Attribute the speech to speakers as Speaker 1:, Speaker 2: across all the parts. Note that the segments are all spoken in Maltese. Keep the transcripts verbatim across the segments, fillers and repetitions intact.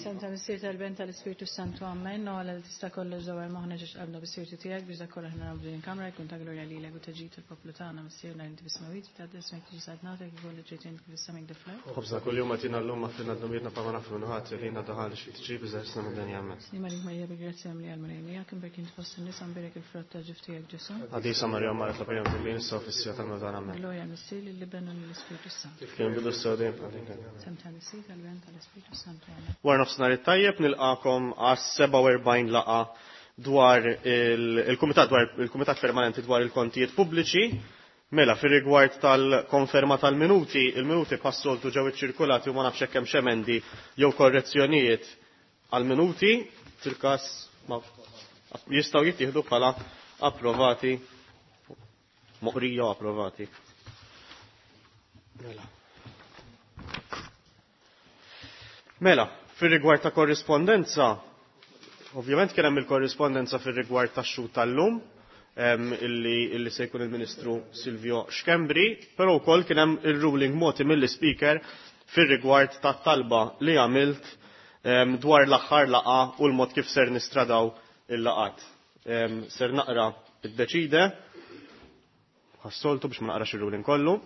Speaker 1: Sem tal-Missier tal-Ben tal-Ispirtu Santu Amen. No għala li tista' kollox dawar moħħna ġiex qabna bis-sirtu tiegħek biex dak kollox naraw din il-kamra jkun ta' glorja lilek u taġid il-poplu tagħna Missierna li inti bis-smawit ta' ismek tiġi saltnatek ikollu ġejt int kif is-sema kif fl-art.
Speaker 2: Ħobżna kull-jum agħtina llum aħfrilna dnubietna bħalma naħfru ħati li lilna daħal xi tiġrib iżda ħlisna mid-dinja. Amen.
Speaker 1: Sliem għalik Marija bi grazzja mimlija l-Mulej miegħek imbierka int fost in-nisa mbierek il-frott ta' ġuf tiegħek Ġesù.
Speaker 2: Qaddisa Marija Omm Alla itlob għalina midinbin issa u fis-siegħa tal-mewt tagħna. Amen.
Speaker 1: Glorja lill-Missier lill-Iben u lill-Ispirtu Santu.
Speaker 2: Kif kien bidu issa u dejjem għal
Speaker 1: Sem tal-Missier tal-Ben tal-Ispirtu Santu. Amen.
Speaker 2: Wara nofsinhar it-tajjeb nilqakom għas sebgħa u erbgħin laqgħa dwar il-Kumitat dwar il-Kumitat Permanenti dwar il-Kontijiet Pubbliċi. Mela, fir-rigward tal-konferma tal-minuti, il-minuti bħas-soltu ġew iċċirkulati u ma nafx hekk hemm emendi jew korrezzjonijiet għal-minuti, fil-każ ma jistgħu jittieħdu bħala approvati, moqrija approvati. Mela. Mela, fir-rigward ta' korrispondenza, ovvjament kien hemm il-korrispondenza fir-rigward tax-xhud tal-lum, illi, illi se jkun il-Ministru Silvio Schembri, però wkoll kien hemm il-ruling mogħti mill-Speaker fir-rigward tat-talba li għamilt dwar l-aħħar laqgħa u l-mod kif ser nistradaw il-laqat. Ser naqra id-deċide, bħas-soltu biex ma naqrax il-ruling kollu.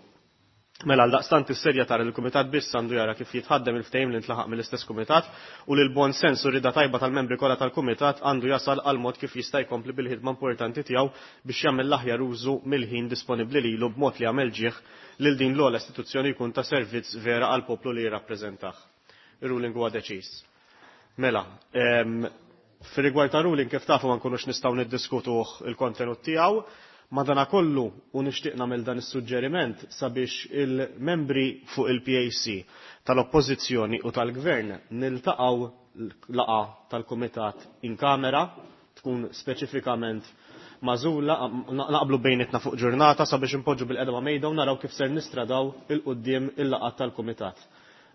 Speaker 2: Mela, għaldaqstant is-sedja tara il-Kumitat biss għandu jara kif jitħaddem il-ftehim li ntlaħaq mill-istess Kumitat u li l-bon sens u rida tajba tal-membri kollha tal-Kumitat għandu jasal għal mod kif jista' jkompli bil-ħidma importanti tiegħu biex jagħmel l-aħjar użu mill-ħin disponibbli lilu b'mod li jagħmel ġieħ lil din l-ogħla istituzzjoni jkun ta' servizz vera għal poplu li jirrappreżentah. Ir-ruling huwa deċiż. Mela, fir-rigward ta' ruling kif tafu ma nkunux nistgħu niddiskutuh il-kontenut tiegħu. Madanakollu u nixtieq nagħmel dan is-suġġeriment sabiex il-membri fuq il-P A C tal-Oppożizzjoni u tal-Gvern niltaqgħu laqgħa tal-Kumitat in kamera tkun speċifikament magħżula, naqblu bejnietna fuq ġurnata sabiex impoġġu bil-qedma mejda u naraw kif ser nistradaw il-quddiem il-laqgħat tal-Kumitat.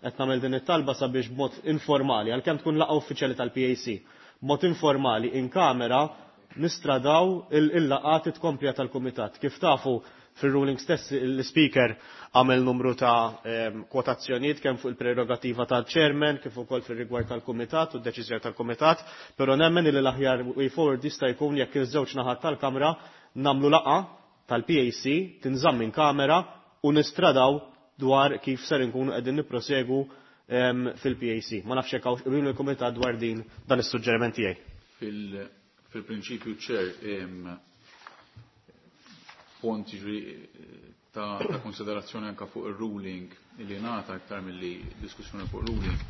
Speaker 2: Qed nagħmel din it-talba sabiex b'mod informali, għalkemm tkun laqgħa uffiċjali tal-P A C, b'mod informali in kamera nistradaw il-laqgħat it-komplija tal-Kumitat. Kif tafu fil-ruling stess l-Speaker għamel numru ta' em, kwotazzjonijiet kemm fuq il-prerogativa tal-Chairman kif ukoll fir-rigward tal-Kumitat u d-deċiżjoni tal-Kumitat, però nemmen li l-aħjar way forward jista' jkun jekk iż-żewġ naħat tal-Kamra nagħmlu laqgħa tal-P A C tinżamm minn kamera u nistradaw dwar kif ser inkunu qegħdin nipprosegu, em, fil-P A C. Ma nafx hekk hawn qbil il-Kumitat dwar din dan is-suġġeriment tiegħi.
Speaker 3: Fil-, Fil-prinċipju ċer, em, punt ġri ta', ta' konsiderazzjoni anka fuq il-ruling li ngħata aktar milli diskussjoni fuq ruling,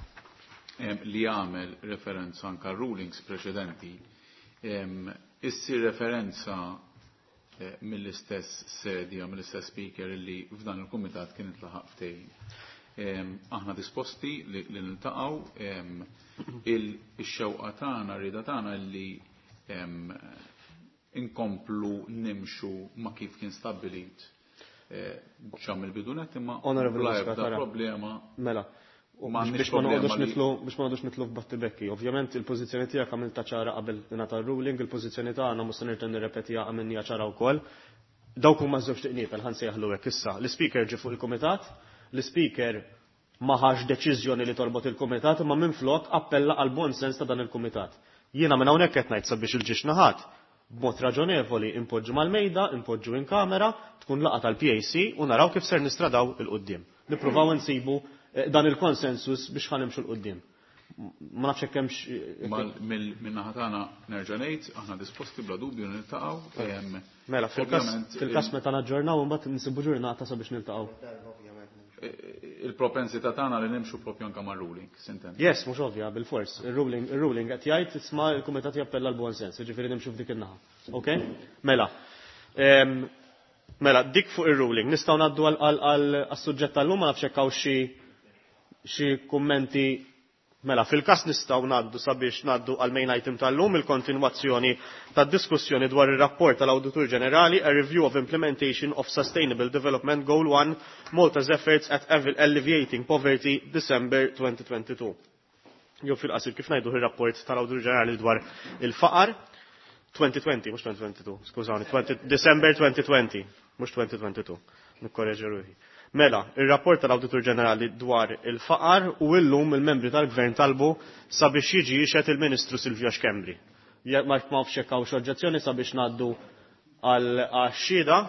Speaker 3: em, li għamel referenza anka rulings preċedenti, em, issir referenza, eh, mill-istess sedja, mill-istess speaker li f'dan il-kumitat kien intlaħaq ftehim. Em, aħna disposti li, li niltaqgħu, em, il-xewqa tagħna, rida tagħna li em, inkomplu nimxu ma kif kien stabbilit, eh, ċam il-bidunet imma
Speaker 2: Honorable
Speaker 3: bla
Speaker 2: Muscat,
Speaker 3: ebda
Speaker 2: ara.
Speaker 3: problema.
Speaker 2: Mela,
Speaker 3: U ma
Speaker 2: biex
Speaker 3: għandniex
Speaker 2: ma noqogħdux
Speaker 3: problema li
Speaker 2: nitlu, biex ma noqogħdux nitlu f'battibekki. Ovvjament il-pożizzjoni tiegħek għamilta ċara qabel ingħata r-ruling, il-pożizzjoni tagħna mhux se nirten nirrepetiha għamilniha ċara wkoll. Dawk huma żewġ tiqniepel ħa nsejjaħlu hekk issa. L-ispeaker ġie fuq il-kumitat, l-ispeaker ma ħax deċiżjoni li torbot il-kumitat, imma minflok appella għal bon sens ta' dan il-kumitat. Jiena minn hawnhekk qed ngħid sabiex il-ġiex naħat b'mod raġonevoli impoġġu mal-mejda, impoġġu in kamera, tkun laqgħa tal-P A C u naraw kif ser nistradaw il-qudiem. Nippruvaw insibu, eh, dan il-konsensus biex ħanimxu l-qudiem. Ma nafx hekk hemmx, eh,
Speaker 3: Mal-, mill-, min-naħa tagħna nerġa' ngħid, aħna disposti bla dubju niltaqgħu, ehm,
Speaker 2: Mela, fil-każ,
Speaker 3: ovvjament,
Speaker 2: fil-każ
Speaker 3: il-
Speaker 2: meta naġġornaw imbagħad nsibu ġurnata sabiex niltaqgħu.
Speaker 3: Il-propensità tagħna li nimxu propju anke mar-ruling, sinten.
Speaker 2: Yes, mhux ovvja, bil-fors. Il-ruling, il-ruling qed jgħid isma' l-kumitat jappella l-buon sens, jiġifieri nimxu f'dik in-naħa. Ok? Mela. Ehm, mela, dik fuq ir-ruling. Nistgħu ngħaddu għal, għal, għal, għas-suġġett tal-lum, ma nafx hekk hawn xi, xi kummenti. Mela, fil-każ nistgħu ngħaddu sabiex ngħaddu għal main item tal-lum, il-kontinwazzjoni tad-diskussjoni dwar ir-rapport tal-Awditur Ġenerali, a review of implementation of Sustainable Development Goal one, Malta's efforts at alleviating poverty, December twenty twenty-two. Jew fil-qasir kif ngħidu ir-rapport tal-Awditur Ġenerali dwar il-faqar, twenty twenty, mhux twenty twenty-two, skużawni, twenty, December twenty twenty, mhux twenty twenty-two, nikkoreġi ruħi. Mela, ir-rapport tal-Awditur Ġenerali dwar il-faqar u illum il-membri tal-Gvern talbu sabiex jiġi jixhed il-Ministru Silvio Schembri. Ma nafx jekk hawnx oġġezzjoni sabiex ngħaddu għal xhieda.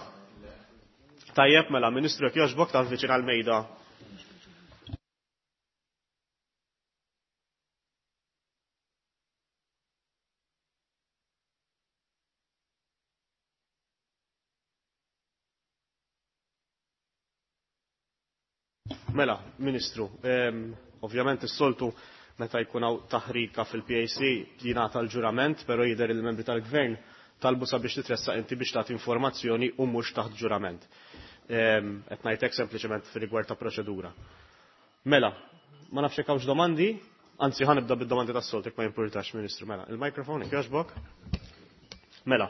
Speaker 2: Tajjeb, mela, Ministru, jekk jogħġbok tavviċina l-mejda. Mela, Ministru, ovvjament is-soltu meta jkun hawn taħrika fil-P A C jingħata l-ġurament, però jidher il-membri tal-Gvern talbu sabiex titressaq inti biex tagħti informazzjoni u mhux taħt ġurament. Qed ngħidlek sempliċement fir-rigward ta' proċedura. Mela, ma nafx jekk hawnx domandi, anzi ħanibda bid-domandi tas-soltu jekk ma jimpurtax, Ministru. Mela, il-mikrofon jekk jogħġbok. Mela,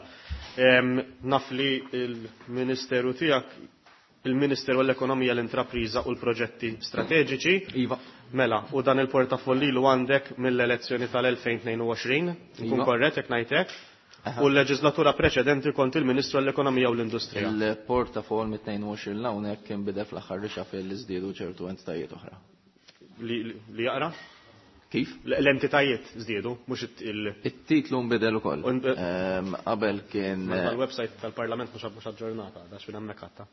Speaker 2: naf li l-Ministeru tiegħek il-Ministeru għall-Ekonomija, l-Intrapriża u l-Proġetti Strateġiċi.
Speaker 4: Iva.
Speaker 2: Mela, u dan il-portafoll lilu għandek mill-elezzjoni tal-elfejn tnejn u għoxrin, nkun korrett jekk ngħidlek, u l-leġislatura preċedenti kont il-Ministru għall-Ekonomija u l-Industrija.
Speaker 4: Il-portafoll mit-tnejn u għoxrin l-hawnhekk kien bidel fl-aħħar rixa fejn li żdiedu ċertu entitajiet oħra.
Speaker 2: Li, li jaqra?
Speaker 4: Kif?
Speaker 2: L-entitajiet żdiedu, mhux il-
Speaker 4: It-titlu nbidel ukoll. Qabel kien
Speaker 2: Mela l-website tal-Parlament mhux mhux aġġornata, għax minn hemmhekk għadha.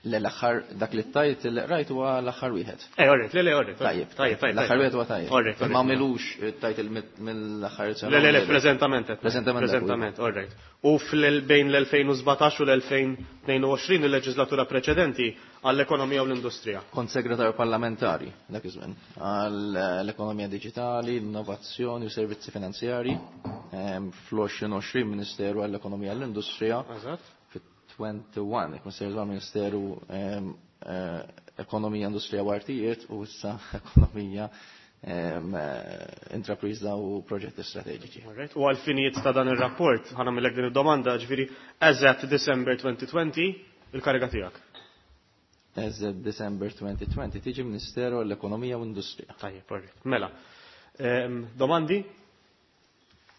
Speaker 4: Le l-aħħar dak li tajt li rajt huwa l-aħħar wieħed.
Speaker 2: Eh, orret, le, le, orret.
Speaker 4: Tajjeb,
Speaker 2: tajjeb, tajjeb.
Speaker 4: L-aħħar wieħed huwa tajjeb.
Speaker 2: Orret, orret.
Speaker 4: Ma għamilux tajt mill-aħħar sena.
Speaker 2: Le, le, le, preżentament qed.
Speaker 4: Preżentament dak
Speaker 2: Preżentament, orret. U fil-bejn l-elfejn u sbatax u l-elfejn tnejn u għoxrin il-leġislatura preċedenti għall-ekonomija u l-industrija.
Speaker 4: Kont segretarju parlamentari dak iż-żmien għall-ekonomija diġitali, l-innovazzjoni u servizzi finanzjari, fl-għoxrin għoxrin Ministeru għall-Ekonomija u l-Industrija.
Speaker 2: Eżatt.
Speaker 4: twenty-one, jekk Ministeru għal Ministeru Ekonomija, Industrija u Artijiet u issa Ekonomija, Intrapriża u Proġetti Strateġiċi.
Speaker 2: Alright, u għal-finijiet ta' dan ir-rapport, ħa nagħmilek din id-domanda, ġifieri as at December twenty twenty, il-kariga tiegħek.
Speaker 4: As at December twenty twenty tiġi Ministeru għall-Ekonomija u Industrija.
Speaker 2: Tajjeb, alright. Mela, domandi?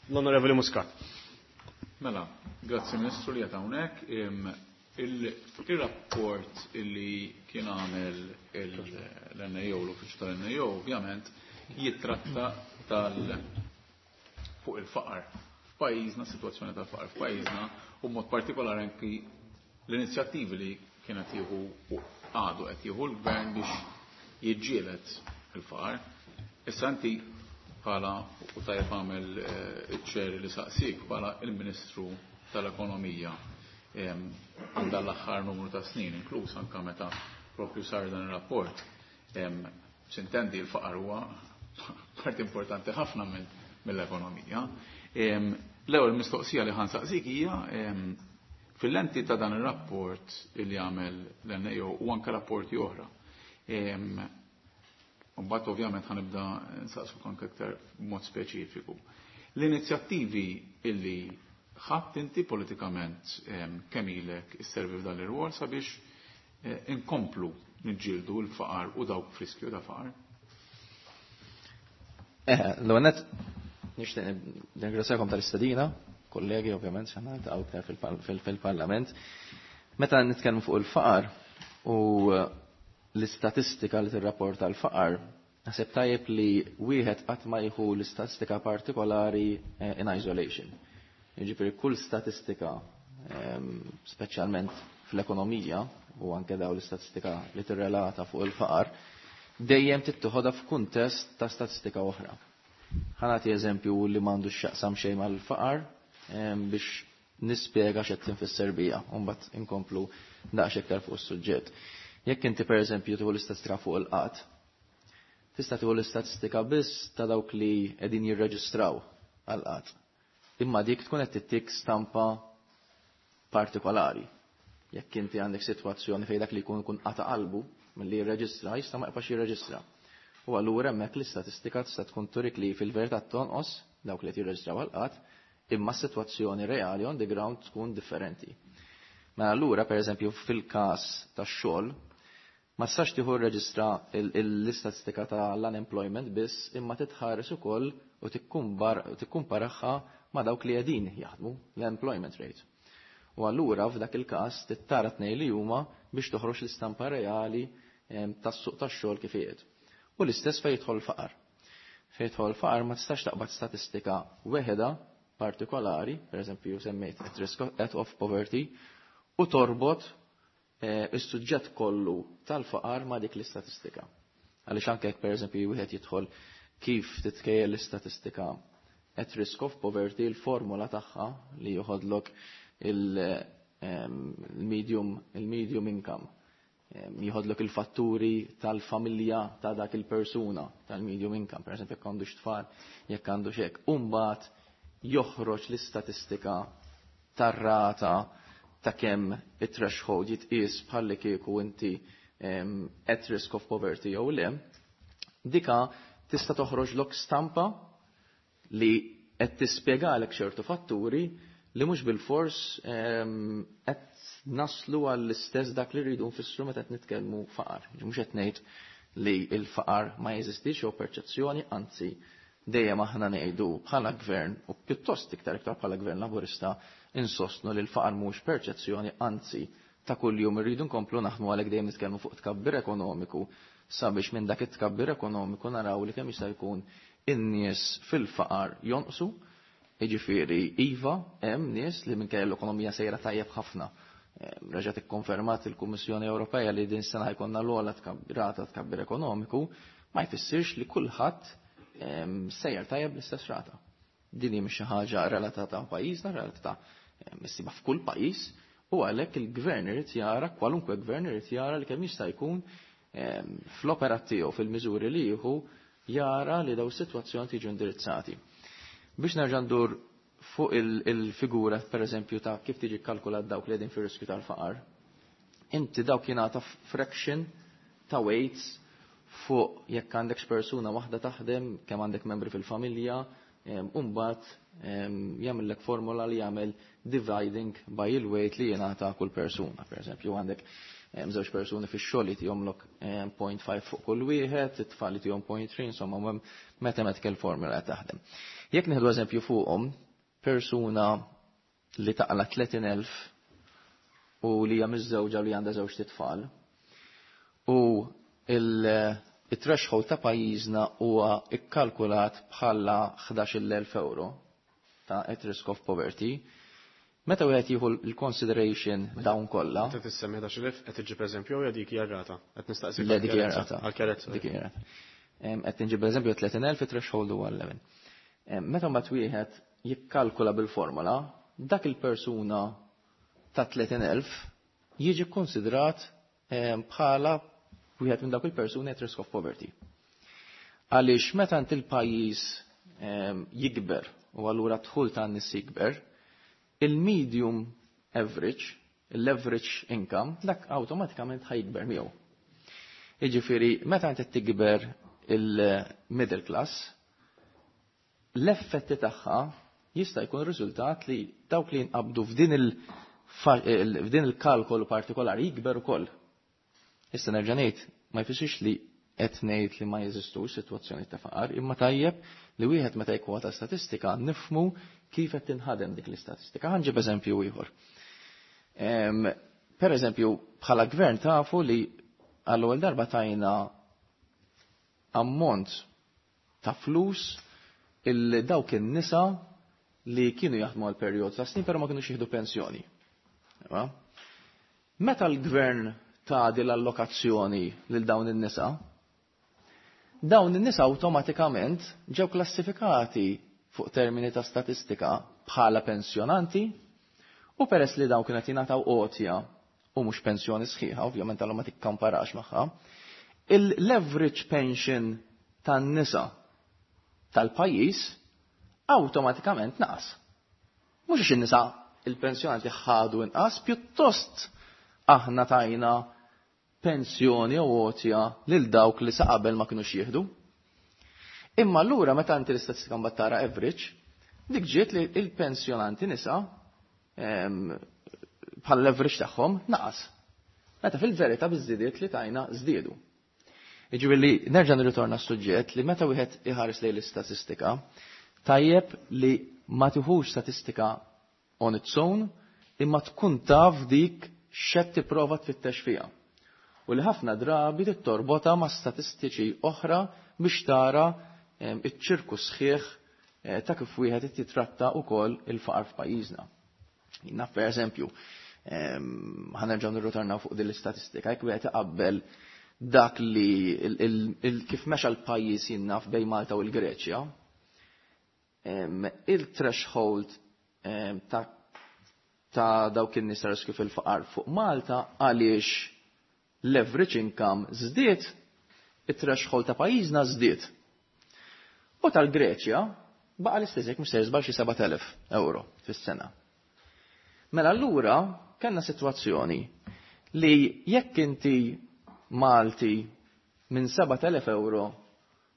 Speaker 2: L-Onorevoli Muscat.
Speaker 3: Mela, grazzi Ministru li qed hawnhekk. Il-rapport illi kien għamel l-N A O, l-Uffiċċju tal-N A O, ovvjament, jitratta tal fuq il-faqar f'pajjiżna, situazzjoni tal-faqar f'pajjiżna, u mod partikolari anki l-inizjattivi li kienet jieħu u għadu qed jieħu l-gvern biex jiġġieled il-faqar. Issa inti bħala, u tajjeb għamel iċ-ċeri li saqsik, bħala il-Ministru tal-Ekonomija għandha l-aħħar numru ta' snin, inkluż anke meta propju sar dan ir-rapport. Sintendi l-faqar huwa parti importanti ħafna mill-ekonomija. L-ewwel mistoqsija li ħansaqsik hija fil-lenti ta' dan ir-rapport li għamel l-N A O u anke rapporti oħra. Mbagħad ovvjament ħanibda nsaqsuk anke aktar b'mod speċifiku. L-inizjattivi illi ħadd inti politikament kemm ilek isservi f'dan ir-rwol sabiex inkomplu niġġieldu l-faqar u dawk f'riskju ta' faqar?
Speaker 4: Eh, l-ewwel nett nixtieq nirringrazzjakom tal-istedina, kollegi ovvjament x'aħna niltaqgħu aktar fil-Parlament. Meta nitkellmu fuq il-faqar u l-istatistika li tirrapporta l-faqar, naħseb tajjeb li wieħed qatt ma jieħu l-istatistika partikolari in isolation. Jiġifieri kull statistika, speċjalment fl-ekonomija u anke daw l-istatistika li tirrelata fuq il-faqar, dejjem tittoħodha f'kuntest ta' statistika oħra. Ħa nagħti eżempju li m'għandux x'jaqsam xejn mal-faqar biex nispjega x'qed tinfisser bija, u mbagħad inkomplu daqs iktar fuq is-suġġett. Jekk inti pereżempju tieħu l-istatistika fuq il-qatt, tista' tieħu l-istatistika biss ta' dawk li qegħdin jirreġistraw għall-qatt. Imma dik tkun qed tittik stampa partikolari. Jekk inti għandek sitwazzjoni fejn dak li jkun ikun qata' qalbu milli jirreġistra, jista' ma jibqax jirreġistra. U allura hemmhekk l-istatistika tista' tkun turik li fil-verità tonqos dawk li qed jirreġistraw għall-qatt, imma s-sitwazzjoni reali on the ground tkun differenti. Mela allura pereżempju fil-każ tax-xogħol ma tistax tieħu rreġistra l-istatistika tal-unemployment biss, imma titħares ukoll u tikkumparaha ma' dawk li qegħdin jaħdmu l-employment rate. U allura f'dak il-każ tittara tnejn li huma biex toħroġ l-istampa reali tas-suq tax-xogħol kif qiegħed. U l-istess fejn jidħol faqar. Fejn jidħol faqar ma tistax taqbad statistika weħeda partikolari, per eżempju semmejt at risk of poverty, u torbot is-suġġett kollu tal-faqar ma' dik l-istatistika. Għaliex anke jekk per eżempju wieħed jidħol kif titkejjel l-istatistika at risk of poverty, il-formula tagħha li joħodlok il-medium il-medium income, jieħodlok il-fatturi tal-familja ta' dak il-persuna tal-medium income, per eżempju jekk għandux tfal, jekk għandux hekk, u mbagħad joħroġ l-istatistika tar-rata ta' kemm it-threshold jitqies bħalli kieku inti at risk of poverty jew le, dika tista' toħroġlok stampa li qed tispjegalek ċertu fatturi li mhux bil-fors qed naslu għall-istess dak li rridu nfissru meta qed nitkellmu faqar. Mhux qed ngħid li l-faqar ma jeżistix jew perċezzjoni, anzi dejjem aħna ngħidu bħala gvern u pjuttost iktar iktar bħala gvern Laburista insostnu li l-faqar mhux perċezzjoni, anzi ta' kuljum irridu nkomplu naħdmu għalhekk dejjem nitkellmu fuq tkabbir ekonomiku sabiex minn dak it-tkabbir ekonomiku naraw li kemm jista' jkun in-nies fil-faqar jonqsu. Jiġifieri iva hemm nies li minkejja l-ekonomija sejra tajjeb ħafna. Reġgħet ikkonfermat il-Kummissjoni Ewropea li din sena jkollna l-ogħla rata tkabbir ekonomiku, ma jfissirx li kulħadd sejjer tajjeb l-istess rata. Din hi mhix xi ħaġa relatata ma' pajjiżna, relatata issibha f'kull pajjiż, u għalhekk il-gvern irid jara, kwalunkwe gvern irid jara li kemm jista' jkun fl-operat tiegħu fil-miżuri li jieħu jara li daw is-sitwazzjoni tiġu indirizzati. Biex nerġa' ndur fuq il-figura per eżempju ta' kif tiġi kkalkulat dawk li qegħdin fir-riskju tal-faqar, inti dawk jingħata fraction ta' weights fuq jekk għandek persuna waħda taħdem, kemm għandek membri fil-familja, u mbagħad jagħmellek formula li jagħmel dividing by il-weight li jingħata kull persuna. Per eżempju għandek żewġ persuni fix-xogħol li tihomlok point five fuq kull wieħed, it-tfal li tihom point three, insomma hemm mathematical formula qed taħdem. Jekk nieħdu eżempju fuqhom, persuna li taqla tletin elf u li hija miżżewġa li għandha żewġ titfal, u il-threshold ta' pajjiżna huwa ikkalkulat bħala ħdax-il elf euro ta' at risk of poverty. Meta wieħed jieħu l-consideration dawn kollha.
Speaker 2: Meta tissemmi ħdax-il elf qed iġġib eżempju jew dik hija rata? Qed nistaqsik
Speaker 4: Le, dik hija rata.
Speaker 2: għal kjarezza.
Speaker 4: Dik hija rata. Qed inġib eżempju tletin elf threshold huwa eleven. Meta mbagħad wieħed jikkalkula bil-formula, dak il-persuna ta' tletin elf jiġi kkonsidrat bħala wieħed minn dawk il-persuni at risk of poverty. Għaliex meta int il-pajjiż jikber u allura dħul ta' nies jikber, il-medium average, l-average income, dak awtomatikament ħajkber miegħu. Jiġifieri, meta inti tikber il-middle class, l-effetti tagħha jista' jkun riżultat li dawk li jinqabdu f'din il-, f'din il-kalkolu partikolari jikber ukoll. Issa nerġa' ngħid, ma jfissirx li qed ngħid li ma jeżistux sitwazzjoni ta' faqar, imma tajjeb li wieħed meta jkwota statistika nifhmu kif qed tinħadem dik l-istatistika. Ħa nġib eżempju ieħor. Per eżempju, bħala gvern tafu li għall-ewwel darba tajna ammont ta' flus il dawk in-nisa li kienu jaħdmu għal perjodu ta' snin però ma kinux jieħdu pensjoni. Meta l-gvern ta' din l-allokazzjoni lil dawn in-nisa, dawn in-nisa awtomatikament ġew klassifikati fuq termini ta' statistika bħala pensjonanti, u peress li dawn kienu qed jingħataw għotja u mhux pensjoni sħiħa, ovvjament allura ma tikkamparax magħha, il-leverage pension tan-nisa tal-pajjiż awtomatikament naqas. Mhux għax in-nisa il-pensjonanti ħadu inqas, pjuttost aħna tajna pensjoni u għotja lil dawk li sa qabel ma kinux jieħdu. Imma allura meta inti l-istatistika mbagħad tara average, dik ġiet li il-pensjonanti nisa, em, bħal leverage tagħhom naqas. Meta fil-verità biż-żidiet li tajna żdiedu. Jiġifieri nerġa' nirritorna s-suġġett li meta wieħed iħares lejn l-istatistika, tajjeb li ma tiħux statistika on its own, imma tkun taf dik x'qed tipprova tfittex fiha. U li ħafna drabi tittorbota ma' statistiċi oħra biex tara iċ-ċirku sħiħ ta' kif wieħed titratta wkoll il-faqar f'pajjiżna. Naf per eżempju, ħa nerġgħu nirritornaw fuq din l-istatistika, jekk wieħed iqabbel dak li kif mexa l-pajjiż jinnaf bejn Malta u l-Greċja, il-threshold ta' ta' dawk in-nies riskju fil-faqar fuq Malta għaliex l-average income żdied, it-threshold ta' pajjiżna żdied. U tal-Greċja baqa' l-istess, jekk mhux se żball, xi sebat elef euro fis-sena. Mela allura kellna sitwazzjoni li jekk inti Malti minn sebat elef euro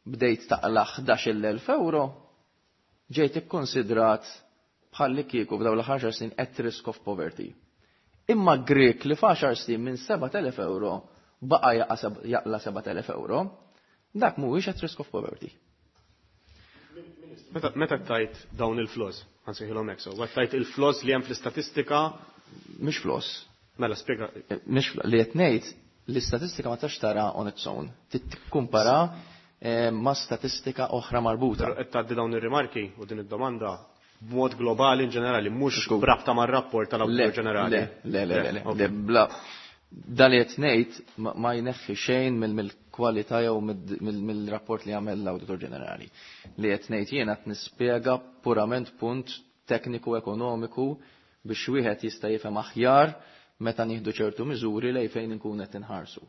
Speaker 4: bdejt taqla ħdax-il elf euro, ġejt ikkonsidrat bħalli kieku f'dawn l-għaxar snin at risk of poverty. Imma Grek li f'għaxar snin minn sebat elef euro baqa jaqla sebat elef euro, dak mhuwiex at risk of poverty.
Speaker 2: Meta tajt dawn il-flaws, ħa nsejħilhom hekk, so, tajt il-flaws li hemm fl-istatistika?
Speaker 4: Mhix flaws.
Speaker 2: Mela, spjega.
Speaker 4: Mhix li qed ngħid, l-istatistika ma tax tara on its own. Tikkumpara eh, ma' statistika oħra marbuta.
Speaker 2: Qed tgħaddi dawn ir-rimarki u din id-domanda b'mod globali in ġenerali, mhux b'rabta mar-rapport tal-Awditur Ġenerali.
Speaker 4: Le, le, le, le, le, bla. Dan li qed ngħid ma jneħħi xejn mill-kwalità jew mill-rapport li għamel l-Awditur Ġenerali. Li qed ngħid jiena, qed nispjega purament punt tekniku ekonomiku biex wieħed jista' jifhem aħjar meta nieħdu ċertu miżuri lej fejn inkun qed inħarsu.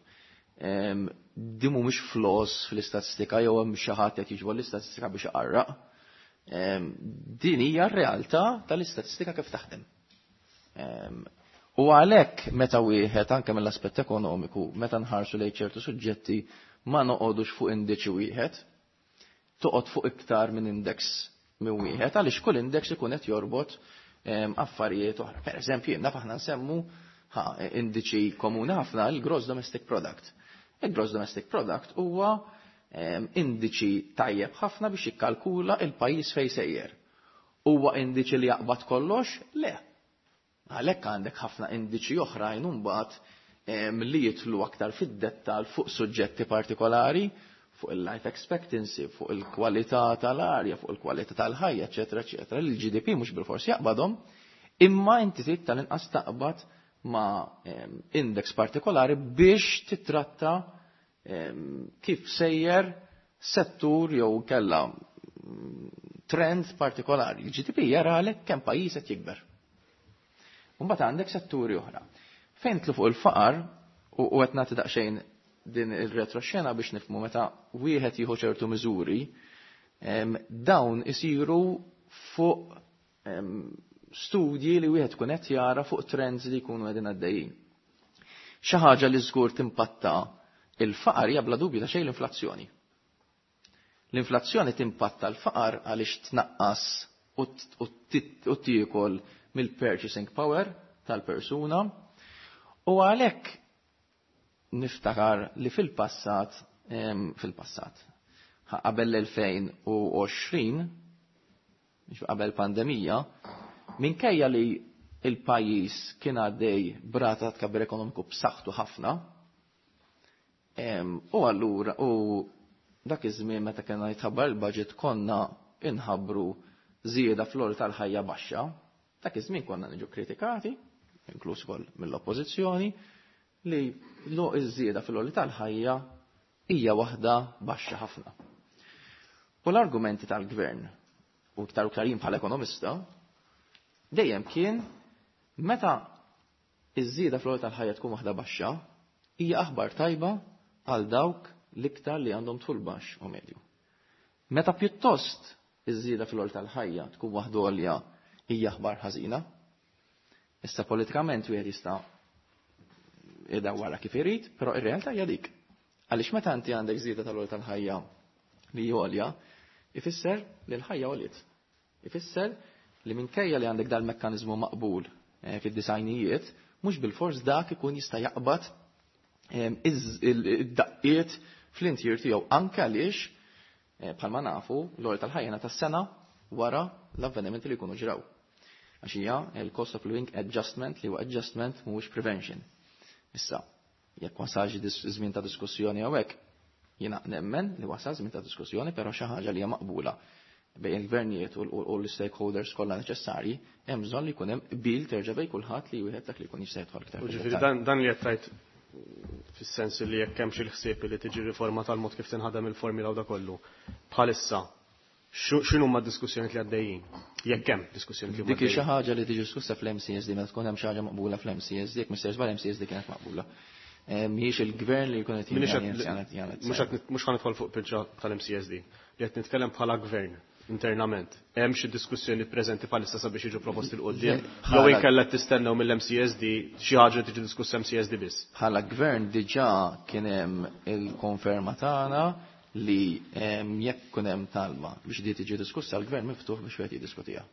Speaker 4: Din mhumiex flaws fl-istatistika jew hemm xi ħadd qed jiġbor l-istatistika biex iqarraq. Din hija r-realtà tal-istatistika kif taħdem. U għalhekk meta wieħed anke mill-aspett ekonomiku, meta nħarsu lejn ċertu suġġetti, ma noqogħdux fuq indiċi wieħed, toqgħod fuq iktar minn index minn wieħed, għaliex kull index ikun qed jorbot affarijiet oħra. Per eżempju, naf aħna nsemmu indiċi komuni ħafna, il-gross domestic product. Il-gross domestic product huwa indiċi tajjeb ħafna biex jikkalkula il-pajjiż fej sejjer. Huwa indiċi li jaqbad kollox? Le. Għalhekk għandek ħafna indiċi oħrajn imbagħad li jidħlu aktar fid-dettal fuq suġġetti partikolari, fuq il-life expectancy, fuq il-kwalità tal-arja, fuq il-kwalità tal-ħajja, eċetera, eċetera. Il-G D P mhux bil-fors jaqbadhom, imma inti trid tal-inqas taqbad ma' index partikolari biex titratta kif sejjer settur jew kella mm, trend partikolari. Il-G D P jaralek kemm pajjiż qed jikber. Mbagħad għandek setturi oħra. Fejn tlu fuq il-faqar, u qed nagħti daqsxejn din il-retroxena biex nifhmu, meta wieħed jieħu ċertu miżuri, dawn isiru fuq studji li wieħed kun qed jara fuq trends li jkunu qegħdin għaddejjin. Xi ħaġa li żgur timpatta il-faqar hija bla dubju ta' xejn l-inflazzjoni. L-inflazzjoni timpatta l-faqar għaliex tnaqqas u tiekol mill-purchasing power tal-persuna, u għalhekk niftakar li fil-passat fil-passat qabel l-elfejn u għoxrin, qabel pandemija, minkejja li il-pajjiż kien għaddej b'rata tkabbir ekonomiku b'saħħtu ħafna, u allura u dak iż-żmien meta kena jitħabbar il-budget konna inħabbru żieda fl tal-ħajja baxxa, dak iż-żmien konna niġu kritikati, inkluż ukoll mill-oppożizzjoni, li lo iż-żieda fil tal-ħajja hija waħda baxxa ħafna. U l-argumenti tal-gvern, u iktar u iktar jien bħala ekonomista, dejjem kien meta iż-żieda fl tal-ħajja tkun waħda baxxa, hija aħbar tajba għal dawk l-iktar li għandhom dħul baxx u medju. Meta pjuttost iż-żieda fil tal-ħajja tkun waħda għolja, hija aħbar ħażina. Issa politikament wieħed jista' idawwara kif irid, però ir-realtà hija dik. Għaliex meta inti għandek żieda tal tal-ħajja li għolja, ifisser li l-ħajja għoliet. Ifisser li minkejja li għandek dal-mekkaniżmu maqbul eh, fid-disajnijiet, mhux bil-fors dak ikun jista' jaqbad id-daqqiet fl-intier tiegħu, anke għaliex eh, bħalma nafu l-għoli tal-ħajja tas-sena wara l-avvenimenti li jkunu ġraw. Għax hija il-cost of living adjustment, li huwa adjustment, mhuwiex prevention. Issa, Jekk wasalx żmien ta' diskussjoni hawnhekk, jiena nemmen li wasal żmien ta' diskussjoni, però xi ħaġa li hija maqbula bejn il-gvernijiet u l-stakeholders kollha neċessarji, hemm bżonn li jkun hemm qbil terġa' bejn kulħadd li wieħed dak li jkun jista' jidħol iktar.
Speaker 2: Ġifieri dan li qed tgħid fis-sens li jekk hemm xi ħsieb li tiġi riforma tal-mod kif tinħadem il-formula u da kollu. Bħalissa x'inhu ma diskussjonijiet li għaddejjin? Jekk hemm diskussjonijiet li
Speaker 4: Dik xi ħaġa li tiġi diskussa fl-M C S D meta tkun hemm xi ħaġa maqbula fl-M C S D, jekk Mister Żball M C S D kienet maqbula. Mhijiex il-gvern li jkun qed.
Speaker 2: Mhux ħa nidħol fuq biċċa tal-M C S D. Li qed nitkellem bħala gvern internament. Hemm xi diskussjoni preżenti bħalissa sabiex jiġu proposti 'l quddiem? Jew inkella tistennew mill-M C S D xi ħaġa tiġi diskussa M C S D biss?
Speaker 4: Bħala gvern diġà kien hemm il-konferma tagħna li jekk kun hemm talba biex di tiġi diskussa, l-gvern miftuħ biex wieħed jiddiskutiha.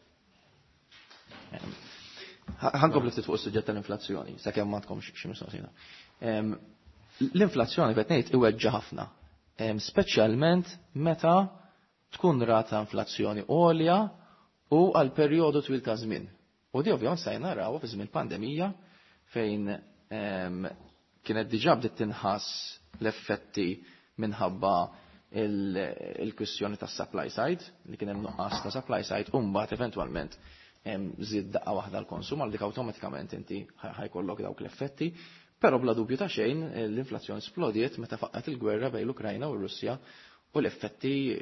Speaker 4: Ħa nkompli ftit fuq is-suġġett tal-inflazzjoni, sakemm ma tkomx xi mistoqsija. L-inflazzjoni qed ngħid iweġġa' ħafna, speċjalment meta tkun rata inflazzjoni għolja u għal perjodu twil ta' żmien. U di ovvjament sa naraw fi żmien pandemija fejn kienet diġà bdiet tinħass l-effetti minħabba il-kwistjoni tas supply side, li kien hemm nuqqas ta' supply side, u mbagħad eventwalment żied daqqa waħda l-konsum, għal dik awtomatikament inti ħa jkollok dawk l-effetti. Però bla dubju ta' xejn l-inflazzjoni splodiet meta faqqat il-gwerra bejn l-Ukrajna u r-Russja u l-effetti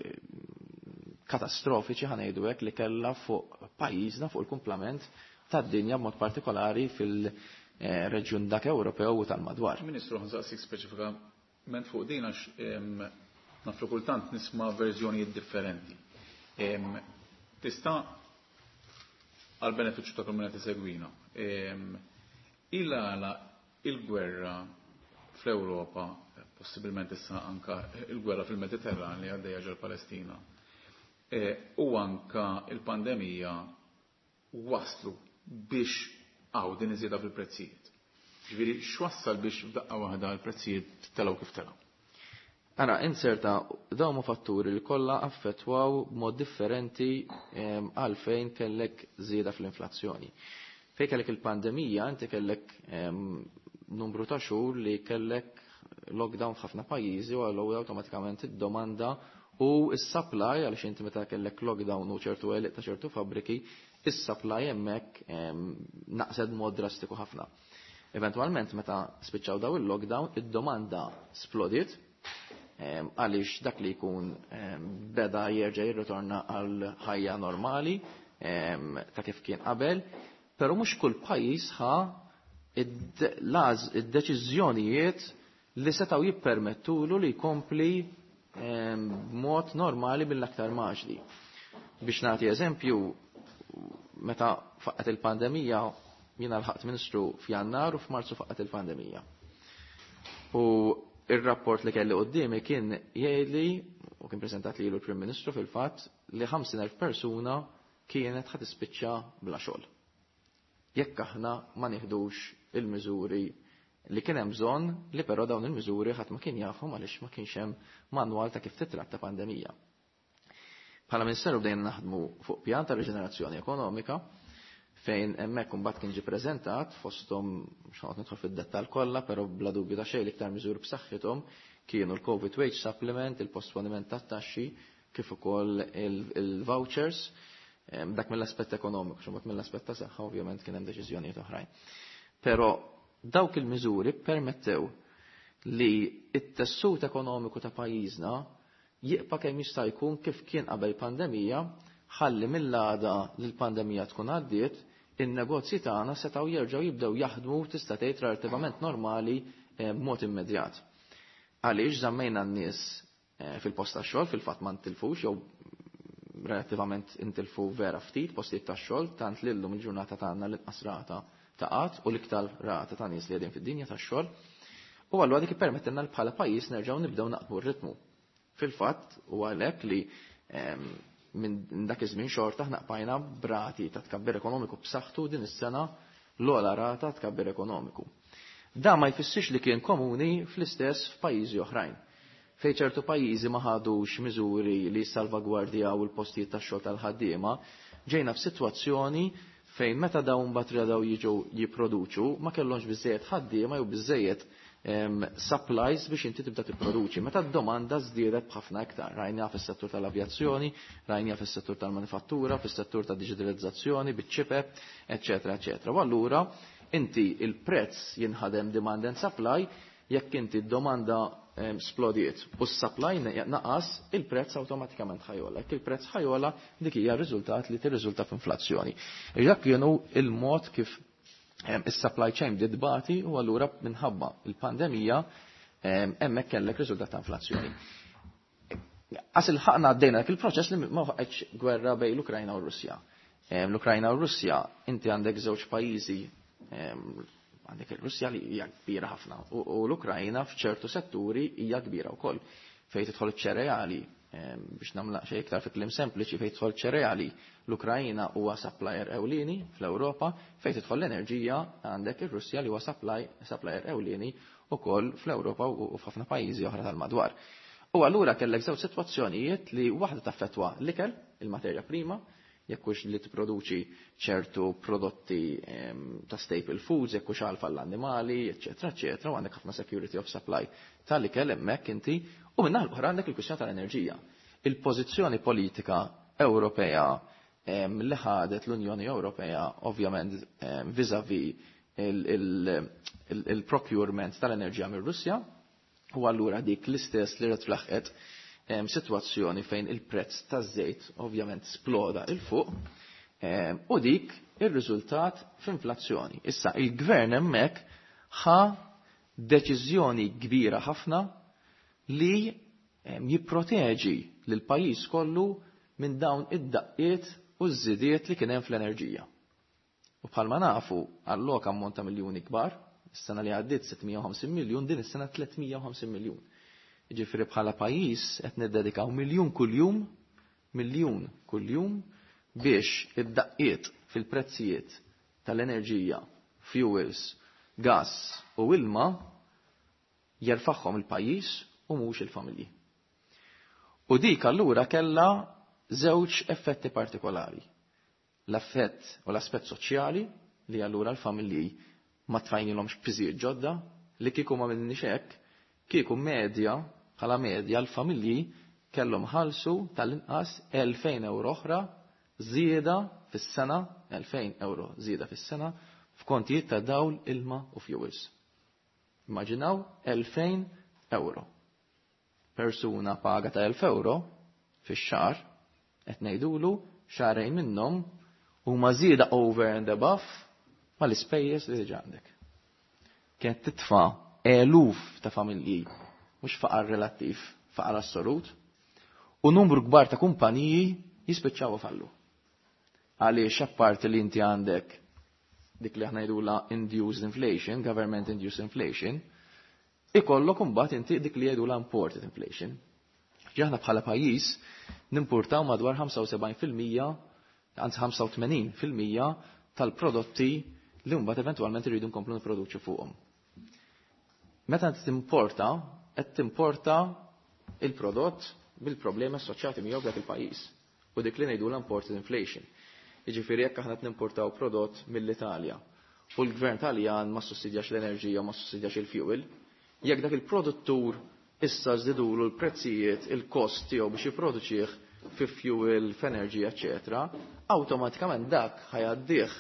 Speaker 4: katastrofiċi, ħa ngħidu hekk, li kellha fuq pajjiżna, fuq il-kumplament tad-dinja, b'mod partikolari fil-reġjun dak Ewropew u tal-madwar.
Speaker 3: Ministru, ħa nsaqsik speċifikament fuq din għax naf li kultant nisma' verżjonijiet differenti. Tista' għal benefiċċju ta' kull segwina. Il-għala il-gwerra fl-Ewropa, possibilment issa anka il-gwerra fil-Mediterran li għaddejja ġol Palestina, e, u anka il-pandemija waslu biex għaw din iżjeda fil-prezzijiet? Ġifieri, x'wassal biex f'daqqa waħda l-prezzijiet telgħu kif telgħu?
Speaker 4: Ara, inserta, dawn huma fatturi li kollha affettwaw b'mod differenti għalfejn kellek żieda fl-inflazzjoni. Fejn kellek il-pandemija, inti kellek numru ta' xhur li kellek lockdown f'ħafna pajjiżi u allura awtomatikament id-domanda u s-supply, għaliex inti meta kellek lockdown u ċertu għeliq ta' ċertu fabbriki, is-supply hemmhekk naqset mod drastiku ħafna. Eventualment meta spiċċaw daw il-lockdown, id-domanda splodiet għaliex dak li jkun beda jerġa' jirritorna għal ħajja normali ta' kif kien qabel, però mhux kull pajjiż ħa id-deċiżjonijiet li setaw jippermettulu li jkompli b'mod normali bil-aktar maġli. Biex nagħti eżempju, meta faqqet il-pandemija, jiena lħaqt ministru f'Jannar u f'Marzu faqqet il-pandemija. U il-rapport li kelli qoddimi kien jgħidli, u kien prezentat li l-Prim Ministru fil-fatt, li ħamsin elf persuna kienet ħa tispiċċa bla xogħol jekk aħna ma nieħdux il-miżuri li kien hemm bżonn, li però dawn il-miżuri ħadd ma kien jafhom għaliex ma kienx hemm manwal ta' kif titratta pandemija. Bħala Ministeru bdejna naħdmu fuq pjan ta' riġenerazzjoni ekonomika fejn hemmhekk imbagħad kien ġie preżentat fosthom, mhux nidħol fid-dettall kollha, però bla dubju ta' xejn l-iktar miżuri b'saħħithom kienu l-Covid Wage Supplement, il-posponiment tat-taxxi, kif ukoll il-vouchers, dak mill-aspett ekonomiku, xumbat mill-aspett ta' saħħa ovvjament kien hemm deċiżjonijiet oħrajn. Però dawk il-miżuri permettew li it-tessut ekonomiku ta' pajjiżna jibqa' kemm jista' jkun kif kien qabel pandemija, ħalli mill-għada li l-pandemija tkun għaddiet, in-negozji tagħna setgħu jerġgħu jibdew jaħdmu, tista' tgħid, relattivament normali eh, b'mod immedjat. Għaliex żammejna n-nies eh, fil-post tax-xogħol, fil-fatt ma ntilfux jew relattivament intilfu vera ftit postijiet tax-xogħol, tant li llum il-ġurnata tagħna l-inqas rata ta' qgħad u l-iktar rata ta' nies li qegħdin fid-dinja tax-xogħol. U allura dik ippermettilna li bħala pajjiż nerġgħu nibdew naqbdu r-ritmu. Fil-fatt u għalhekk li minn dak iż-żmien xorta aħna qbajna b'rati ta' tkabbir ekonomiku b'saħħtu, din is-sena l-ogħla rata tkabbir ekonomiku. Da ma jfissirx li kien komuni fl-istess f'pajjiżi oħrajn. Fej ċertu pajjiżi ma ħadux miżuri li salvagwardjaw il-postijiet tax-xogħol tal-ħaddiema, ġejna f'sitwazzjoni Fejn meta dawn mbagħad daw jiġu jipproduċu ma kellhomx biżejjed ħaddiema jew biżejjed supplies biex inti tibda tipproduċi. Meta d-domanda żdiedet b'ħafna iktar. Rajna fis-settur tal-avjazzjoni, rajna fis-settur tal-manifattura, fis-settur tad-diġitalizzazzjoni, biċ-ċipep, eċetera, eċetera. U allura inti il-prezz jinħadem demand and supply, jekk inti d-domanda splodiet u s-supply naqas, il-prezz awtomatikament ħajola. Jekk il-prezz ħajola, dik hija r-riżultat li tirriżulta f'inflazzjoni. Dak kienu il-mod kif is-supply chain bdiet tbati u allura minħabba il-pandemija hemmhekk kellek riżultat ta' inflazzjoni. Għas il-ħaqna għaddejna dak il-proċess li ma waqgħetx gwerra bejn l-Ukrajna u r-Russja. L-Ukrajna u r-Russja inti għandek żewġ pajjiżi, għandek il-Russja li hija kbira ħafna u l-Ukrajna f'ċertu setturi hija kbira wkoll. Fejn tidħol ċereali, biex nagħmla xejn iktar fi kliem sempliċi, fejn tidħol ċereali l-Ukrajna huwa supplier ewlieni fl-Ewropa, fejn tidħol l-enerġija għandek ir-Russja li huwa supplier ewlieni wkoll fl-Ewropa u f'ħafna pajjiżi oħra tal-madwar. U allura kellek żewġ sitwazzjonijiet li waħda taffettwa l-ikel, il-materja prima, jekk hux li tipproduċi ċertu prodotti ta' staple foods, jekk hux għalf għall-annimali, eċetera, eċetera, u għandek ħafna security of supply tal-ikel hemmhekk inti, u minn naħa l-oħra għandek il-kwistjoni tal-enerġija. Il-pożizzjoni politika Ewropea li ħadet l-Unjoni Ewropea ovvjament vis-à-vis il-procurement tal-enerġija mir-Russja, u allura dik l-istess li rrid situazzjoni fejn il-prezz taż-żejt ovvjament sploda il fuq u dik ir-riżultat f'inflazzjoni. Issa il-gvern hemmhekk ħa deċiżjoni kbira ħafna li jipproteġi lil pajjiż kollu minn dawn id-daqqiet u ż-żidiet li kien hemm fl-enerġija. U bħalma nafu alloka ammont ta' miljuni kbar, is-sena li għaddiet sitt mija u ħamsin miljun, din is-sena tliet mija u ħamsin miljun. Ġifieri bħala pajjiż qed niddedikaw miljun kuljum, miljun kuljum biex id-daqqiet fil-prezzijiet tal-enerġija, fuels, gas u ilma jerfaħħom il-pajjiż u mhux il-familji. U dik allura kellha żewġ effetti partikolari. L-effett u l-aspett soċjali li allura l-familji ma tfajnilhomx piżijiet ġodda li kieku ma minniex hekk, kieku medja, bħala medja l-familji kellhom ħalsu tal-inqas elfejn euro oħra żieda fis-sena, elfejn euro żieda fis-sena f'kontijiet ta' dawl, ilma u fuels. Immaġinaw elfejn euro. Persuna paga ta' elf euro fix-xahar qed ngħidulu xahrejn minnhom huma żieda over and above mal-ispejjeż li diġà għandek. Kienet titfa' eluf ta' familji, mhux faqar relattiv, faqar assolut, u numru kbar ta' kumpaniji jispiċċaw fallu. Għaliex apparti li inti għandek dik li aħna ngħidulha induced inflation, government induced inflation, ikollok imbagħad inti dik li jgħidulha imported inflation. Aħna bħala pajjiż nimportaw madwar ħamsa u sebgħin fil-mija, anzi ħamsa u tmenin fil-mija tal-prodotti li mbagħad eventwalment irridu nkomplu nipproduċu fuqhom. Meta timporta, qed timporta il-prodott bil-problemi assoċjati miegħu f'dak il-pajjiż. U dik li ngħidu l-imported inflation. Jiġifieri jekk aħna nimportaw prodott mill-Italja u l-gvern Taljan ma sussidjax l-enerġija, ma sussidjax il-fuel, jekk dak il-produttur issa żdidulu l-prezzijiet, il-kost tiegħu biex jipproduċih fi fuel, f'enerġija, eċetera, awtomatikament dak ħajaddih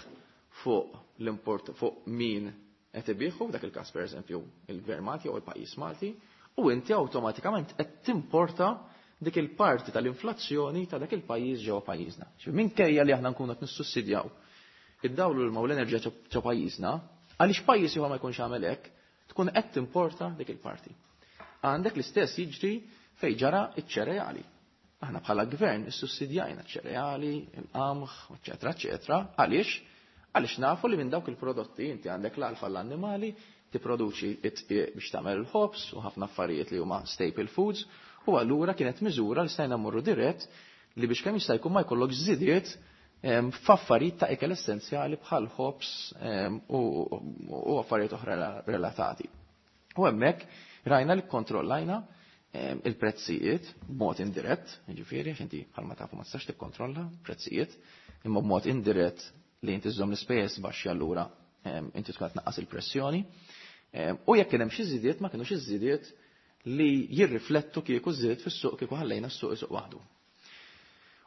Speaker 4: fuq l-import, fuq min qed ibieħu, f'dak il-każ pereżempju il-Gvern Malti jew il-pajjiż Malti, u inti awtomatikament qed timporta dik il-parti tal-inflazzjoni ta' dak il-pajjiż ġewwa pajjiżna. Ġifieri minkejja li aħna nkunu qed nissussidjaw id-dawl u l-ilma u l-enerġija ġo pajjiżna, għaliex pajjiż ieħor ma jkunx għamel hekk, tkun qed timporta dik il-parti. Għandek l-istess jiġri fejn ġara iċ-ċereali. Aħna bħala gvern issussidjajna ċ-ċereali, il-qamħ, eċetera, eċetera. Għaliex? Għaliex nafu li minn dawk il-prodotti inti għandek l-alfa l-annimali, tipproduċi it-tqiq biex tagħmel il-ħobż u ħafna affarijiet li huma staple foods, u allura kienet miżura li stajna mmorru dirett li biex kemm jista' jkun ma jkollok żidiet, em, f'affarijiet ta' ikel essenzjali bħal ħobż, em, u, u affarijiet oħra relatati. U hemmhekk rajna li kontrollajna, em, il-prezzijiet b'mod indirett, jiġifieri għax inti bħalma tafu ma tistax tikkontrolla prezzijiet, imma b'mod indirett li inti żżomm l-ispejjeż baxxi allura inti tkun qed tnaqqas il-pressjoni. U jekk kien hemm xi żidiet ma kinux iż-żidiet li jirriflettu kieku żidiet fis-suq kieku ħallejna s-suq isuq waħdu.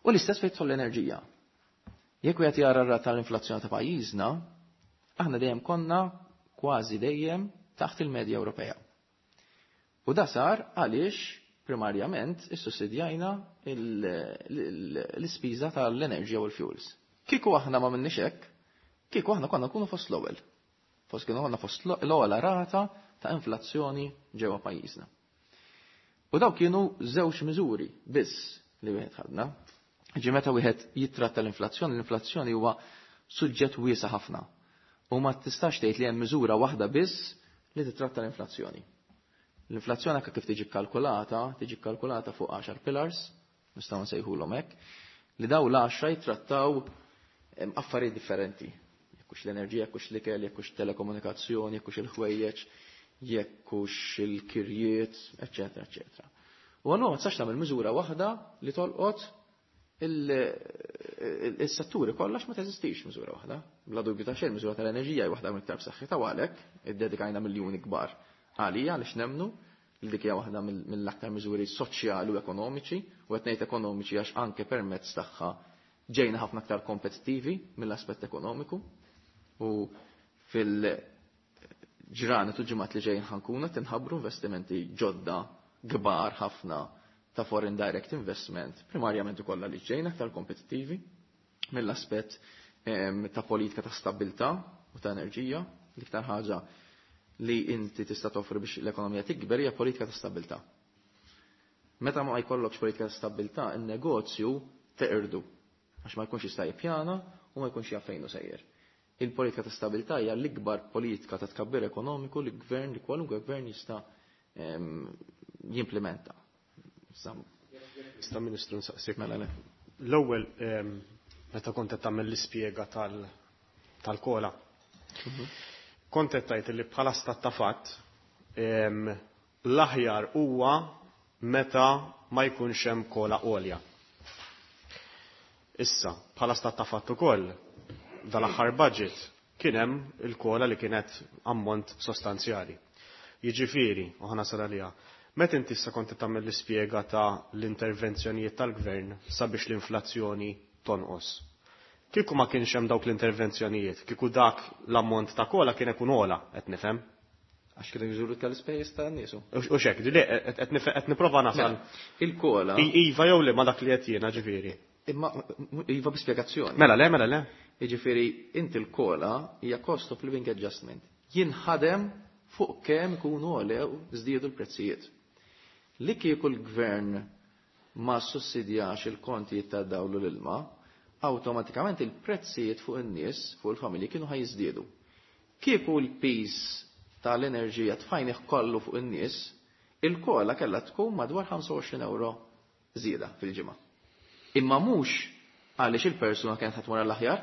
Speaker 4: U l-istess fejn tidħol l-enerġija. Jekk wieħed jara r-rata tal-inflazzjoni ta' pajjiżna, aħna dejjem konna kważi dejjem taħt il-medja Ewropea. U da sar għaliex primarjament issussidjajna l-ispiża tal-enerġija u l-fuels. Kieku aħna ma minniex hekk, kieku aħna konna nkunu fost l-ewwel. Fost kienu konna fost l-ewwel rata ta' inflazzjoni ġewwa pajjiżna. U daw kienu żewġ miżuri biss li wieħed ħadna. Ġi meta wieħed jittratta l-inflazzjoni, l-inflazzjoni huwa suġġett wiesa' ħafna. U ma tistax tgħid li hemm miżura waħda biss li titratta l-inflazzjoni. L-inflazzjoni anke kif tiġi kkalkulata, tiġi kkalkulata fuq għaxar pillars, nistgħu nsejħulhom hekk, li daw l-għaxra jittrattaw affarijiet differenti. Jekk hux l-enerġija, jekk hux l-ikel, jekk hux telekomunikazzjoni, jekk hux il-ħwejjeġ, jekk hux il-kirjiet, eċċetera, eċċetera. U allura ma tistax tagħmel miżura waħda li tolqot il-setturi kollha ma teżistix miżura waħda. Bla dubju ta' xejn miżura tal-enerġija hi waħda mill-iktar b'saħħitha u għalhekk iddedikajna miljuni kbar għalija għaliex nemmnu li dik hija waħda mill-aktar miżuri soċjali u ekonomiċi, u qed ngħid ekonomiċi għax anke permezz tagħha ġejna ħafna aktar kompetittivi mill-aspett ekonomiku. U fil-ġranet u ġimgħat li ġejjin ħankuna tinħabbru investimenti ġodda kbar ħafna ta' foreign direct investment, primarjament ukoll li ġejna aktar kompetittivi mill-aspett ta' politika ta' stabilità u ta' enerġija. L-iktar ħaġa li inti tista' toffri biex l-ekonomija tikber hija politika ta' stabilità. Meta ma jkollokx politika ta' stabilità, in-negozju teqirdu għax ma jkunx jista' jippjana u ma jkunx jaf fejn hu sejjer. Il-politika ta' stabilità hija l-ikbar politika ta' tkabbir ekonomiku li gvern, li kwalunkwe gvern jista' jimplementa.
Speaker 2: Ista' Ministru nsaqsik.
Speaker 4: Mela le.
Speaker 2: L-ewwel meta kont qed tagħmel l-ispjega tal-kola. Kont qed tgħid li bħala stat ta' fatt l-aħjar huwa meta ma jkunx hemm kola għolja. Issa, bħala stat ta' fatt ukoll, dal-aħħar budget kien hemm il-kola li kienet ammont sostanzjali. Jiġifieri, u ħa nasal għaliha, meta inti issa kont tagħmel l-ispjega ta' l-intervenzjonijiet tal-gvern sabiex l-inflazzjoni tonqos. Kieku ma kienx hemm dawk l-intervenzjonijiet, kieku dak l-ammont ta' kola kien ikun ogħla, qed nifhem?
Speaker 4: Għax kienu jżuru tal-ispejjeż ta' niesu.
Speaker 2: U xek, li qed nipprova nasal.
Speaker 4: Il-kola.
Speaker 2: Iva jew le ma dak li qed jiena ġifieri.
Speaker 4: Imma iva b'ispjegazzjoni.
Speaker 2: Mela le, mela le.
Speaker 4: Jiġifieri inti l-kola hija cost of living adjustment. Jinħadem fuq kemm ikunu għolew żdiedu l-prezzijiet. Li kieku l-gvern ma sussidjax il-kontijiet ta' dawl u l-ilma, awtomatikament il-prezzijiet fuq in-nies, fuq il-familji kienu ħajżdiedu. Kieku l-piż tal-enerġija tfajnih kollu fuq in-nies, il-kola kellha tkun madwar ħamsa u għoxrin euro żieda fil-ġimgħa. Imma mhux għaliex il-persuna kienet ħadd tmur għall-aħjar,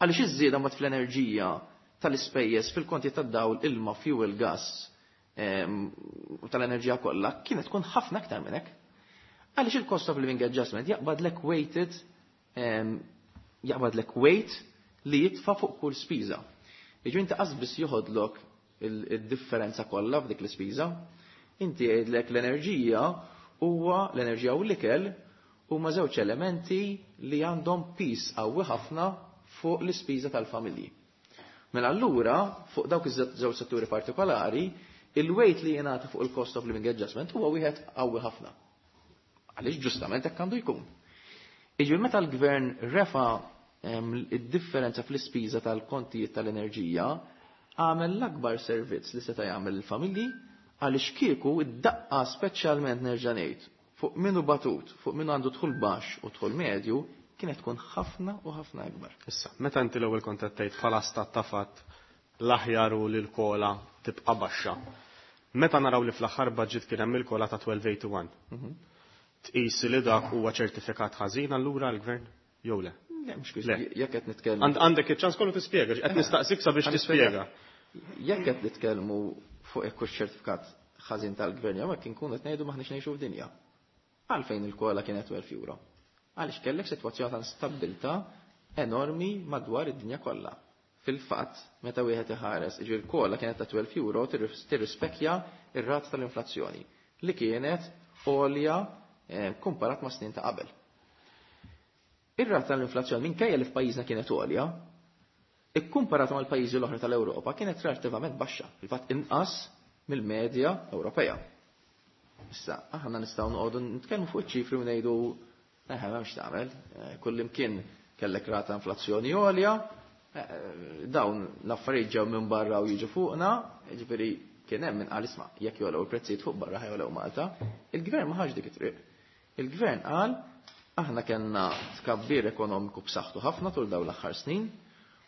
Speaker 4: għaliex iż-żieda mbagħad fl-enerġija tal-ispejjeż fil-konti tad-dawl, ilma, fuel, gas u tal-enerġija kollha kienet tkun ħafna aktar minn hekk. Għaliex il-cost of living adjustment jaqbadlek weighted, jaqbadlek weight li jitfa' fuq kull spiża. Jiġu inti qas biss joħodlok il-differenza kollha f'dik l-ispiża, inti jgħidlek l-enerġija huwa l-enerġija u l-ikel huma żewġ elementi li għandhom pis qawwi ħafna fuq l-ispiża tal-familji. Mela allura fuq dawk iż-żewġ setturi partikolari, il-weight li jingħata fuq il-cost of living adjustment huwa wieħed qawwi ħafna. Għaliex ġustament hekk għandu jkun. Jiġifieri meta l-gvern refa id-differenza fl-ispiża tal-kontijiet tal-enerġija, għamel l-akbar servizz li seta' jagħmel il-familji għaliex kieku id-daqqa speċjalment nerġa' ngħid fuq minnu batut, fuq minnu għandu dħul baxx u dħul medju, kienet tkun ħafna u ħafna akbar.
Speaker 2: Issa, meta inti l-ewwel kont qed tgħid bħala stat ta' fatt l-aħjar u li l-kola tibqa' baxxa. Meta naraw li fl-aħħar budget kien hemm il-kola ta' twelve eighty-one, tqis li dak huwa ċertifikat ħażin allura l-gvern jew le?
Speaker 4: Le, mhux kif
Speaker 2: Le.
Speaker 4: jekk qed nitkellmu.
Speaker 2: Għand-, għandek iċ-ċans kollu tispjega, qed nistaqsik sabiex
Speaker 4: Għandi
Speaker 2: tispjega.
Speaker 4: Jekk qed nitkellmu fuq jekk hux ċertifikat ħażin tal-gvern jew hekk inkunu qed ngħidu m'aħniex ngħixu f'dinja. Għalfejn il-kola kienet twelve euro? Għaliex kellek sitwazzjoni ta' instabilità enormi madwar id-dinja kollha. Fil-fatt, meta wieħed iħares, ġifieri l-COLA kienet ta' twelve euro tirrispekja ir-rata tal-inflazzjoni li kienet għolja komparat ma' snin ta' qabel. Ir-rata tal-inflazzjoni minkejja li f'pajjiżna kienet għolja, ikkumparat mal-pajjiżi l-oħra tal-Ewropa kienet relattivament baxxa, fil-fatt inqas mill-medja Ewropea. Issa, aħna nistgħu noqogħdu nitkellmu fuq iċ-ċifri u ngħidu eħe m'hemmx tagħmel, kullimkien kellek rata inflazzjoni għolja, dawn l-affarijiet ġew minn barra u jiġu fuqna, jiġifieri kien hemm min qal isma' jekk jogħlew il-prezzijiet fuq barra ħajogħlew Malta, il-gvern ma ħax dik it-triq. Il-gvern qal aħna kellna tkabbir ekonomiku b'saħħtu ħafna tul dawn l-aħħar snin,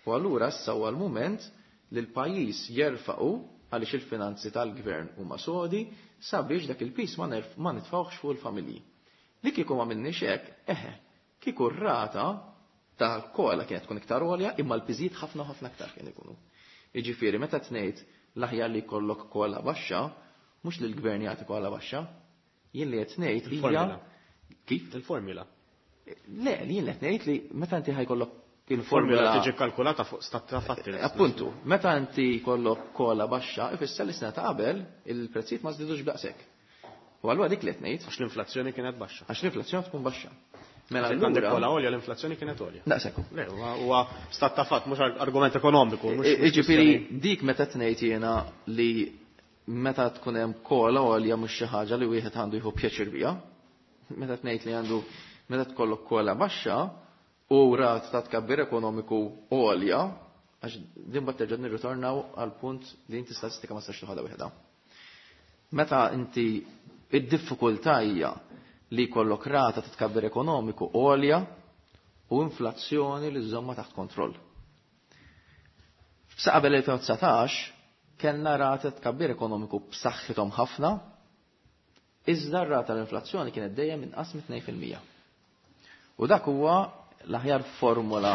Speaker 4: u allura issa huwa l-mument li l-pajjiż jerfaqu għaliex il-finanzi tal-gvern huma sodi sabiex dak il-pis ma nitfgħuhx fuq il-familji. Li kieku ma minniex hekk, eħe, kieku r-rata tal-COLA kienet tkun iktar għolja, imma l-piżijiet ħafna ħafna aktar kien ikunu. Jiġifieri meta tnejt l-aħjar li jkollok COLA baxxa, mhux li l-gvern jagħti COLA baxxa, jien li qed ngħid hija kif?
Speaker 2: Il-formula.
Speaker 4: Le, jien qed ngħid li meta inti ħajkollok
Speaker 2: il-formula tiġi kalkulata fuq stat ta' fatti.
Speaker 4: Appuntu, meta inti jkollok COLA baxxa, ifisser li sena ta' qabel il-prezzijiet ma żdidux b'daqshekk. U allura dik li qed ngħid.
Speaker 2: Għax l-inflazzjoni kienet baxxa.
Speaker 4: Għax l-inflazzjoni tkun baxxa.
Speaker 2: Mela għandek COLA għolja l-inflazzjoni kienet għolja.
Speaker 4: Daqshekk.
Speaker 2: Le, huwa stat ta' fatt, mhux argument ekonomiku.
Speaker 4: Jiġifieri dik meta tnejt jiena li meta tkun hemm COLA għolja mhux xi ħaġa li wieħed għandu jieħu pjaċir biha. Meta tnejt li għandu meta tkollok COLA baxxa u rat ta' tkabbir ekonomiku għolja, għax din bat terġa' nirritornaw għal punt li inti statistika ma tistax toħodha wieħda. Meta inti id-diffikultà hija li jkollok rata ta' tkabbir ekonomiku għolja u inflazzjoni li żomma taħt kontroll. Sa qabel elfejn u dsatax kellna rata ta' tkabbir ekonomiku b'saħħithom ħafna, iżda r-rata tal-inflazzjoni kienet dejjem inqas minn tnejn fil-mija. U dak huwa l-aħjar formula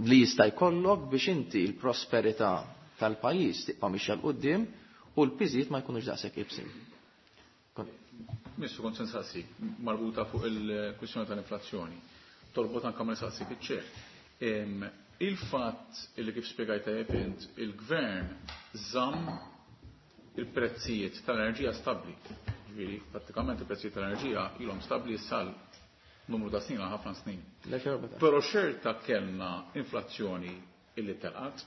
Speaker 4: li jista' jkollok biex inti l-prosperità tal-pajjiż tibqa' mixja 'l quddiem u l-piżijiet ma jkunux daqshekk ibsin.
Speaker 3: Ministru, kont se nsaqsik marbuta fuq il-kwistjoni tal-inflazzjoni. Torbot anke ma nsaqsik iċ-ċeħ. Il-fatt li kif spjegajt tajjeb int, il-gvern żamm il-prezzijiet tal-enerġija stabbli. Ġifieri, prattikament il-prezzijiet tal-enerġija ilhom stabbli sal numru ta' snin għal ħafna snin. Però xorta kellna inflazzjoni illi telqat,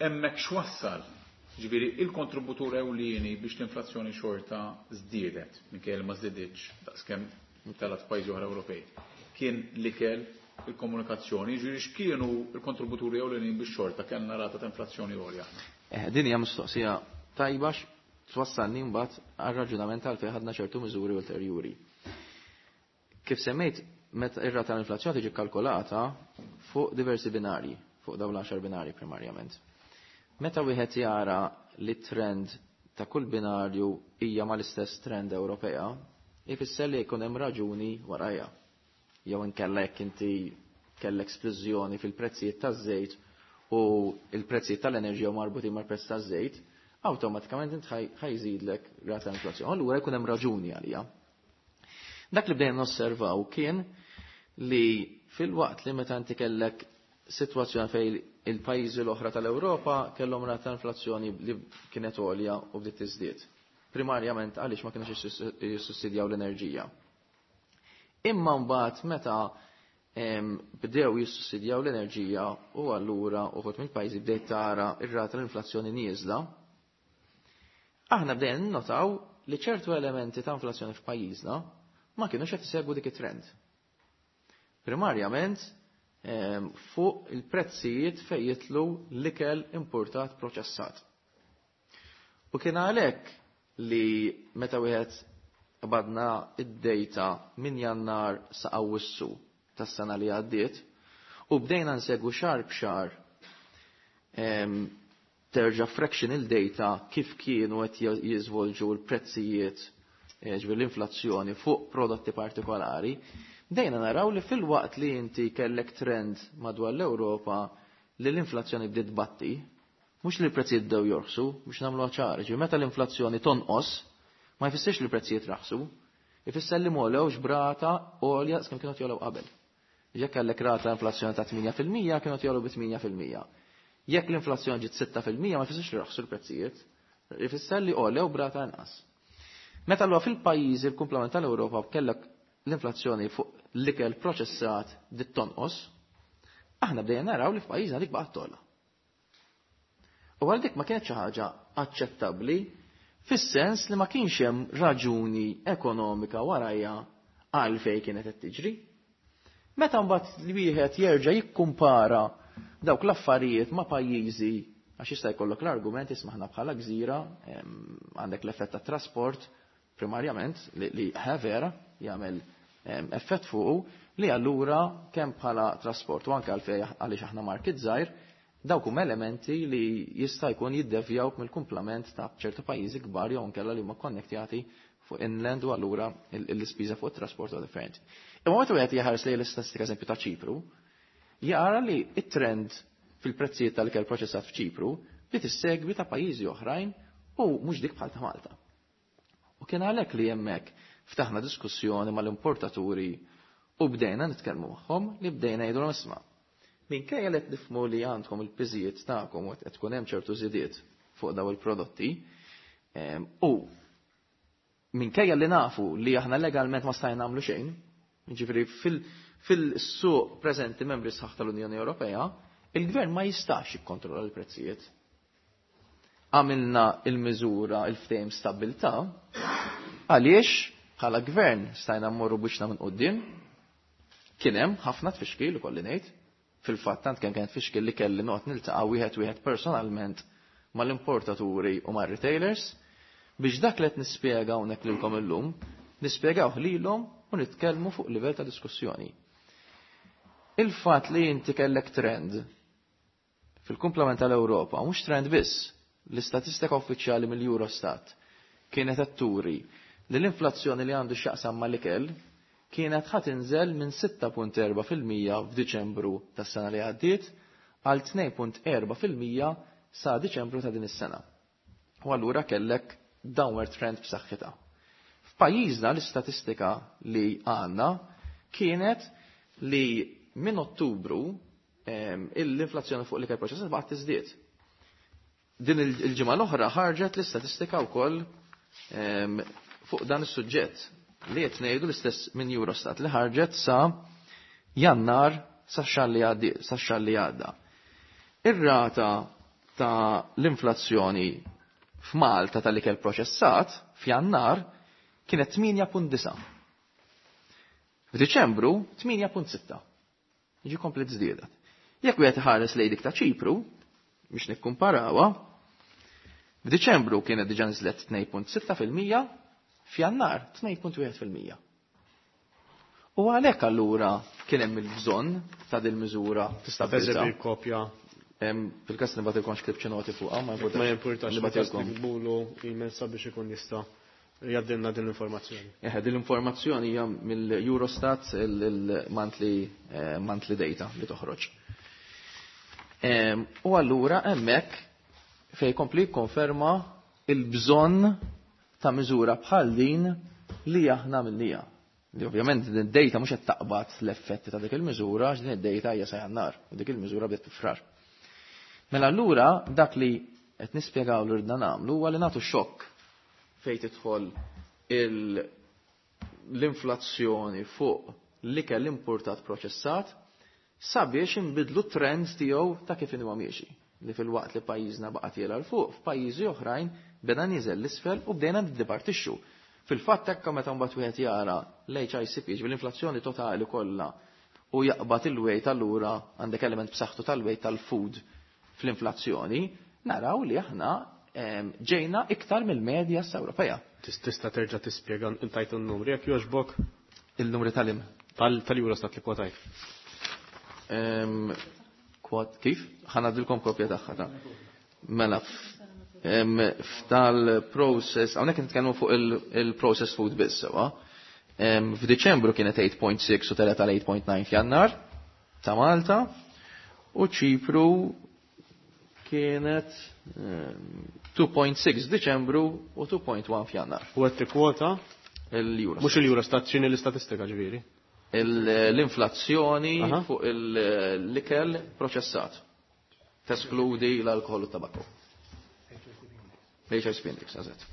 Speaker 3: hemmhekk x'wassal? Ġifieri il-kontributur ewlieni biex l-inflazzjoni xorta żdiedet, minkejja li ma żdieditx daqskemm telgħet f'pajjiżi oħra Ewropej, kien l-ikel, il-komunikazzjoni, ġifieri x'kienu l-kontributuri ewlenin biex xorta kellna rata ta' inflazzjoni għolja?
Speaker 4: Eh, din hija mistoqsija tajba twassalni mbagħad għar-raġunament għalfejn ħadna ċertu miżuri ulterjuri. Kif semmejt, meta ir-rata tal-inflazzjoni tiġi kalkolata fuq diversi binarji, fuq dawn l-għaxar binarji primarjament. Meta wieħed jara li trend ta' kull binarju hija mal-istess trend Ewropea, ifisser li jkun hemm raġuni warajha. Jew inkella jekk inti kellek splużjoni fil-prezzijiet taż-żejt u l-prezzijiet tal-enerġija marbutin mal-prezz taż-żejt, awtomatikament int ħajżidlek rata ta' inflazzjoni. Allura jkun hemm raġuni għalija. Dak li bdejna nosservaw kien li fil-waqt li meta inti kellek sitwazzjoni fejn il-pajjiżi l-oħra tal-Ewropa kellhom rata ta' inflazzjoni li kienet għolja u bdiet tiżdied. Primarjament għaliex ma kienux jissussidjaw l-enerġija. Imma mbagħad meta bdew jissussidjaw l-enerġija u allura uħud mill-pajjiżi bdejt tara ir-rata tal-inflazzjoni nieżla, aħna bdejna ninnotaw li ċertu elementi ta' inflazzjoni f'pajjiżna ma kienux qed isegwu dik it-trend. Primarjament fuq il-prezzijiet fejn jitlu l-ikel importat proċessat. U kien għalhekk li meta wieħed badna id-data minn Jannar sa Awwissu tas-sena li għaddiet u bdejna nsegwu xahar b'xahar terġa' fractional data kif kienu qed jiżvolġu l-prezzijiet ġifieri l-inflazzjoni fuq prodotti partikolari, bdejna naraw li fil-waqt li inti kellek trend madwar l-Ewropa li l-inflazzjoni bdiet batti, mhux li l-prezzijiet bdew jorħsu, biex nagħmluha ċara, ġifieri meta l-inflazzjoni tonqos, ma jfissirx li l-prezzijiet raħsu, ifisser li m'għolewx brata għolja skemm kienu jogħlew qabel. Jekk kellek rata inflazzjoni ta' tmienja fil-mija, kienu jgħolu bi tmienja fil-mija. Jekk l-inflazzjoni ġiet sitta fil-mija, ma jfissirx li raħsu l-prezzijiet, jfisser li għolew brata inqas. Meta allura fil-pajjiżi l-kumplament tal-Ewropa kellek l-inflazzjoni fuq l-ikel proċessat dit tonqos, aħna bdejna naraw li f'pajjiżna dik baqgħet togħla. U għal dik ma kienet xi ħaġa aċċettabbli fis-sens li ma kienx hemm raġuni ekonomika warajja għal fejn kienet qed tiġri. Meta mbagħad li wieħed jerġa' jikkumpara dawk l-affarijiet ma' pajjiżi, għax jista' jkollok l-argument isma' aħna bħala gżira, em, għandek l-effett tat-trasport primarjament li, li vera jagħmel, em, effett fuqu li allura kemm bħala trasport u anke għalfejn għaliex aħna market żgħir, dawk huma elementi li jista' jkun jiddevjaw mill-kumplament ta' ċertu pajjiżi kbar jew inkella li huma konnektjati fuq inland u allura il-, l-ispiża fuq it-trasport huwa differenti. Imma meta wieħed jaħares lejn l-istatistika eżempju ta' Ċipru, jara li it-trend fil-prezzijiet tal-ikel proċessat f'Ċipru li tissegwi ta' pajjiżi oħrajn u mhux dik bħal ta' Malta. U kien għalhekk li hemmhekk ftaħna diskussjoni mal-importaturi u bdejna nitkellmu magħhom li bdejna jgħidulhom isma'. Minkejja li qed nifhmu li għandkom il-piżijiet tagħkom u qed tkun hemm ċertu żidiet fuq daw il-prodotti, em, u minkejja li nafu li aħna legalment ma stajna nagħmlu xejn, jiġifieri fil-, fil-suq preżenti membri sħaħ tal-Unjoni Ewropea, il-gvern ma jistax jikkontrolla l-prezzijiet. Għamilna il-miżura il-ftehim stabbiltà għaliex bħala gvern stajna mmorru biex minn quddiem, kien hemm ħafna tfixkil ukoll li ngħid. Fil-fatt tant kemm kienet tfixkil li kelli noqgħod niltaqa' wieħed wieħed personalment mal-importaturi u mar-retailers biex dak li qed nispjega hawnhekk lilkom illum, nispjegawh lilhom u nitkellmu fuq livell ta' diskussjoni. Il-fatt li inti kellek trend fil-kumplament tal-Ewropa, mhux trend biss, l-istatistika uffiċjali mill-Eurostat kienet qed turi li l-inflazzjoni li għandu x'jaqsam mal-ikel kienet ħa tinżel minn sitta punt erba' fil-mija f'Diċembru tas-sena li għaddiet għal tnejn punt erba' fil-mija sa Diċembru ta' din is-sena. U allura kellek downward trend b'saħħitha. F'pajjiżna l-istatistika li għandna kienet li minn Ottubru, em, l-inflazzjoni fuq l-ikel proċessat baqgħet tiżdied. Din il-, il-ġimgħa l-oħra ħarġet l-istatistika wkoll, em, fuq dan is-suġġett li qed ngħidu l-istess minn Eurostat li ħarġet sa Jannar sa xahar li għaddi, sa xahar li għadda. Ir-rata ta' l-inflazzjoni f'Malta tal-ikel proċessat f'Jannar kienet tmienja punt disa'. F'Diċembru tmienja punt sitta. Jiġi komplet żdiedet. Jekk wieħed iħares lejn dik ta' Ċipru, biex nikkumparawha, f'Diċembru kienet diġà niżlet tnejn punt sitta fil-mija, f'Jannar tnejn punt wieħed fil-mija. U għalhekk allura kien hemm il-bżonn ta' din miżura
Speaker 2: Tista'
Speaker 4: stabbiltà.
Speaker 2: teżebi kopja.
Speaker 4: Em, fil-każ nibgħatilkom x'ktibt xi noti fuqha, ma
Speaker 2: Ma jimpurtax,
Speaker 4: Nibgħatilkom.
Speaker 2: Nibgħatulu email sabiex ikun jista' jgħaddilna din l-informazzjoni.
Speaker 4: Eħe, din l-informazzjoni hija mill-Eurostat il-monthly, eh, monthly data li toħroġ. Em, u allura hemmhekk fejn kompli konferma il-bżonn ta' miżura bħal din li aħna minnija. Li ovvjament din id-data mhux qed taqbad l-effetti ta' dik il-miżura għax din id-data hija sa Jannar u dik il-miżura bdiet frar. Mela allura dak li qed nispjegaw li rridna nagħmlu huwa li nagħtu xokk fejn tidħol il-, l-inflazzjoni fuq l-ikel importat proċessat sabiex inbidlu trends tiegħu ta' kif inhuwa miexi. Li fil-waqt li pajjiżna baqa' tiela 'l fuq, f'pajjiżi oħrajn beda niżel l-isfel u bdejna niddipartixxu. Fil-fatt hekk meta mbagħad wieħed jara l-H I C P, ġifieri l-inflazzjoni totali kollha, u jaqbad il-weight allura għandek element b'saħħtu tal-weight tal-food fl-inflazzjoni, naraw li aħna, em, ġejna iktar mill-medja Ewropea.
Speaker 2: Tis-, tista' terġa' tispjega intajt in-numri jekk jogħġbok?
Speaker 4: Il-numri tal-im?
Speaker 2: Tal-, tal-Eurostat li kwotajt.
Speaker 4: Em, kwot, kif? Ħanadilkom kopja tagħha ta' Mela, f-, em, f'tal-process, hawnhekk nitkellmu fuq il-, il-processed food biss, sewa. Em, f'Diċembru kienet eight point six u telgħet għal eight point nine f'Jannar ta' Malta, u Ċipru kienet, em, two point six Diċembru u two point one f'Jannar.
Speaker 2: U qed tikkwota?
Speaker 4: Il-Eurostat.
Speaker 2: Mhux il-Eurostat, x'inhi l-istatistika ġifieri?
Speaker 4: L-inflazzjoni fuq l-ikel proċessat. Teskludi l-alkohol u t-tabakku. L-H I C P index, eżatt.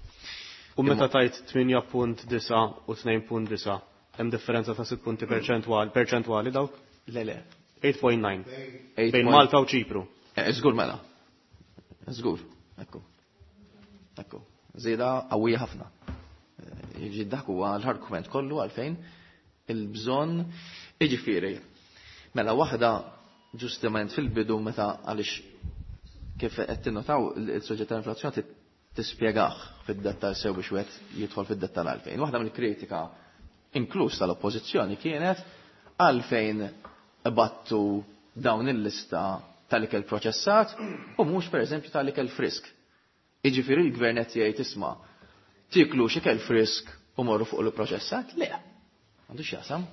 Speaker 2: U meta tajt tmienja punt disgħa u tnejn punt disgħa, hemm differenza ta' sitt punti perċentwali, perċentwali dawk?
Speaker 4: Le, le.
Speaker 2: tmienja punt disgħa. Bejn Malta u Ċipru.
Speaker 4: Eh, żgur mela. Żgur, ekku. Ekku. Żieda qawwija ħafna. Eh, jiġi dak huwa l-argument kollu għalfejn il-bżonn, jiġifieri. Mela waħda ġustament fil-bidu meta, għaliex kif qed tinnotaw, il-soġġett tal-inflazzjoni tispjegah fid-dettal sew biex wieħed jidħol fid-dettal għalfejn. Waħda mill-kritika, inkluż tal-oppożizzjoni, kienet għalfejn battu dawn il-lista tal-ikel proċessat u mhux, pereżempju, tal-ikel frisk. Jiġifieri l-gvern qed jgħid, "Isma', tiklux ikel frisk u morru fuq il-proċessat"? Le. Għandu x'jaqsam.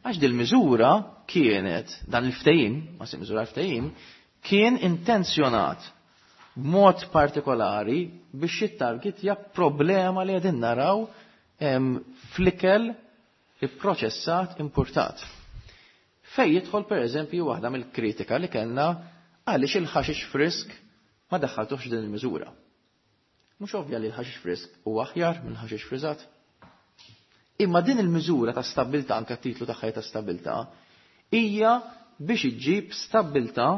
Speaker 4: Għax dil-miżura kienet, dan il-ftehim, ma se miżura, ftehim, kien intenzjonat b'mod partikolari biex jittargetja problema li qegħdin naraw fl-ikel ipproċessat importat. Fej jidħol, per eżempju, waħda mill-kritika li kellna, għaliex il-ħaxix frisk ma daħħaltuħx din il-miżura. Mhux ovvja li l-ħaxix frisk huwa aħjar minn ħaxix friżat? Imma din il-miżura ta' stabbiltà, anke titlu tagħha ta' stabbiltà, hija biex iġġib stabbiltà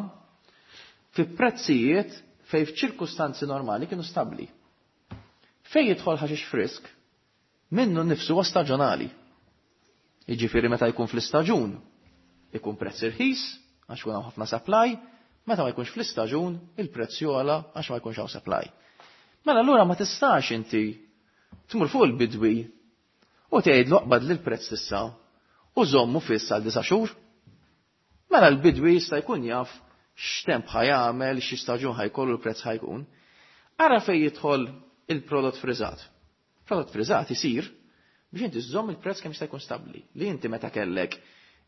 Speaker 4: fi prezzijiet fej f'ċirkustanzi normali kienu stabbli. Fej jidħol ħaxix frisk, minnu nifsu huwa staġjonali. Jiġifieri meta jkun fl-istaġun, ikun prezz irħis, għax kun hawn ħafna supply, meta ma jkunx fl-istaġun, il-prezz jogħla għax ma jkunx hawn supply. Mela allura ma tistax inti tmur fuq il-bidwi u tgħidlu, "Aqbad li l-prezz issa u żommu fiss għal disa' xhur." Mela l-bidwi jista' jkun jaf x'temp ħa jagħmel, xi staġun ħa jkollu, l-prezz ħa jkun. Ara fejn jidħol il-prodott friżat. Prodott friżat isir biex inti żżomm il-prezz kemm jista' jkun stabbli. Li inti meta kellek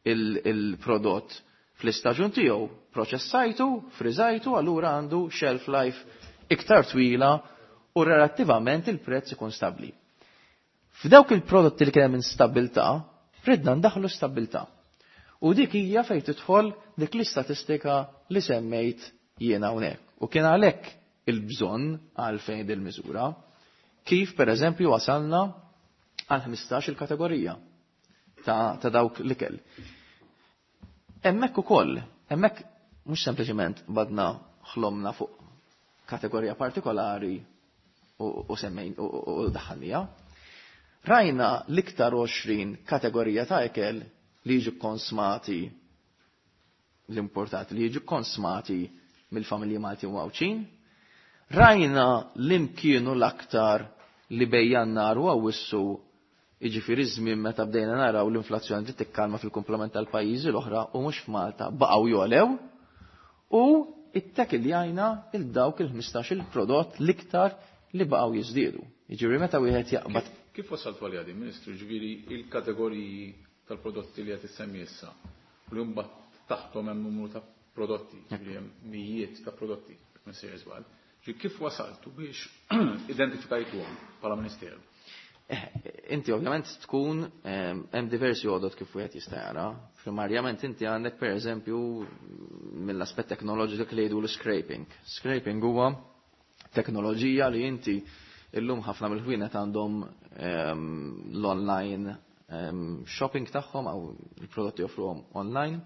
Speaker 4: il-prodott fl-istaġun tiegħu, proċessajtu, friżajtu, allura għandu shelf life iktar twila u relattivament il-prezz ikun stabbli. F'dawk il-prodotti li kien hemm instabbiltà, ridna ndaħlu stabbiltà. U dik hija fejn tidħol dik l-istatistika li semmejt jiena hawnhekk. U kien għalhekk il-bżonn għalfejn dil-miżura. Kif, per eżempju, wasalna għal ħmistax il-kategorija ta', ta dawk l-ikel. Hemmhekk ukoll, hemmhekk mhux sempliċement badna ħlomna fuq kategorija partikolari u, u semmejn u, u, u daħħalnija. Rajna l-iktar għoxrin kategorija ta' ikel li jiġu konsmati, l-importati li jiġu konsmati mill-familji Malti u Għawdxin. Rajna l-imkienu l-aktar li bejn Jannar u Awwissu, jiġifieri żmien meta bdejna naraw l-inflazzjoni li tikkalma fil-komplement tal-pajjiżi l-oħra u mhux f'Malta, baqgħu jogħlew, u ittekilljajna il dawk il-ħmistax il-prodott l-iktar li baqgħu jiżdiedu. Jiġifieri meta wieħed jaqbad
Speaker 3: Kif wasaltu għal din, Ministru, ġifieri il-kategoriji tal-prodotti li qed issemmi issa u li mbagħad taħtom hemm numru ta' prodotti, ġifieri hemm mijiet ta' prodotti, ma sejjer żball. Ġifieri kif wasaltu biex identifikajtuhom bħala Ministeru?
Speaker 4: Eh, inti ovvjament tkun hemm diversi għodot kif wieħed jista' jara. Primarjament inti għandek, pereżempju, mill-aspett teknoloġiku li jgħidu l-scraping. Scraping huwa teknoloġija li inti illum ħafna mill-ħwienet għandhom l-online shopping tagħhom għaw il-prodotti joffruhom online,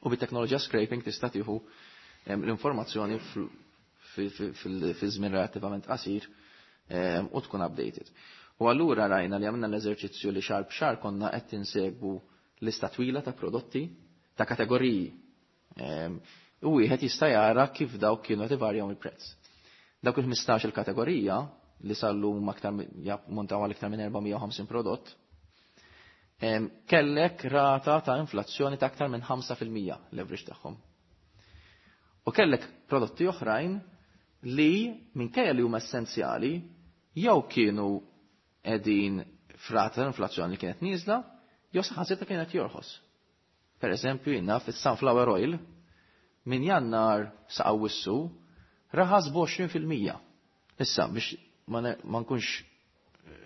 Speaker 4: u bit-teknoloġija scraping tista' tieħu l-informazzjoni fi żmien relattivament qasir u tkun updated. U allura rajna li għamilna l-eżerċizzju li xahar b'xahar konna qed insegwu lista twila ta' prodotti, ta' kategoriji. U wieħed jista' jara kif dawk kienu qed ivarjaw il-prezz. Dawk il-ħmistax il-kategorija li sal-lum aktar montaw għal iktar minn erba' mija u ħamsin prodott, kellek rata ta' inflazzjoni ta' aktar minn ħamsa fil-mija l-average tagħhom. U kellek prodotti oħrajn li minkejja li huma essenzjali jew kienu qegħdin f'rata ta' inflazzjoni li kienet nieżla jew saħansitra kienet jorħos. Per eżempju, jiena fis-sunflower oil, minn Jannar sa Awwissu raħas b'għoxrin fil-mija. Issa biex ma nkunx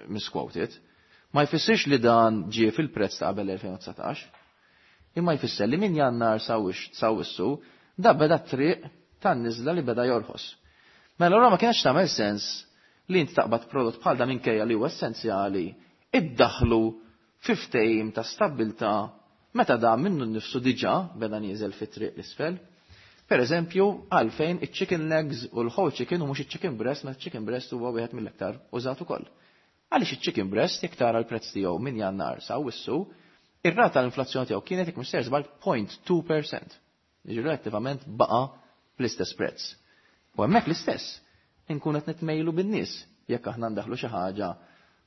Speaker 4: misquoted, Ma jfissirx li dan ġie fil-prezz ta' qabel elfejn u dsatax, imma jfisser li minn Jannar sa wissu da beda triq tan-niżla li beda jorħos. Mela allura ma kienx tagħmel sens li inti taqbad prodott bħal da minkejja li huwa essenzjali, iddaħlu fi ftehim ta' stabbiltà meta da minnu nnifsu diġà beda nieżel fit-triq l-isfel. Per eżempju, għalfejn iċ-chicken legs u l-whole chicken u mhux iċ-chicken breast, meta chicken breast huwa wieħed mill-aktar użat ukoll. Għaliex iċ-chicken breast jekk tara l-prezz tiegħu minn Jannar sa wissu, ir-rata tal-inflazzjoni tiegħu kienet jekk mhux sejjer żball point two percent. Jiġifieri relattivament baqa' bl-istess prezz. U hemmhekk l-istess, inkun qed nitmejlu bin-nies jekk aħna ndaħlu xi ħaġa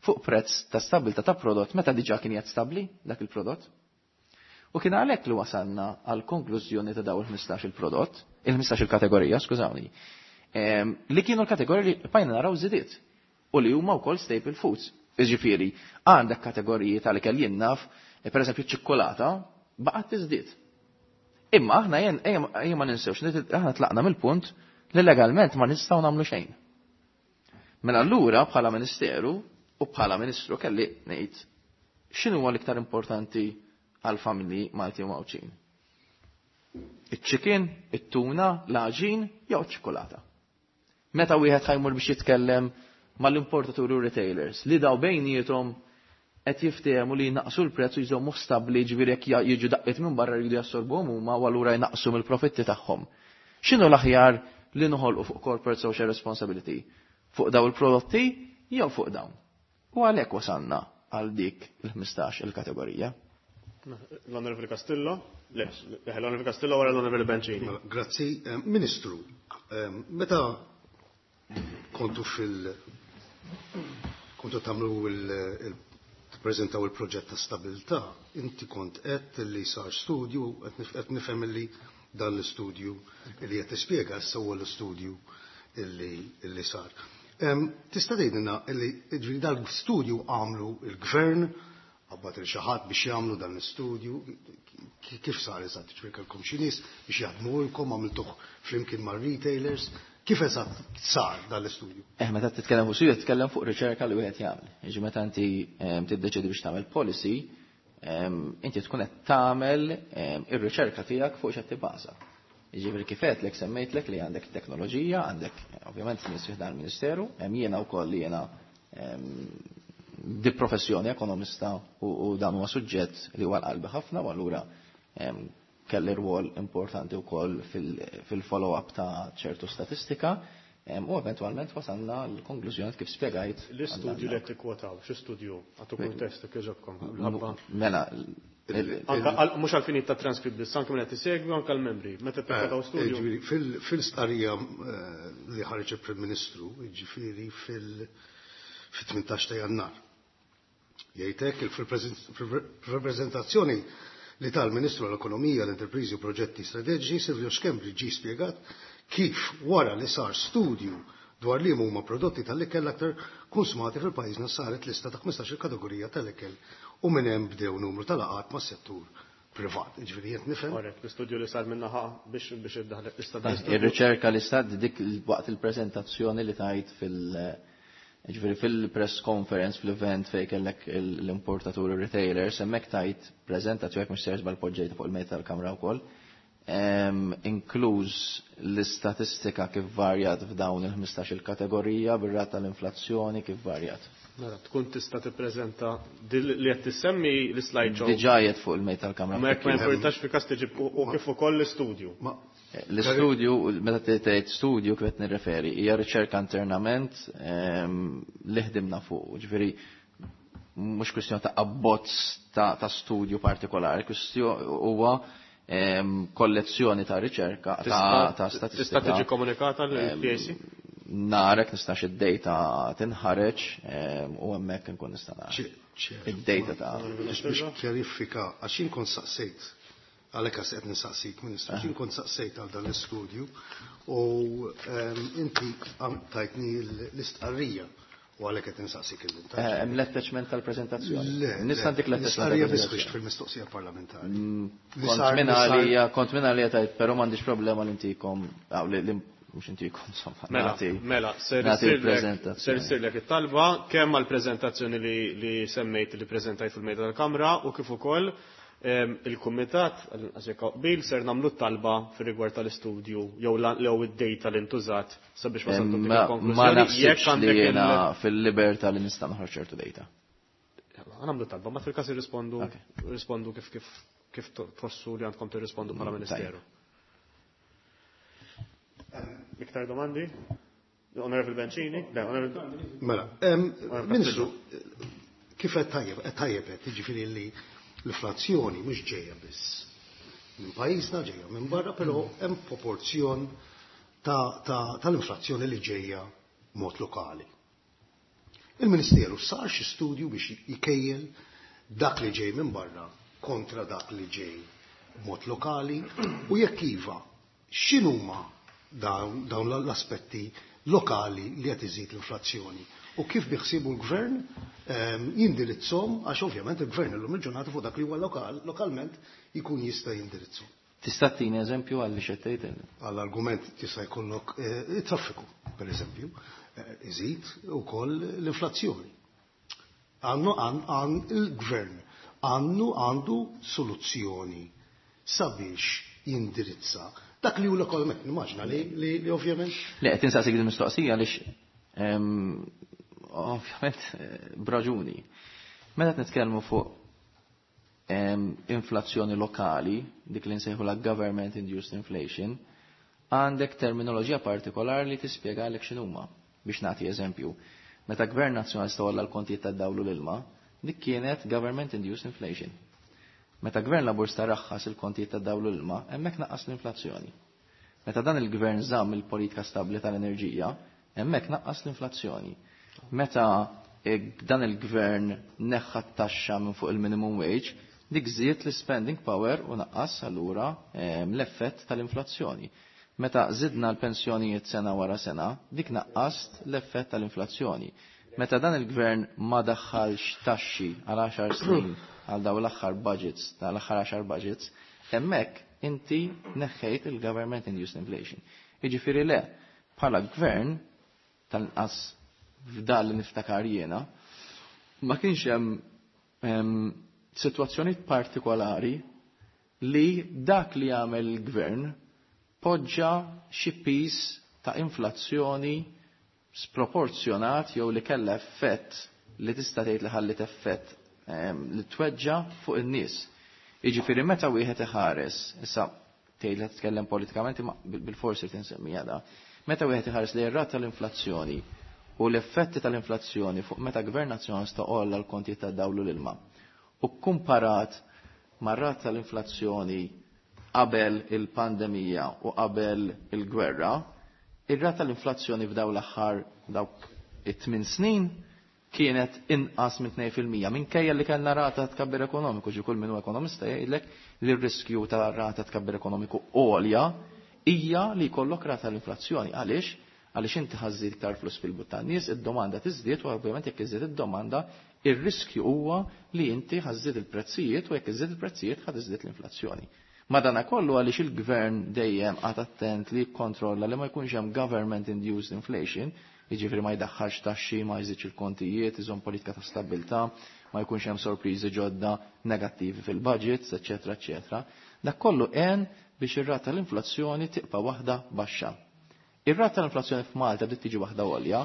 Speaker 4: fuq prezz ta' stabbiltà ta' prodott meta diġà kien qed stabbli dak il-prodott. U kien għalhekk li wasalna għal konklużjoni ta' dawn il-ħmistax il-prodott, il-ħmistax il-kategorija, skużawni, em, li kienu l-kategoriji li bqajna naraw żidiet u li huma wkoll staple foods. Jiġifieri, għandek kategoriji tal-ikel jien naf, per eżempju ċ-ċikkolata, baqgħet tiżdied. Imma aħna jen, ejja, ejja ma ninsewx, li aħna tlaqna mill-punt li legalment ma nistgħu nagħmlu xejn. Mela allura bħala ministeru u bħala ministru kelli ngħid x'inhu huwa l-iktar importanti għal familji Malti u Għawdxin. Iċ-chicken, it-tuna, l-għaġin jew iċ-ċikolata. Meta wieħed ħajmur biex jitkellem mal-importaturi u retailers li daw bejniethom qed jiftehmu li jnaqsu l-prezz u jżommu stabbli, ġifieri jekk ja-, jiġu daqqiet minn barra jridu jassorbuhom huma u allura jnaqsu mill-profitti tagħhom. X'inhu l-aħjar li noħolqu fuq corporate social responsibility? Fuq daw il-prodotti jew fuq dawn? U għalhekk wasalna għal dik il-ħmistax il-kategorija.
Speaker 2: L-Onorevoli Castillo? Le, l-Onorevoli Castillo wara l-Onorevoli Bencini.
Speaker 5: Mela, grazzi. Eh, Ministru, eh, meta kontu fil- kontu tagħmlu il-, il tippreżentaw il-proġett ta' stabilità, inti kont qed li sar studju, qed nif-, qed nifhem li dan l-istudju li qed tispjega issa huwa l-istudju illi, illi sar. Em, tista' tgħidilna li ġifieri dan l-istudju għamlu il-gvern, qabad il xi ħadd biex jagħmlu dan l-istudju, ki-, kif sar eżatt? Ġifieri kellkom xi nies biex jaħdmulkom, għamiltuh flimkien mar-retailers, kif eżatt sar dan l-istudju?
Speaker 4: Eh, meta titkellem fuq studju, titkellem fuq riċerka li wieħed jagħmel. Jiġi meta inti, ehm, tiddeċiedi biex tagħmel policy, ehm, inti tkun qed tagħmel, ehm, ir-riċerka tiegħek fuq x'qed tibbaża. Jiġifieri kif għedtlek semmejtlek li għandek teknoloġija, għandek ovvjament nies fih dan il-Ministeru, hemm jiena wkoll li jiena, ehm, di professjoni ekonomista u, u dan huwa suġġett li huwa l-qalbi ħafna u allura, ehm, kelli rwol importanti wkoll fil-, fil-follow-up ta' ċertu statistika, ehm, u eventwalment wasalna l-konklużjoni kif spjegajt.
Speaker 2: L-istudju li qed tikkwotaw, xi studju għatu kuntest kif ġobkom?
Speaker 4: M-, mela, il-,
Speaker 2: Anka għal-, mhux għal-finit ta' transkript biss, anke minn qed isegwi, anke l-membri. Meta tikkwotaw
Speaker 5: Eh,
Speaker 2: studju.
Speaker 5: Ġifieri, fil-, fil-stqarrija, eh, li ħareġ il-Prim Ministru, jiġifieri fil-, fit-tmintax ta' Jannar. Jgħidlek fil-preżentazzjoni li tal-Ministru għall-Ekonomija, l-Enterpriżi u Proġetti Strateġiċi Silvio Schembri ġie spjegat kif wara li sar studju dwar li huma prodotti tal-ikel l-aktar konsumati fil-pajjiżna saret lista ta' ħmistax-il kategorija tal-ikel u minn hemm bdew numru tal-laqgħat mas-settur privat. Ġifieri jien nifhem.
Speaker 2: Korrett, l-istudju li sar minnaħa biex, biex iddaħħal lista
Speaker 4: Eh,
Speaker 2: tal-istudju.
Speaker 4: Ir-riċerka li sar dik waqt il-preżentazzjoni li tajt fil- ġifieri fil-press conference, fl-event fej kellek il-, l-importaturi retailers, hemmhekk tajt preżentazzjoni jekk mhux sejjer żball poġġejta fuq il-mejda tal-kamra wkoll. Em, inkluż l-istatistika kif varjat f'dawn il-ħmistax il-kategorija bir-rata tal-inflazzjoni kif varjat.
Speaker 2: Mela, tkun tista' tippreżenta dil li qed tissemmi l-slide show.
Speaker 4: Diġà qiegħed fuq il-mejda tal-kamra.
Speaker 2: Ma jekk ma jimpurtax fi każ tiġi u, u kif ukoll l-istudju.
Speaker 5: Ma
Speaker 4: L-istudju, meta tgħid studju kif qed nirreferi, hija riċerka internament, ehm, li ħdimna fuq, ġifieri mhux kwistjoni ta' abbozz ta', ta' studju partikolari, kwistjoni huwa, ehm, kollezzjoni ta' riċerka, ta',
Speaker 2: Tista'
Speaker 4: ta' statistika.
Speaker 2: Tista' tiġi komunikata lill-P A C?
Speaker 4: Narek nistax id-data tinħareġ, ehm, u hemmhekk inkun nista' nara.
Speaker 5: Ċe-, ċe-,
Speaker 4: Id-data ta'
Speaker 5: Biex biex kjarifika, għax jien kont saqsejt, għalhekk għax qed nistaqsik, Ministru, għax jien kont saqsejt għal dan l-istudju u, ehm, inti għam-, tajtni l-istqarrija u għalhekk qed nistaqsik illum.
Speaker 4: Eh, hemm l-attachment tal-preżentazzjoni.
Speaker 5: Le,
Speaker 4: Nista'
Speaker 5: le,
Speaker 4: ntik l-attachment
Speaker 5: l-istqarrija biss
Speaker 4: tal-preżentazzjoni.
Speaker 5: biex fil-mistoqsija parlamentari.
Speaker 4: Mm,
Speaker 5: Li
Speaker 4: kont
Speaker 5: sar-
Speaker 4: minn
Speaker 5: li sar-
Speaker 4: għalija, kont minn għalija tajt, però m'għandix problema li ntikom, aw, li, li mhux intikom insomma.
Speaker 2: Mela, mela, ser issirlek it-talba kemm għall-preżentazzjoni li semmejt li preżentajt fil-mejda tal-Kamra u kif ukoll il-Kumitat għal qbil ser nagħmlu t-talba fir-rigward tal-istudju jew jew id-data li ntużat sabiex wasaltu dik il-konklużjoni.
Speaker 4: Ma naħsibx li jiena fil-libertà li nista' noħroġ ċertu data.
Speaker 2: Nagħmlu talba, ma fil-każ irrispondu rispondu kif kif kif tħossu li għandkom tirrispondu bħala Ministeru. Iktar domandi? Onorevole Bencini? Le, Onorevole
Speaker 5: Mela, Ministru, kif qed tajjeb, qed tajjeb qed jiġifieri li l-inflazzjoni mhux ġejja biss minn pajjiżna, ġejja minn barra, però hemm proporzjon tal-inflazzjoni li ġejja mod lokali. Il-Ministeru sar xi studju biex jkejjel dak li ġej minn barra kontra dak li ġej mod lokali u jekk iva, x'inhuma dawn l-aspetti lokali li qed iżid l-inflazzjoni u kif biħsibu l-gvern jindirizzhom, għax ovvjament il-gvern illum il-ġurnata fuq dak li huwa lokal, lokalment jkun jista' jindirizzhom.
Speaker 4: Tista' tini eżempju għal li xettejt?
Speaker 5: Għall-argument tista' jkollok it-traffiku, per eżempju, iżid ukoll l-inflazzjoni. Għandu għan il-gvern għandu għandu soluzzjoni sabiex jindirizza dak li hu lokalment, nimmaġna li, li, li ovvjament.
Speaker 4: Le, qed insaqsik din mistoqsija għaliex ovvjament b'raġuni. Meta qed nitkellmu fuq inflazzjoni lokali, dik li nsejħu la government induced inflation, għandek terminoloġija partikolari li tispjegalek x'inhuma. Biex nagħti eżempju, meta gvern nazzjonalista walla l-kontijiet tad-dawlu l-ilma, dik kienet government induced inflation. Meta gvern laburista raħħas il-kontijiet tad-dawlu l-ilma, hemmhekk naqqas l-inflazzjoni. Meta dan il-gvern żamm il-politika stabbli tal-enerġija, hemmhekk naqqas l-inflazzjoni. Meta dan il-gvern neħħa t-taxxa minn fuq il-minimum wage, dik żied l-spending power u naqqas allura l-effett tal-inflazzjoni. Meta żidna l-pensjonijiet sena wara sena, dik naqqast l-effett tal-inflazzjoni. Meta dan il-gvern ma daħħalx taxxi għal għaxar snin għal daw l-aħħar budgets, tal-aħħar għaxar budgets, hemmhekk inti neħħejt il-government induced inflation. Jiġifieri le, bħala gvern tal-inqas f'dan li niftakar jiena, ma kienx hemm sitwazzjoni partikolari li dak li jagħmel il-gvern poġġa xi piż ta' inflazzjoni sproporzjonat jew li kellha effett li tista' tgħid li ħallit effett li tweġġa fuq in-nies. Jiġifieri meta wieħed iħares, issa tgħid li titkellem politikament imma bil-forsi tinsemmiha da, meta wieħed iħares li r-rata tal-inflazzjoni u l-effetti tal-inflazzjoni fuq meta gvern nazzjonalista għolla l-kontijiet tad-dawlu l-ilma u kumparat mar-rata tal-inflazzjoni qabel il-pandemija u qabel il-gwerra, ir-rata tal-inflazzjoni f'daw l-aħħar dawk it-tmien snin kienet inqas minn tnejn fil-mija minkejja li kellna rata tkabbir ekonomiku, ġi kull min hu ekonomista jgħidlek li r-riskju ta' rata tkabbir ekonomiku għolja hija li jkollok rata tal-inflazzjoni. Għaliex? Għaliex inti ħażżid iktar flus fil-but tan-nies, id-domanda tiżdied u ovvjament jekk iżdied id-domanda, ir-riskju huwa li inti ħażżid il-prezzijiet u jekk iżdied il-prezzijiet ħad iżdied l-inflazzjoni. Madanakollu għaliex il-gvern dejjem qagħad attent li jikkontrolla li ma jkunx hemm government induced inflation, jiġifieri ma jdaħħalx taxxi, ma jżidx il-kontijiet, iżomm politika ta' stabbiltà, ma jkunx hemm sorpriżi ġodda negattivi fil-budgets, eċetera, eċetera. Dak kollu għen biex ir-rata tal-inflazzjoni tibqa' waħda baxxa. Ir-rata tal-inflazzjoni f'Malta bdiet tiġi waħda għolja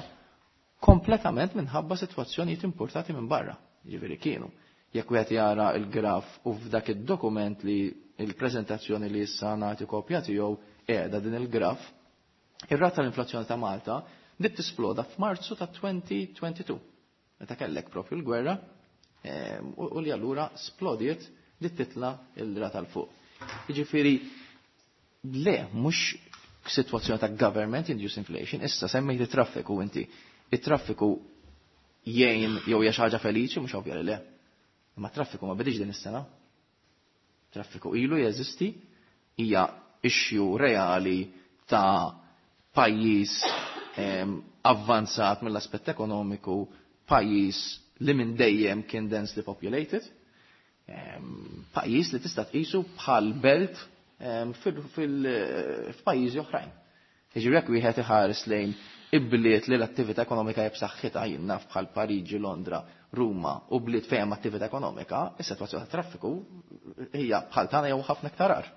Speaker 4: kompletament minħabba sitwazzjonijiet importati minn barra, jiġifieri kienu. Jekk wieħed jara l-graf u f'dak id-dokument li il-preżentazzjoni li issa nagħti kopja tiegħu qiegħda din il-graf, ir-rata tal-inflazzjoni ta' Malta bdiet tisploda f'Marzu ta' twenty twenty-two. Meta kellek propju l-gwerra u li allura splodiet li titla il-rata l fuq. Jiġifieri le, mhux sitwazzjoni ta' government induced inflation, issa semmejt it-traffiku inti. It-traffiku jgħin jew hija xi ħaġa feliċi, mhux ovvja li le. Imma traffiku ma bidix din is-sena. Traffiku ilu jeżisti, hija issue reali ta' pajjiż avvanzat mill-aspett ekonomiku, pajjiż li minn dejjem kien densely populated, pajjiż li tista' tqisu bħal belt f'pajjiżi oħrajn. Jiġifieri jekk wieħed iħares lejn ibliet li l-attività ekonomika hija b'saħħitha, jien naf bħal Pariġi, Londra, Ruma u bliet fejn hemm attività ekonomika, is-sitwazzjoni tat-traffiku hija bħal tagħna jew ħafna iktar agħar.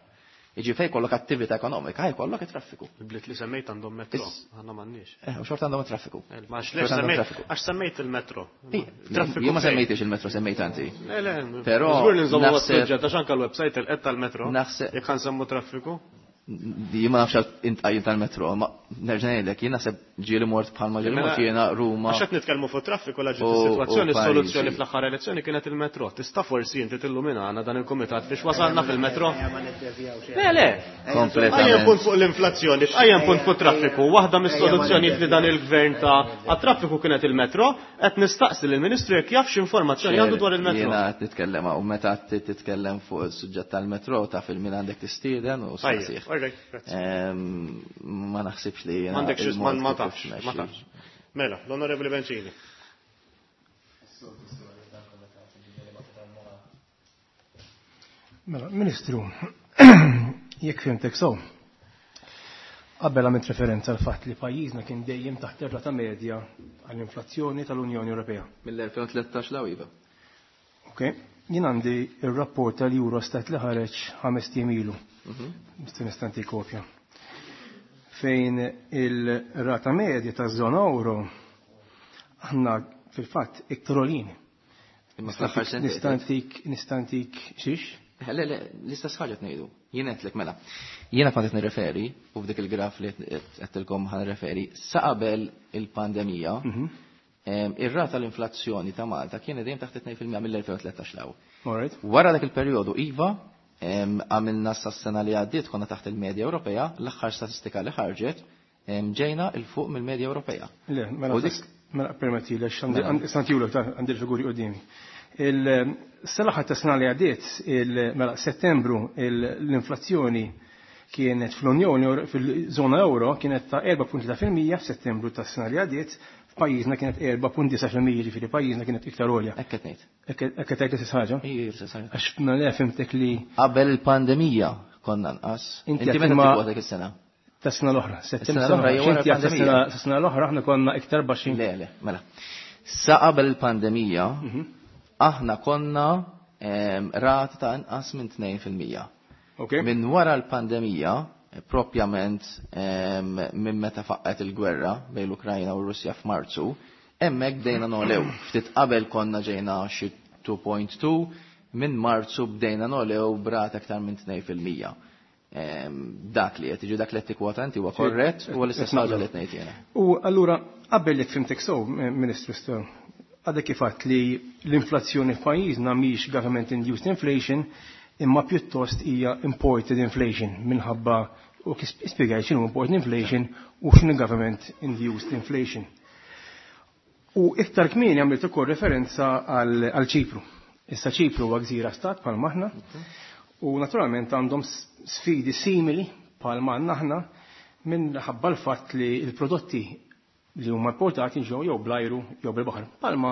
Speaker 4: Jiġifieri fejn jkollok attività ekonomika, jkollok it-traffiku.
Speaker 2: Il-bliet li semmejt għandhom metro, aħna m'għandniex.
Speaker 4: Eh, u xorta għandhom it-traffiku.
Speaker 2: Eh, ma għax semmejt, għax semmejt il-metro.
Speaker 4: Traffiku. Jien ma semmejtix il-metro, semmejt anti.
Speaker 2: Le, le, però żgur li nżommu għas-suġġett għax anke l-website il-qed tal-metro.
Speaker 4: Naħseb
Speaker 2: jekk nsemmu traffiku.
Speaker 4: Jien ma nafx intqajjim tal-metro, ma nerġa' ngħidlek, jien naħseb ġieli mort bħalma ġieli mort jiena Ruma.
Speaker 2: Għax qed nitkellmu fuq traffiku la ġiet is-sitwazzjoni, is-soluzzjoni fl-aħħar elezzjoni kienet il-metro. Tista' forsi inti tilluminana dan il-kumitat biex wasalna fil-metro? Le, le.
Speaker 4: Kompletament.
Speaker 2: Punt fuq l-inflazzjoni, tqajjem punt fuq traffiku. Waħda mis-soluzzjonijiet li dan il-gvern ta' għat-traffiku kienet il-metro, qed nistaqsi lill-Ministru jekk jaf x'informazzjoni għandu dwar il-metro.
Speaker 4: Jiena qed nitkellem u meta titkellem fuq is-suġġett tal-metro taf il-min għandek tistieden u staqsih. Ma naħsibx li jiena.
Speaker 2: M'għandekx ma tafx, ma tafx. Mela, l-Onorevoli Bencini.
Speaker 6: Mela, Ministru, jekk fhimtek sew, qabel għamilt referenza għal fatt li pajjiżna kien dejjem taħt ir-rata medja għall-inflazzjoni tal-Unjoni Ewropea.
Speaker 4: Mill-elfejn u tlettax l iva.
Speaker 6: Ok, jien għandi ir-rapport tal-Eurostat li ħareġ ħames ijiem ilu. Nista' nistanti kopja. Fejn il-rata medja taż-żona euro aħna fil-fatt iktar għolin. Nistantik nistantik xiex?
Speaker 4: Le, le, l-istess ħaġa qed ngħidu. Jien qedlek mela. Jiena kont qed nirreferi u f'dik il-graf li qedtilkom ħa nirreferi sa qabel il-pandemija, ir-rata tal-inflazzjoni ta' Malta kienet dejjem taħt tnejn fil-mija mill-elfejn u tlettax l hawn. Wara dak il-perjodu iva, għamilna s-sena li għaddiet konna taħt il-medja Ewropea, l-aħħar statistika li ħarġet ġejna il fuq mill-medja Ewropea.
Speaker 6: Le, mela mela permetti li għandi għandi l-figuri quddiemi. Il-sena ta' sena li għaddiet, mela Settembru l-inflazzjoni kienet fl-Unjoni fil-żona euro kienet ta' erba' punt tlieta fil-mija f'Settembru tas-sena li għaddiet, f'pajjiżna kienet erba' punt disa' fil-mija, jiġifieri pajjiżna kienet iktar għolja.
Speaker 4: Hekk qed ngħid.
Speaker 6: Hekk qed tgħid l-istess ħaġa?
Speaker 4: Ija, l-istess ħaġa.
Speaker 6: Għax mela fhimtek li
Speaker 4: qabel il-pandemija konna nqas.
Speaker 6: Inti
Speaker 4: meta tikkwota dik is-sena?
Speaker 6: Tas-sena l-oħra,
Speaker 4: Settembru l-oħra jew wara l-pandemija.
Speaker 6: Tas-sena l-oħra aħna konna iktar baxxin.
Speaker 4: Le, le, mela. Sa qabel il-pandemija aħna konna rata ta' inqas minn tnejn fil-mija. Minn wara l-pandemija, propjament minn meta faqqet il-gwerra bejn l-Ukrajna u r-Russja f'Marzu, hemmhekk bdejna nolew. Ftit qabel konna ġejna xi two point two, minn Marzu bdejna nolew b'rata aktar minn tnejn fil-mija. Dak li qed jiġi dak li qed tikkwota inti huwa korrett u l-istess ħaġa li qed ngħid jiena.
Speaker 6: U allura qabel li fhimtek sew, Ministru Stern, għadek kif għedt li l-inflazzjoni f'pajjiżna mhix government induced inflation, imma pjuttost hija imported inflation minħabba u kif spjegajt x'inhu imported inflation u x'inhu government induced inflation. U iktar kmieni għamilt ukoll referenza għal Ċipru. Issa Ċipru huwa gżira stat bħal maħna u naturalment għandhom sfidi simili bħal ma aħna minħabba l-fatt li l-prodotti li huma importati ġew jew bl-ajru jew bil-baħar bħalma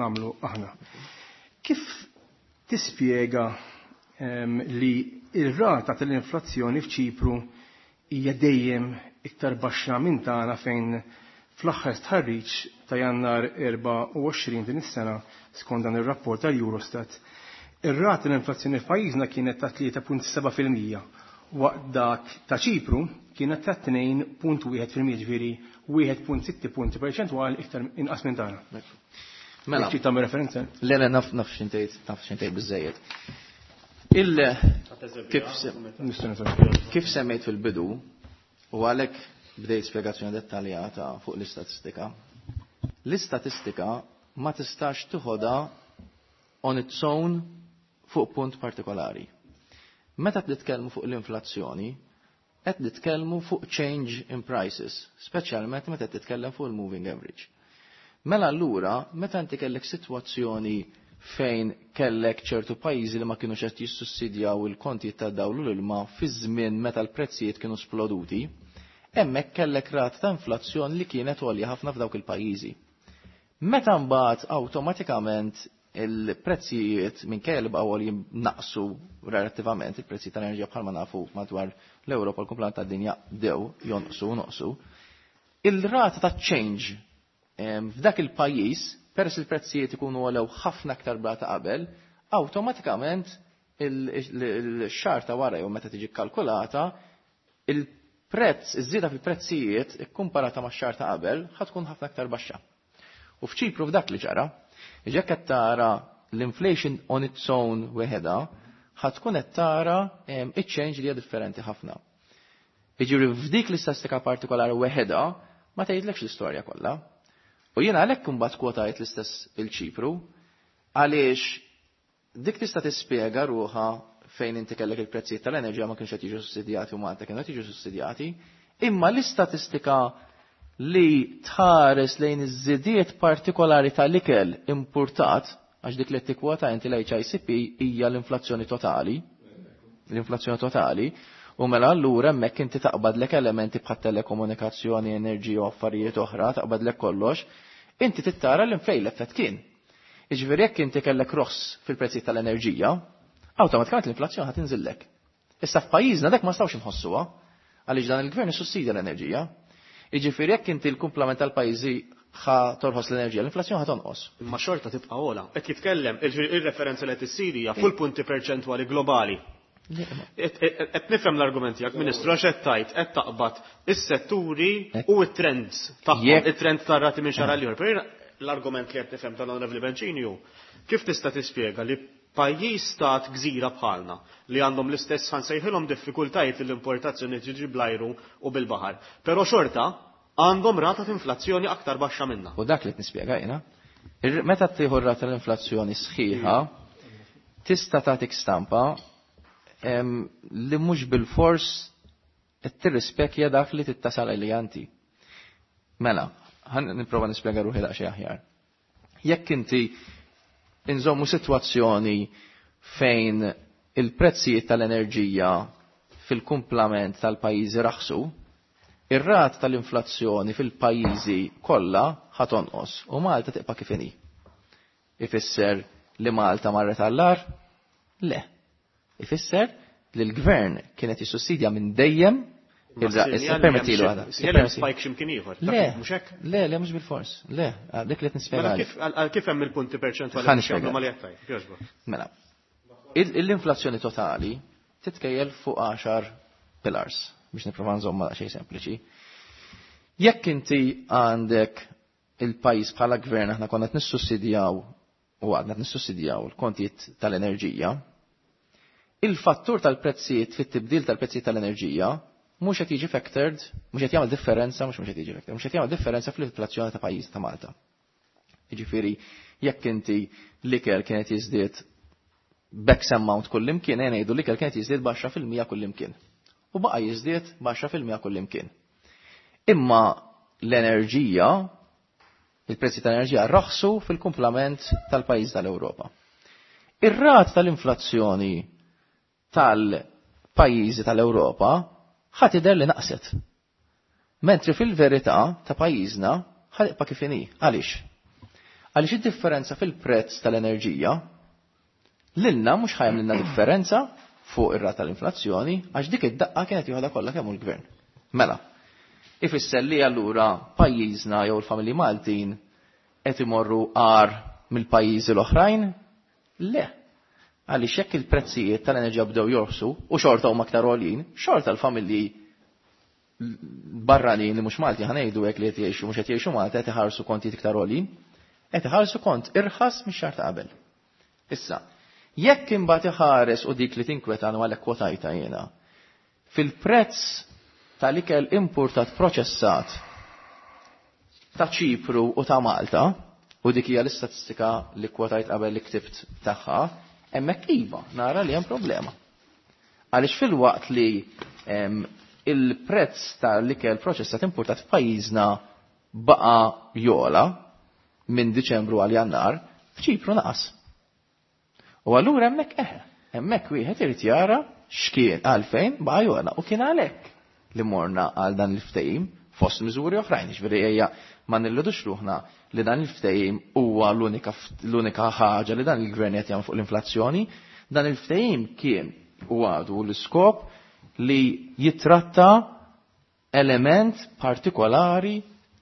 Speaker 6: nagħmlu aħna. Kif tispjega li ir-rata tal-inflazzjoni f'Ċipru hija dejjem iktar baxxa minn tagħna fejn fl-aħħar stħarriġ ta' Jannar erbgħa u għoxrin din is-sena skont dan ir-rapport tal-Eurostat, ir-rata tal-inflazzjoni f'pajjiżna kienet ta' tlieta punt seba' fil-mija waqt dak ta' Ċipru kienet ta' tnejn punt wieħed fil-mija, ġifieri wieħed punt sitt punti perċentwali iktar inqas minn tagħna.
Speaker 4: Mela.
Speaker 6: Trid tagħmel referenza?
Speaker 4: Le, le, naf, naf x'intejt, naf x'intejt biżejjed. Il kif kif semmejt fil-bidu u għalhekk bdejt spjegazzjoni dettaljata fuq l-istatistika. L-istatistika ma tistax tiħodha on its own fuq punt partikolari. Meta titkellmu fuq l-inflazzjoni, qed nitkellmu fuq change in prices, speċjalment meta titkellem fuq il-moving average. Mela allura, meta inti kellek sitwazzjoni fejn kellek ċertu pajjiżi li ma kienux qed jissussidjaw il-kontijiet ta' dawl u l-ilma fi żmien meta l-prezzijiet kienu sploduti, hemmhekk kellek rata ta' inflazzjoni li kienet għolja ħafna f'dawk il-pajjiżi. Meta mbagħad awtomatikament il-prezzijiet minkejja li baqgħu għoljin naqsu relattivament, il-prezzi tal-enerġija bħalma nafu madwar l-Ewropa, l-kumplament tad-dinja bdew jonqsu noqsu. Il-rata ta' change f'dak il-pajjiż, peress il-prezzijiet ikunu għolew ħafna aktar brata qabel, awtomatikament il-xahar ta' wara jew meta tiġi kkalkulata, il-prezz, iż-żieda fil-prezzijiet ikkumparata max-xahar ta' qabel ħa tkun ħafna aktar baxxa. U f'Ċipru f'dak li ġara, jekk qed tara l-inflation on its own weħeda, ħa tkun qed tara iċ-change li hija differenti ħafna. Jiġifieri f'dik l-istatistika partikolari weħeda ma tgħidlekx l-istorja kollha. U jiena għalhekk imbagħad kwotajt l-istess il-Ċipru, għaliex dik tista' tispjega ruħha fejn inti kellek il-prezzijiet tal-enerġija ma kienx qed jiġu sussidjati u Malta kienu qed jiġu sussidjati, imma l-istatistika li tħares lejn iż-żidiet partikolari tal-ikel importat, għax dik li tikkwota inti l-H I C P hija l-inflazzjoni totali, l-inflazzjoni totali, u mela allura hemmhekk inti taqbadlek elementi bħat telekomunikazzjoni, enerġija u affarijiet oħra, taqbadlek kollox, inti tittara l-infej l-effett kien. Jiġifieri jekk inti kellek roħs fil-prezzijiet tal-enerġija, awtomatikament l-inflazzjoni ħa tinżillek. Issa f'pajjiżna dak ma stawx inħossuha, għaliex dan il-gvern issussidja l-enerġija. Jiġifieri jekk inti l-kumplament tal-pajjiżi ħa torħos l-enerġija, l-inflazzjoni ħa tonqos.
Speaker 2: Imma xorta tibqa' ogħla. Qed jitkellem il-referenza li qed issir hija fuq punti perċentwali globali. Qed nifhem l-argument tiegħek, Ministru, għax qed tgħid qed taqbad is-setturi u t-trends tagħhom, it-trend tar-rati minn xahar għal ieħor. L-argument li qed nifhem tal-Onorevoli Bencini hu kif tista' tispjega li pajjiż stat gżira bħalna li għandhom l-istess, ħa nsejħilhom, diffikultajiet l-importazzjoni tiġi bl-ajru u bil-baħar. Però xorta għandhom rata ta' inflazzjoni aktar baxxa minna.
Speaker 4: U dak li nispjega jiena. Meta tieħu rata l-inflazzjoni sħiħa, tista' tagħtik stampa li mhux bil-fors qed tirrispekja dak li tittasal li anti. Mela, ħa nipprova nispjega ruħi daqsxejn aħjar. Jekk inti inżommu sitwazzjoni fejn il-prezzijiet tal-enerġija fil-kumplament tal-pajjiżi raħsu, ir-rat tal-inflazzjoni fil-pajjiżi kollha ħa tonqos u Malta tibqa' kif inhi. Ifisser li Malta marret għall-agħar? Le. Ifisser li l-gvern kienet jissussidja minn dejjem.
Speaker 2: Permettilu għada. Spike ximkien ieħor.
Speaker 4: Le, le, le, mhux bil-fors. Le, dik li nispjega.
Speaker 2: Mela kif hemm il-punti perċentwali
Speaker 4: li Mela, l-inflazzjoni totali titkejjel fuq għaxar pillars biex nipprova nżomma xejn sempliċi. Jekk inti għandek il-pajjiż bħala gvern aħna konna qed nissussidjaw u għadna nissussidjaw il-kontijiet tal-enerġija, il-fattur tal-prezzijiet fit-tibdil tal-prezzijiet tal-enerġija mhux qed jiġi factored, mhux qed jagħmel differenza, mhux mhux qed jiġi factored, mhux qed jagħmel differenza fl-inflazzjoni ta' pajjiż ta' Malta. Jiġifieri jekk inti l-ikel kienet jiżdied b'X amount kullimkien, ngħidu l-ikel kienet jiżdied b'għaxra fil-mija kullimkien. U baqa' jiżdied b'għaxra fil-mija kullimkien. Imma l-enerġija, il-prezzi tal-enerġija raħsu fil-kumplament tal-pajjiż tal-Ewropa. Ir-rat tal-inflazzjoni tal-pajjiżi tal-Ewropa ħa tidher li naqset. Mentri fil-verità ta' pajjiżna ħa tibqa' kif inhi. Għaliex? Għaliex id-differenza fil-prezz tal-enerġija lilna mhux ħa jagħmlilna differenza fuq ir-rata tal-inflazzjoni għax dik id-daqqa kienet joħodha kollha kemm l-gvern. Mela, ifisser li allura pajjiżna jew il-familji Maltin qed imorru agħar mill-pajjiżi l-oħrajn? Le. Għaliex jekk il-prezzijiet tal-enerġija bdew jorħsu u xorta huma aktar għoljin, xorta l-familji barranin li mhux Malti, ħa ngħidu hekk, li qed jgħixu mhux qed jgħixu Malta, qed iħarsu kontijiet iktar għoljin, qed iħarsu kont irħas mix-xahar ta' qabel. Issa, jekk imbagħad iħares u dik li tinkwetana għalhekk kwotajta jiena, fil-prezz tal-ikel importat proċessat ta' Ċipru u ta' Malta, u dik hija l-istatistika li kwotajt qabel li ktibt tagħha, hemmhekk iva, nara li hemm problema. Għaliex fil-waqt li il-prezz tal-ikel proċessat importat f'pajjiżna baqa jogħla minn Diċembru għal Jannar, f'Ċipru naqas. U allura hemmhekk eħe, hemmhekk wieħed irid jara x'kien għalfejn baqa jogħla u kien għalhekk li morna għal dan il-ftehim Fost miżuri oħrajn, ġifieri ejja ma nilludux ruħna li dan il-ftehim huwa l-unika l-unika ħaġa li dan il-gvern qed jagħmel fuq l-inflazzjoni. Dan il-ftehim kien u għadu l-iskop li jitratta element partikolari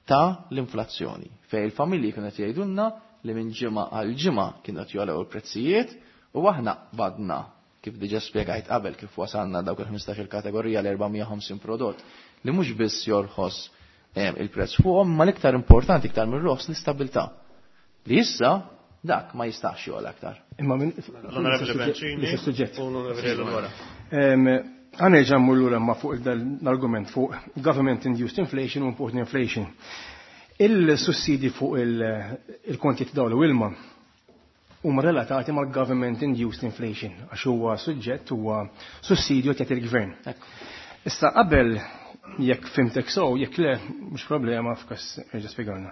Speaker 4: ta' l-inflazzjoni. Fej il-familji kienu qed jgħidulna li minn ġimgħa għal ġimgħa kienu qed jogħlew il-prezzijiet u aħna qbadna, kif diġà spjegajt qabel, kif wasalna dawk il-ħmistax-il kategorija l-erba' mija u ħamsin prodott li mhux biss jorħos il-prezz fuqhom, ma l-iktar importanti iktar mir-roħs l-istabilità. Li issa dak ma jistax jogħla aktar.
Speaker 6: Imma minn
Speaker 2: L-Onorevoli Bencini
Speaker 6: suġġett.
Speaker 2: U l-Onorevoli Eleonora.
Speaker 6: Ħa nerġa' mmur lura ma fuq l-argument fuq government induced inflation u imported inflation. Il-sussidi fuq il-kontijiet dawl u ilma huma relatati mal-government induced inflation għax huwa suġġett, huwa sussidju qed il-gvern. Issa qabel, jekk fhimtek sew, jekk le mhux problema, f'każ erġa' spjegawna.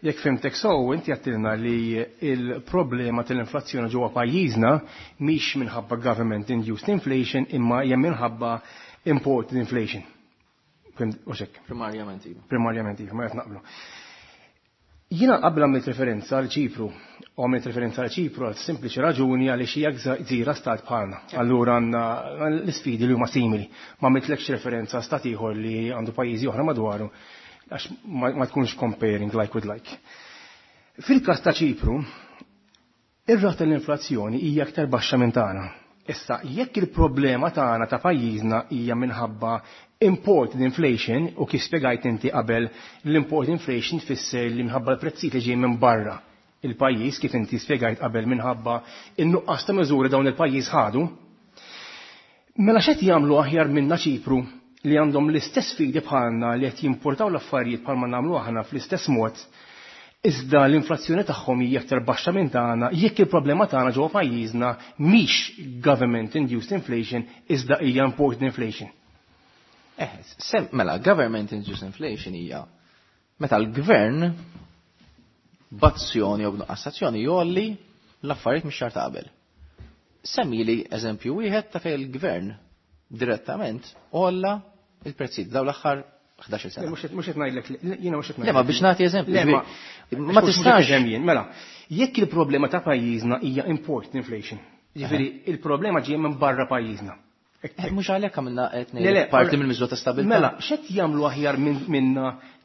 Speaker 6: Jekk fhimtek sew, inti għedtilna li il-problema tal-inflazzjoni ġewwa pajjiżna mhix minħabba government induced inflation imma hija minħabba imported inflation. Fimt u xek?
Speaker 4: Primarjament iva.
Speaker 6: Primarjament iva, ma qed naqblu. Jiena qabel għamilt referenza għal Ċipru, u għamilt referenza għal Ċipru għal sempliċi raġuni għaliex hija gżira stat bħalna. Allura għandna l-isfidi li huma simili. Ma għamiltlekx referenza stat ieħor li għandu pajjiżi oħra madwaru għax ma tkunx comparing like with like. Fil-każ ta' Ċipru, ir-rata l-inflazzjoni hija aktar baxxa minn tagħna. Issa, jekk il-problema tagħna ta' pajjiżna hija minħabba imported inflation, u kif spjegajt inti qabel, l-imported inflation tfisser li minħabba l-prezzijiet li ġej minn barra il-pajjiż, kif inti spjegajt qabel, minħabba in-nuqqas ta' miżuri dawn il-pajjiż ħadu. Mela x'qed jagħmlu aħjar minna Ċipru li għandhom l-istess sfidi bħalna, li qed jimportaw l-affarijiet bħalma nagħmlu aħna fl-istess mod, iżda l-inflazzjoni tagħhom hija aktar baxxa minn tagħna, jekk il-problema tagħna ġewwa pajjiżna mhix government induced inflation iżda hija imported inflation?
Speaker 4: Eh, sem, mela, government induced inflation hija meta l-gvern b'azzjoni jew b'nuqqas azzjoni jgħolli l-affarijiet mix-xahar ta' qabel. Semmi li eżempju wieħed ta' fejn il-gvern direttament għolla il-prezzijiet daw l-aħħar ħdax-il sena.
Speaker 6: Mhux qed ngħidlek, jiena mhux qed
Speaker 4: Le, ma biex nagħti eżempju.
Speaker 6: Le, ma
Speaker 4: ma tistax.
Speaker 6: Jien, mela, jekk il-problema ta' pajjiżna hija import inflation, jiġifieri il-problema ġejja minn barra pajjiżna.
Speaker 4: Eh, mhux għalhekk għamilna qed
Speaker 6: Le, le,
Speaker 4: parti mill-miżura ta' stabilità.
Speaker 6: Mela, x'qed jagħmlu aħjar minn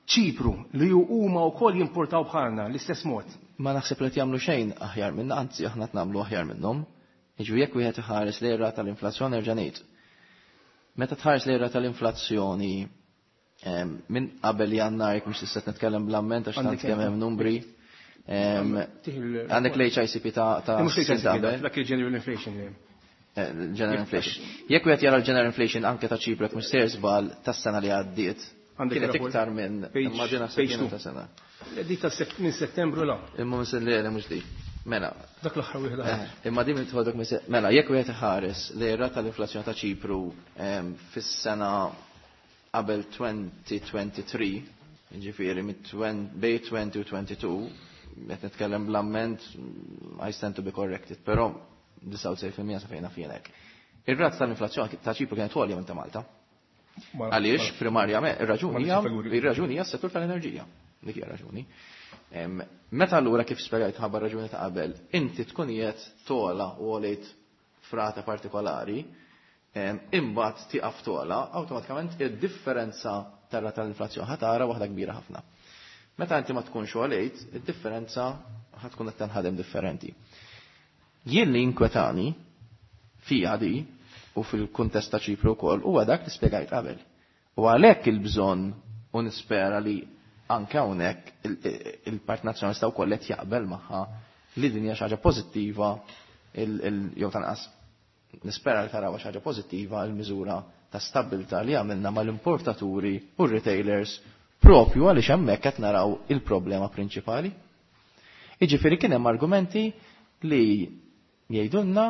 Speaker 6: Ċipru li huma wkoll jimportaw bħalna l-istess mod?
Speaker 4: Ma naħseb li jagħmlu xejn aħjar minna, anzi aħna nagħmlu aħjar minnhom. Jiġu jekk wieħed iħares lejn rata tal-inflazzjoni, erġa' ngħid. Meta tħares lejn rata tal-inflazzjoni minn qabel Jannar, jekk mhux tista' nitkellem bl-amment għax tant kemm hemm numri. Għandek l-H I C P ta' ta'
Speaker 6: Dak il-general inflation.
Speaker 4: Eh, general inflation. Jekk wieħed jara l-general inflation anke ta' Ċipru, jekk mhux sejjer żball, tas-sena li għaddiet, kienet iktar minn immaġina ta' sena.
Speaker 6: Dik ta' minn Settembru la.
Speaker 4: Imma minn li mhux di. Mela.
Speaker 6: Dak l-aħħar wieħed.
Speaker 4: Eh, imma din tħodok mela, jekk wieħed iħares li r-rata tal-inflazzjoni ta' Ċipru fis-sena qabel elfejn u tlieta u għoxrin, ġifieri bej għoxrin u tnejn u għoxrin, qed nitkellem bl-amment, I stand to be corrected, però disgħa u disgħin fil-mija sa fejna fienek. Ir-rata tal-inflazzjoni ta' Ċipru kienet għolja minn ta' Malta. Għaliex, primarjament, ir-raġuni hija ir-raġuni hija s-settur tal-enerġija. Dik hija raġuni. Meta allura, kif spjegajt ħabba raġuni ta' qabel, inti tkun qiegħed togħla u għolejt f'rata partikolari, imbagħad tieqaf togħla, awtomatikament id-differenza tar-rata tal-inflazzjoni ħa tara waħda kbira ħafna. Meta inti ma tkunx għolejt, id-differenza ħa tkun qed tenħadem differenti. Jien li inkwetani fija di u fil-kuntest ta' Ċipru wkoll huwa dak li spjegajt qabel. U għalhekk il-bżonn, u nispera li anke hawnhekk il-Partit Nazzjonalista wkoll qed jaqbel magħha li din hija xi ħaġa pożittiva, jew tanqas nispera li taraw xi ħaġa pożittiva, il-miżura ta' stabilità li għamilna mal-importaturi u retailers, propju għaliex hemmhekk qed naraw il-problema prinċipali. Jiġifieri kien hemm argumenti li jgħidulna,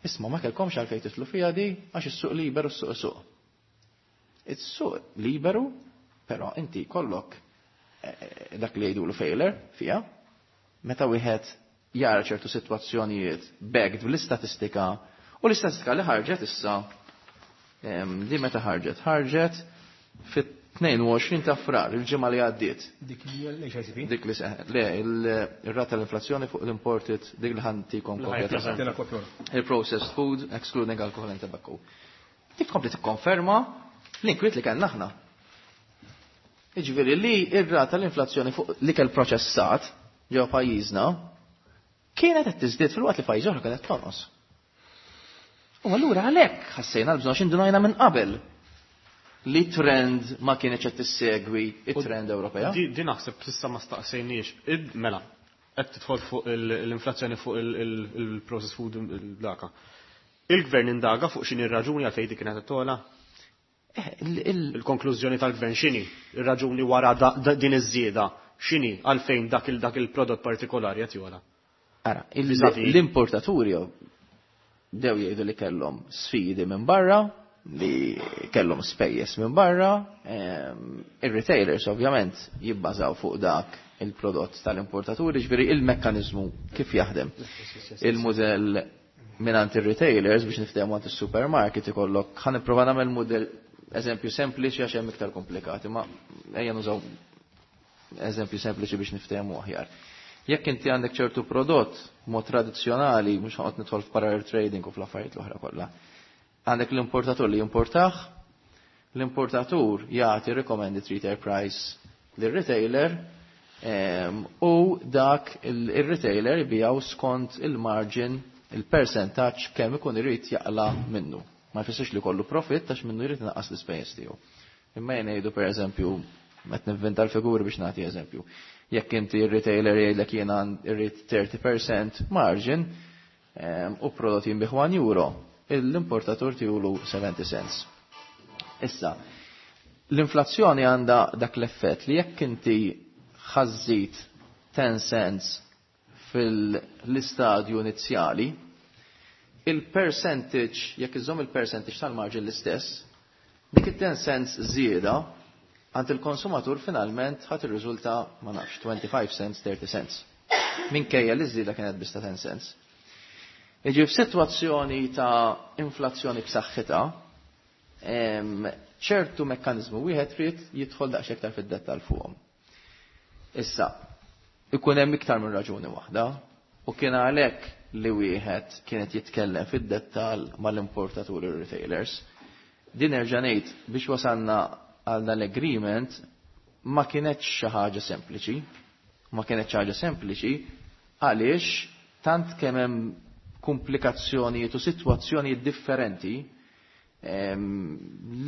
Speaker 4: "Isma', ma kellkomx għalfejn titlu fiha di għax is-suq liberu, s-suq suq." Is-suq liberu, però inti kollok eh, eh, dak li jgħidulu failure fija, meta wieħed jara ċertu sitwazzjonijiet backed bl-istatistika, u l-istatistika li ħarġet issa, di meta ħarġet? Ħarġet fit Fit-tnejn u għoxrin ta' Frar, il-ġimgħa li għaddiet.
Speaker 6: Dik li l-H I C P?
Speaker 4: Dik li seħ, le, il-rata tal-inflazzjoni fuq l-imported, dik li ħantikom kopja. Il-processed food, excluding alcohol and tobacco. Dik tkompli tikkonferma l-inkwiet li kellna aħna. Jiġifieri li r-rata tal-inflazzjoni fuq l-ikel proċessat ġewwa pajjiżna kienet qed tiżdied fil-waqt li pajjiż oħra kienet tonqos. U allura għalhekk ħassejna l-bżonn x'indunajna minn qabel li trend ma kienx qed tissegwi it-trend Ewropea.
Speaker 2: Di naħseb s'issa ma staqsejniex. Mela, qed tidħol fuq l-inflazzjoni fuq il-processed food il-daka. Il-gvern indaga fuq x'inhi r-raġuni għalfejn dik kienet togħla? Il-konklużjoni tal-gvern x'inhi? Ir-raġuni wara din iż-żieda x'inhi għalfejn dak il-prodott partikolari qed jogħla?
Speaker 4: Ara, l-importaturi dew jgħidu li kellhom sfidi minn barra, li kellhom spejjeż minn barra, ir-retailers ovvjament jibbażaw fuq dak il-prodott tal-importaturi, ġifieri il-mekkaniżmu kif jaħdem. Il-mudell mingħand ir-retailers biex niftehmu għand is-supermarket ikollok, ħa nipprova nagħmel mudell eżempju sempliċi għax hemm iktar komplikati, ma ejja nużaw eżempju sempliċi biex niftehmu aħjar. Jekk inti għandek ċertu prodott mod tradizzjonali, mhux ħanoqgħod nidħol f'parallel trading u fl-affarijiet l-oħra kollha. Għandek l-importatur li jimportah, l-importatur jagħti recommended retail price lir-retailer u dak il-retailer jbijaw skont il-margin, il-percentaġġ kemm ikun irid jaqla minnu. Ma jfissirx li kollu profit għax minnu jrid inaqqas l-ispejjeż tiegħu. Imma jien ngħidu pereżempju, qed nivvinta l-figuri biex nagħti eżempju. Jekk inti r-retailer jgħidlek jiena rrid thirty percent margin u prodott jinbih one euro, l-importatur tiegħu seventy cents. Issa, l-inflazzjoni għandha dak l-effett li jekk inti ħażżit ten cents fil-istadju inizjali, il-percentage, jekk iżomm il-percentage tal-margin l-istess, dik it-ten cents żieda għand il-konsumatur finalment ħadd irriżulta ma nafx twenty-five cents, thirty cents. Minkejja li żieda kienet biss ta' ten cents. Jiġi f'sitwazzjoni ta' inflazzjoni b'saħħitha, ċertu mekkaniżmu wieħed trid jidħol daqsxejn iktar fid-dettall fuqhom. Issa, ikun hemm iktar minn raġuni waħda, u kien għalhekk li wieħed kienet jitkellem fid-dettall mal-importaturi u retailers. Din erġa' ngħid biex wasalna għal dan l-agreement ma kienetx xi ħaġa sempliċi, ma kienetx ħaġa sempliċi għaliex tant kemm hemm komplikazzjonijiet u sitwazzjonijiet differenti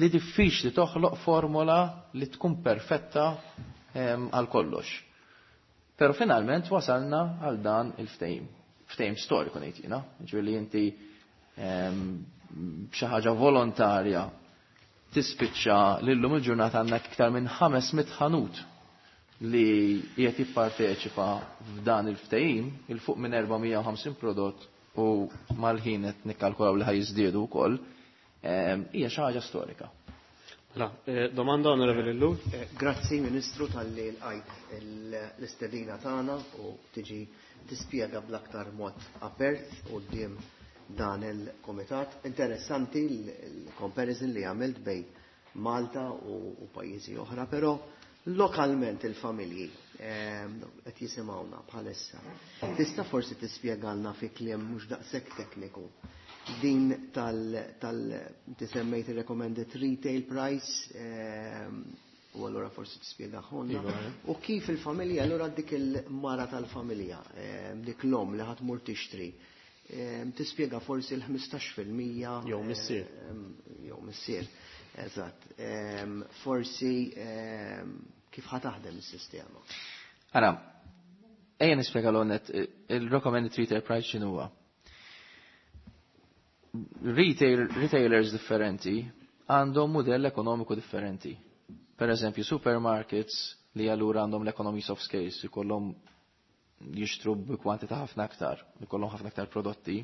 Speaker 4: li diffiċli toħloq formola li tkun perfetta għal kollox. Però finalment wasalna għal dan il-ftehim, ftehim storiku ngħid jiena, ġifieri li inti b'xi ħaġa volontarja tispiċċa lillum il-ġurnata għandna iktar minn ħames mitt ħanut li qiegħed jipparteċipa f'dan il-ftehim, il fuq minn erba' mija u ħamsin prodott u mal-ħin qed nikkalkulaw li ħajżdiedu wkoll, hija xi ħaġa storika.
Speaker 2: Mela, domanda Onorevoli Ellul.
Speaker 7: Grazzi Ministru talli lqajt l-istedina tagħna u tiġi tispjega bl-aktar mod apert quddiem dan il-komitat. Interessanti l-comparison li għamilt bejn Malta u pajjiżi oħra, però lokalment il-familji qed jisimgħuna bħalissa. Tista' forsi tispjegalna fi kliem mhux daqshekk tekniku din tal, tal tisemmejt il-recommended retail price u allura forsi tispjegaħolna. U kif il-familja, allura dik il-mara tal-familja, dik l-om li ħadd mur tixtri, tispjega forsi l-ħmistax fil-mija
Speaker 2: Jew missier.
Speaker 7: Jew missier, eżatt. Forsi kif ħa taħdem is-sistema.
Speaker 4: Ara, ejja nispjega l-għonet, il-recommended retail price x'inhu huwa? Retail, retailers differenti għandhom modell ekonomiku differenti. Per eżempju, supermarkets li allura għandhom l-economies of scale, ikollhom jixtru bi kwantità ħafna aktar, ikollhom ħafna aktar prodotti,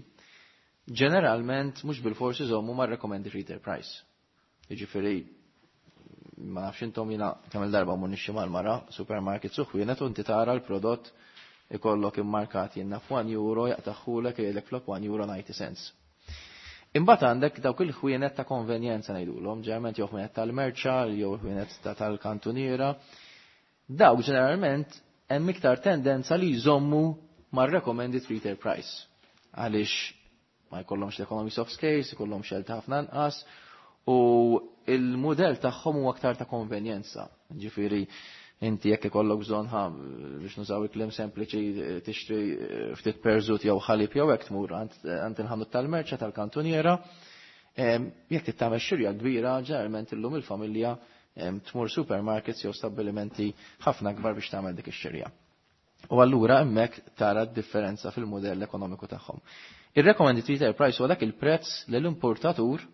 Speaker 4: ġeneralment mhux bil-forsi jżommu ma' recommended retail price. Jiġifieri, ma nafx intom jiena kemm il-darba mmur nixxi mal-mara, supermarket suħwienet u inti tara l-prodott ikollok immarkat jiena f'one euro jaqtaħħulek jgħidlek flok one euro ninety cents. Imbagħad għandek dawk il-ħwienet ta' konvenjenza ngħidulhom, ġeneralment jew ħwienet tal-merċa jew ħwienet tal-kantuniera. Dawk ġeneralment hemm iktar tendenza li jżommu mar-recommended retail price. Għaliex ma jkollhomx l-economies of scale, jkollhom xelta ħafna inqas u il-mudell tagħhom huwa aktar ta' konvenjenza. Ġifieri inti jekk ikollok bżonn ħa biex nużaw il-kliem sempliċi tixtri ftit perżut jew ħalib jew hekk tmur għand il-ħanut tal-merċa tal-kantuniera. Jekk tagħmel xirja kbira, ġeneralment illum il-familja tmur supermarkets jew stabbilimenti ħafna kbar biex tagħmel dik ix-xirja. U allura hemmhekk tara d-differenza fil-mudell ekonomiku tagħhom. Ir-recommended retail price huwa dak il-prezz li l-importatur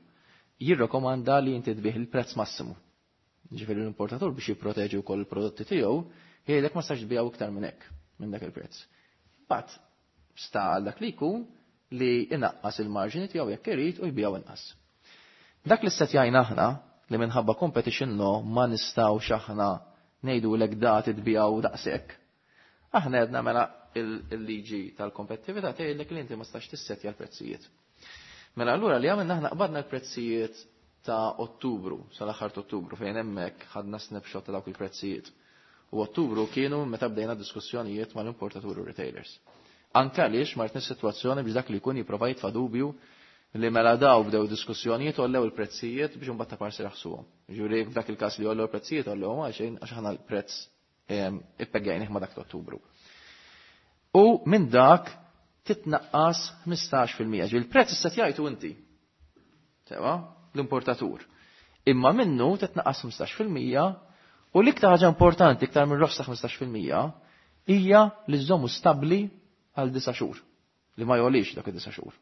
Speaker 4: jirrekomanda li inti tbih il-prezz massimu. Ġifieri l-importatur biex jipproteġi wkoll il-prodotti tiegħu, jgħidlek ma stax tbiegħu iktar minn hekk, minn dak il-prezz. But sta għal dak li jkun li inaqqas il-marġini tiegħu jekk irid u jbiegħu inqas. Dak li ssetjajna aħna li minħabba competition law ma nistgħux aħna ngħidulek da tbiegħu daqshekk. Aħna għedna mela il-liġi tal-kompetittività tgħidlek li inti ma stax tissetja l-prezzijiet. Mela allura li għamilna aħna qbadna l-prezzijiet ta' Ottubru, sal-aħħar ta' Ottubru, fejn hemmhekk ħadna snapshot ta' dawk il-prezzijiet. U Ottubru kienu meta bdejna diskussjonijiet mal-importaturi u retailers. Anke għaliex ma rridniex sitwazzjoni biex dak li jkun jipprova jitfa' dubju li mela daw bdew diskussjonijiet għollew il-prezzijiet biex imbagħad ta' parsi raħsuhom. Ġifieri f'dak il-każ li għollew il-prezzijiet għollewhom għalxejn għax aħna l-prezz ippegjajnih ma' dak ta' Ottubru. U minn dak titnaqqas ħmistax fil-mija. Ġifieri il-prezz issa tgħidu inti. Sewa, l-importatur. Imma minnu titnaqqas ħmistax fil-mija u l-iktar ħaġa importanti iktar minn roħs ta' ħmistax fil-mija hija li żommu stabbli għal disa' xhur. Li ma jgħolix dak id-disa' xhur.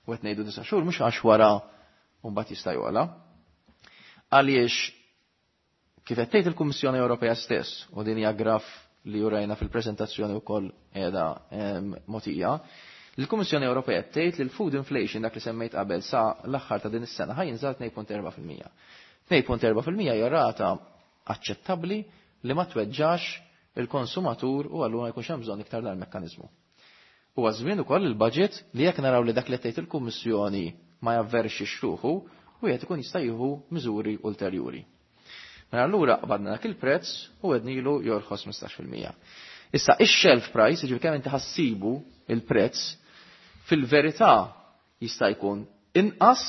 Speaker 4: U qed ngħidu disa' xhur mhux għax wara u mbagħad jista' jogħla. Għaliex kif qed tgħid il-Kummissjoni Ewropea stess, u din hija graf li urajna fil-preżentazzjoni wkoll qiegħda mogħtija, l-Kummissjoni Ewropea tgħid li l-food inflation dak li semmejt qabel sa l-aħħar ta' din is-sena ħa jinżel tnejn punt erba' fil-mija. Tnejn punt erba' fil-mija hija rata aċċettabbli li ma tweġġax il-konsumatur u allura ma jkunx hemm bżonn iktar dal-mekkaniżmu. Huwa żmien ukoll il-budget li jekk naraw li dak li tgħid il-Kummissjoni ma javverxix ruħu u qed ikun jista' jieħu miżuri ulterjuri. Mela allura qbadna dak il-prezz u għednilu jorħos ħmistax fil-mija. Issa ix-shelf price, jiġifieri kemm inti ħassibu il-prezz, fil-verità jista' jkun inqas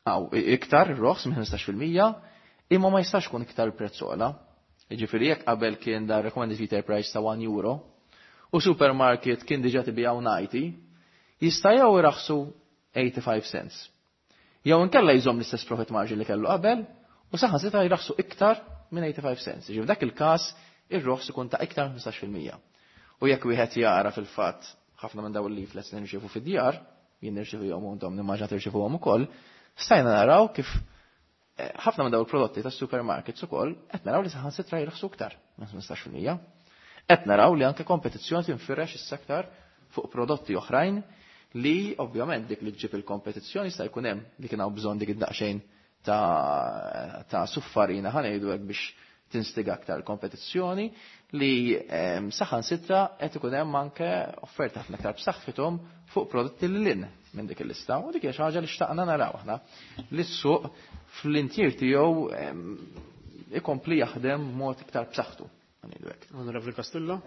Speaker 4: aw iktar roħs minn ħmistax fil-mija, imma ma jistax jkun iktar prezz ogħla. Jiġifieri jekk qabel kien dar recommended retail price ta' one euro u supermarket kien diġà tibijaw ninety, jista' jew iraħsu eighty-five cents. Jew inkella jżomm l-istess profit margin li kellu qabel u saħansitra jraħsu iktar minn eighty-five cents. Jiġifieri f'dak il-każ ir-roħs ikun ta' iktar minn ħmistax fil-mija. U jekk wieħed jara fil-fatt ħafna minn dawn il-leaflets li nirċievu fid-djar, jien nirċievuhom u intom nimmaġina tirċievuhom ukoll, stajna naraw kif ħafna minn dawn il-prodotti tas-supermarkets ukoll qed naraw li saħansitra jirħsu iktar minn ħmistax fil-mija. Qed naraw li anke kompetizzjoni tinfirex issa aktar fuq prodotti oħrajn li ovvjament dik li ġġib il-kompetizzjoni sta jkun hemm li kien hawn bżonn dik id-daqsxejn ta', ta' suffarina ħa ngħidu hekk biex tinstiga aktar kompetizzjoni li, ehm, saħansitra qed ikun hemm anke offerta ħafna aktar b'saħħithom fuq prodotti li lin minn dik il-lista u dik hija xi ħaġa li xtaqna naraw aħna li s-suq fl-intier tiegħu, ehm, ikompli jaħdem mod iktar b'saħħtu. Ngħidu hekk.
Speaker 2: Onorevoli Castillo?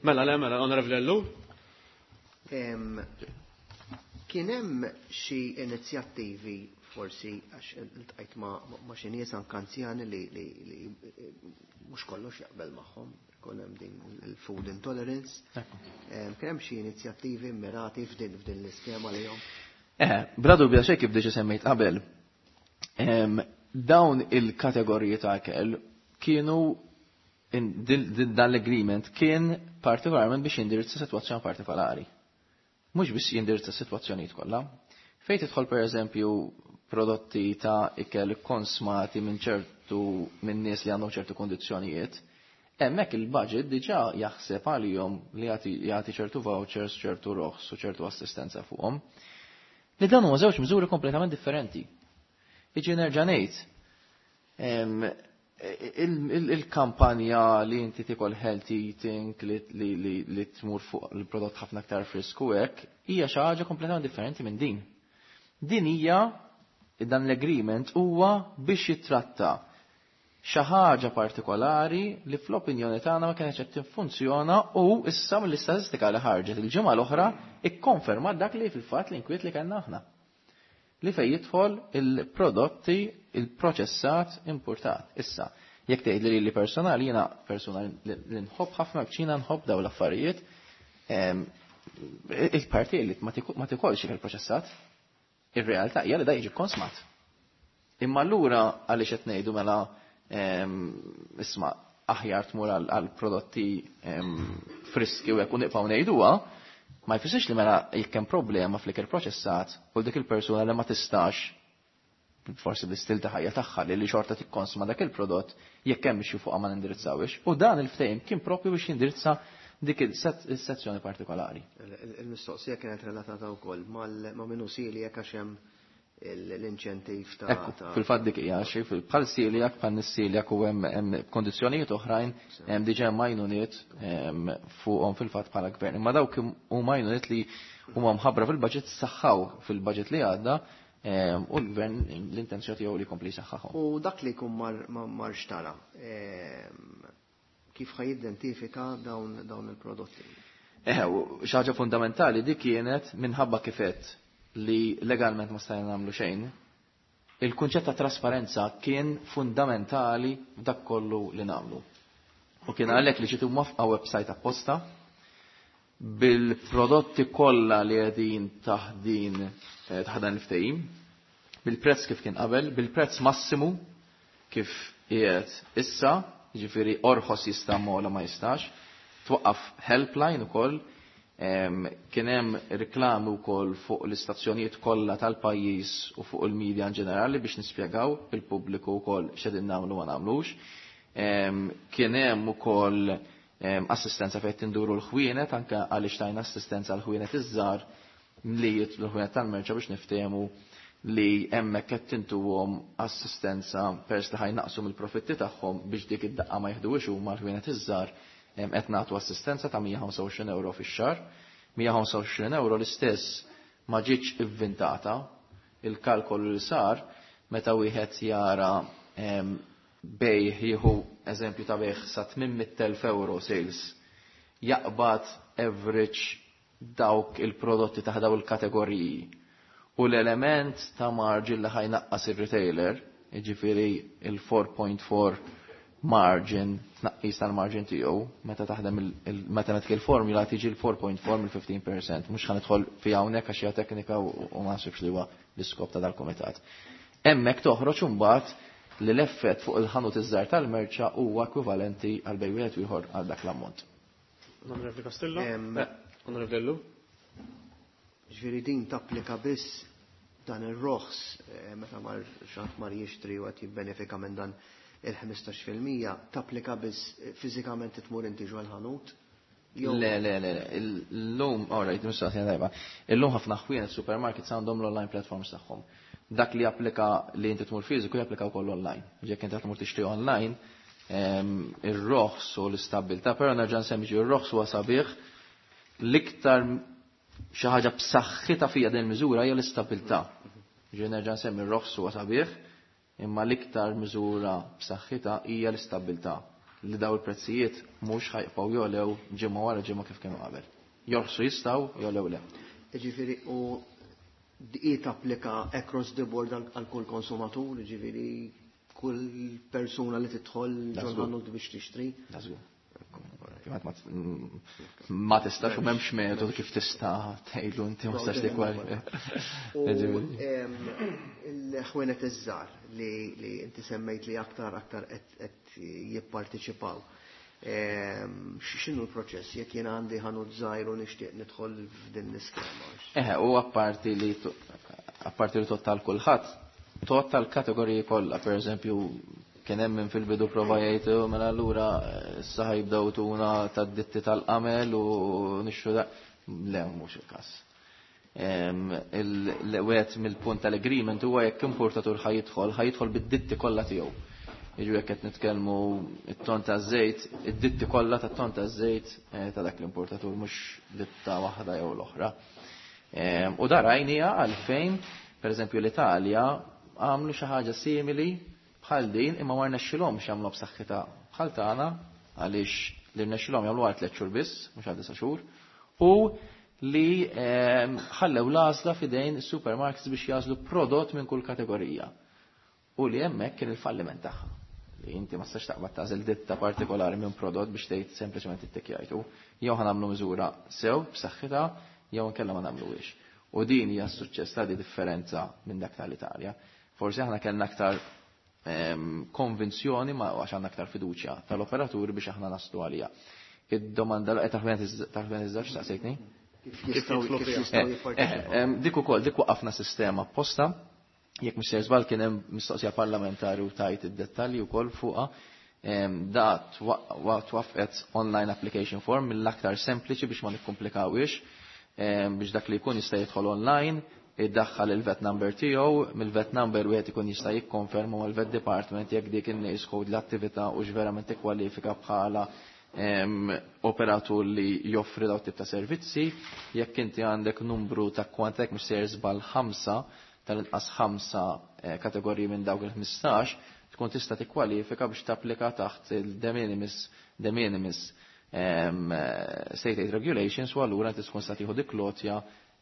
Speaker 2: Mela, le, mela, Onorevoli Ellul?
Speaker 7: Em, kien hemm xi inizjattivi forsi għax iltqajt ma, ma xi nies anke anzjani li, li, li mhux kollox jaqbel magħhom, ikun hemm din il-food intolerance. Em, kien hemm xi inizjattivi mirati f'din, f'din l-iskema li jom?
Speaker 4: Eh, bla dubja xejn kif diġà semmejt qabel. Em, dawn il-kategoriji ta' ikel kienu in, din, din, dan l-agreement kien partikolarment biex jindirizza sitwazzjoni partikolari. Mhux biex jindirizza sitwazzjonijiet kollha. Fejn tidħol pereżempju prodotti ta' ikel konsmati minn ċertu minn nies li għandhom ċertu kondizzjonijiet, hemmhekk il-budget diġà jaħseb għalihom li jagħti, jagħti ċertu vouchers, ċertu roħs u ċertu assistenza fuqhom. Li dan huma żewġ miżuri kompletament differenti. Iġi nerġa' ngħid, em, il-, il-, il-kampanja li inti tikol healthy eating, li, li, li, li tmur fuq il-prodott ħafna aktar frisku hekk, hija xi ħaġa kompletament differenti minn din. Din hija dan l-agreement huwa biex jitratta xi ħaġa partikolari li fl-opinjoni tagħna ma kienx qed tiffunzjona u issa mill-istatistika li ħarġet il-ġimgħa l-oħra ikkonfermat dak li fil-fatt l-inkwiet li kellna aħna. Li fejn jidħol il-prodotti il-proċessat importat. Issa, jekk tgħid li li personali jiena persuna li nħobb ħafna kċina nħobb dawn l-affarijiet, il-parti li ma tikolx il-proċessat, ir-realtà hija li da jiġi konsmat. Imma allura għaliex qed ngħidu mela isma' aħjar tmur għal prodotti friski u jekk nibqgħu ngħiduha, ma jfissirx li mela jekk hemm problema fl-ikel proċessat u dik il-persuna li ma tistax forsi bl-istil ta' ħajja tagħha li li xorta tikkonsma dak il-prodott jekk hemm issue fuqha ma nindirizzawhiex. U dan il-ftehim kien propju biex jindirizza dik il-sezzjoni partikolari.
Speaker 7: Il-mistoqsija kienet relatata wkoll ma' min hu celiac għax hemm l-inċentiv ta'
Speaker 4: Ekku, fil-fatt dik hija xi bħal celiac, bħal nis-celiac u hemm kondizzjonijiet oħrajn hemm diġà għajnuniet fuqhom fil-fatt bħala gvern. Imma dawk huma għajnuniet li huma mħabbra fil-budget saħħaw fil-budget li għadda u l-gvern l-intenzjoni tiegħu li jkompli jsaħħaħhom.
Speaker 7: U dak li jkun mar xtara, kif ħa jidentifika dawn dawn il-prodotti?
Speaker 4: Eh, xi ħaġa fundamentali dik kienet minħabba kifet li legalment ma stajna nagħmlu xejn. Il-kunċett ta' trasparenza kien fundamentali f'dak kollu li nagħmlu. U kien għalhekk li ġiet imwaffqa website apposta bil-prodotti kollha li qegħdin taħdin taħt dan il-ftehim, bil-prezz kif kien qabel, bil-prezz massimu kif qiegħed issa, jiġifieri orħos jista' mola ma jistax, twaqqaf helpline ukoll, kien hemm reklami wkoll fuq l-istazzjonijiet kollha tal-pajjiż u fuq il-medja in ġenerali biex nispjegaw il-pubbliku wkoll x'qegħdin nagħmlu ma nagħmlux. Kien hemm ukoll assistenza fejn tinduru l-ħwienet, anke għaliex tajna assistenza għal ħwienet iż-żgħar li l-ħwienet tal-merċa biex niftehmu li hemmhekk qed tintuhom assistenza pers li ħajnaqsu mill-profitti tagħhom biex dik id-daqqa ma jieħduhiex huma l-ħwienet iż-żgħar qed nagħtu assistenza ta' mija u ħamsa u għoxrin euro fix-xahar. mija u ħamsa u għoxrin euro l-istess ma ġietx ivvintata, il-kalkolu li sar meta wieħed jara bejħ jieħu eżempju ta' bejħ sa tmien mitt elf euro sales jaqbad average dawk il-prodotti ta' daw il-kategoriji u l-element ta' margin li ħajnaqqas ir-retailer, jiġifieri il-four point four margin, tnaqqis tal-margin tiegħu, meta taħdem il-mathematical formula tiġi l-four point four mill-fifteen percent, mhux ħanidħol fi hawnhekk għax hija teknika u ma naħsibx li huwa l-iskop ta' dal-kumitat. Hemmhekk toħroġ imbagħad li l-effett fuq il-ħanut iż-żgħar tal-merċa huwa ekwivalenti għal bejn wieħed u ieħor għal dak l-ammont.
Speaker 2: Onorevoli Castillo?
Speaker 7: Em,
Speaker 2: Onorevoli Ellul?
Speaker 7: Ġifieri din tapplika biss dan ir-roħs, eh, meta mar xaħat mar jixtri u qed jibbenefika minn dan il-ħmistax fil-mija, tapplika biss fiżikament tmur inti ġol ħanut? Jew-
Speaker 4: Le, le, le, le, illum, all right, mistoqsija tajba. Illum ħafna ħwienet supermarkets għandhom l-online platforms tagħhom. Dak li japplika li inti tmur fiżiku japplika wkoll online. Jekk inti tmur tixtri online, em, ir-roħs u l-istabilità, però nerġa' nsemmi ġi ir-roħs huwa sabiħ, l-iktar xi ħaġa b'saħħitha fija din il-miżura hija l-istabilità. Ġi nerġa' nsemmi r-roħs huwa sabiħ, imma l-iktar miżura b'saħħitha hija l-istabilità li daw il-prezzijiet mhux ħajqgħu jolew ġimgħa wara ġimgħa kif kienu qabel. Jorħsu jistgħu, jolew le.
Speaker 7: Jiġifieri u di tapplika across the board għal, għal kull konsumatur, jiġifieri kull persuna li tidħol
Speaker 4: That's
Speaker 7: ġol
Speaker 4: good.
Speaker 7: ħanut biex tixtri.
Speaker 4: That's good. Ma t-, ma tistax u m'hemmx metodu kif tista' tgħidlu inti ma tistax tikwal.
Speaker 7: U, em, il-ħwienet iż-żgħar li, li inti semmejt li aktar, aktar qed, qed jipparteċipaw. Em, x'inhu l-proċess jekk jien għandi ħanut żgħir u nixtieq nidħol f'din l-iskema?
Speaker 4: Eħe, u apparti li to-, apparti li tottal kulħadd, tottal kategoriji kollha, per eżempju, kien hemm min fil-bidu prova jgħid, oh, mela allura issa ħajbdew tuna tad-ditti tal-qamel u nixxu da. Le, mhux il-każ. Em, il-, l-wieħed mill-punt tal-agreement huwa jekk importatur ħajidħol, ħajidħol bid-ditti kollha tiegħu. Jiġu jekk qed nitkellmu it-ton taż-żejt, id-ditti kollha tat-ton taż-żejt, eh, ta' dak l-importatur mhux ditta waħda jew l-oħra. Em, u da rajnija għalfejn Per eżempju l-Italja għamlu xi ħaġa simili bħal din imma ma rnexxilhomx jagħmlu b'saħħitha bħal tagħna għaliex li rnexxilhom jagħmlu għal tliet xhur biss, mhux għal disa' xhur, u li ħallew l-għażla f'idejn is-supermarkets biex jagħżlu prodott minn kull kategorija. U li hemmhekk kien il-falliment tagħha. Li inti ma tistax taqbad tagħżel ditta partikolari minn prodott biex tgħid sempliċement ittikjajtu. Jew ħa nagħmlu miżura sew b'saħħitha jew inkella ma nagħmluhiex. U din hija s-suċċess ta' di differenza minn dak tal-Italja. Forsi aħna kellna aktar konvinzjoni ma għax għandna aktar fiduċja tal-operaturi biex aħna naslu għalija. Id-domanda l taħben iż-żewġ staqsejtni? Dik ukoll dik waqafna sistema apposta, jekk mhux sejjer żball kien hemm mistoqsija parlamentari u tajt id-dettalji wkoll fuqha. Da twaffqet online application form mill-aktar sempliċi biex ma nikkomplikawhiex, biex dak li jkun jista' jidħol online, iddaħħal il-V A T number tiegħu, mill-V A T number wieħed ikun jista' jikkonferma mal-V A T department jekk dik in-NAICS code l-attività u verament tikkwalifika bħala operatur li joffri daw tip ta' servizzi, jekk inti għandek numru ta' kwantek mhux sejjer żball ħamsa, tal-inqas ħamsa kategoriji minn dawk il-ħmistax, tkun tista' tikkwalifika biex tapplika taħt il-de minimis de minimis state aid regulations u allura inti tkun sa tieħu dik l-għotja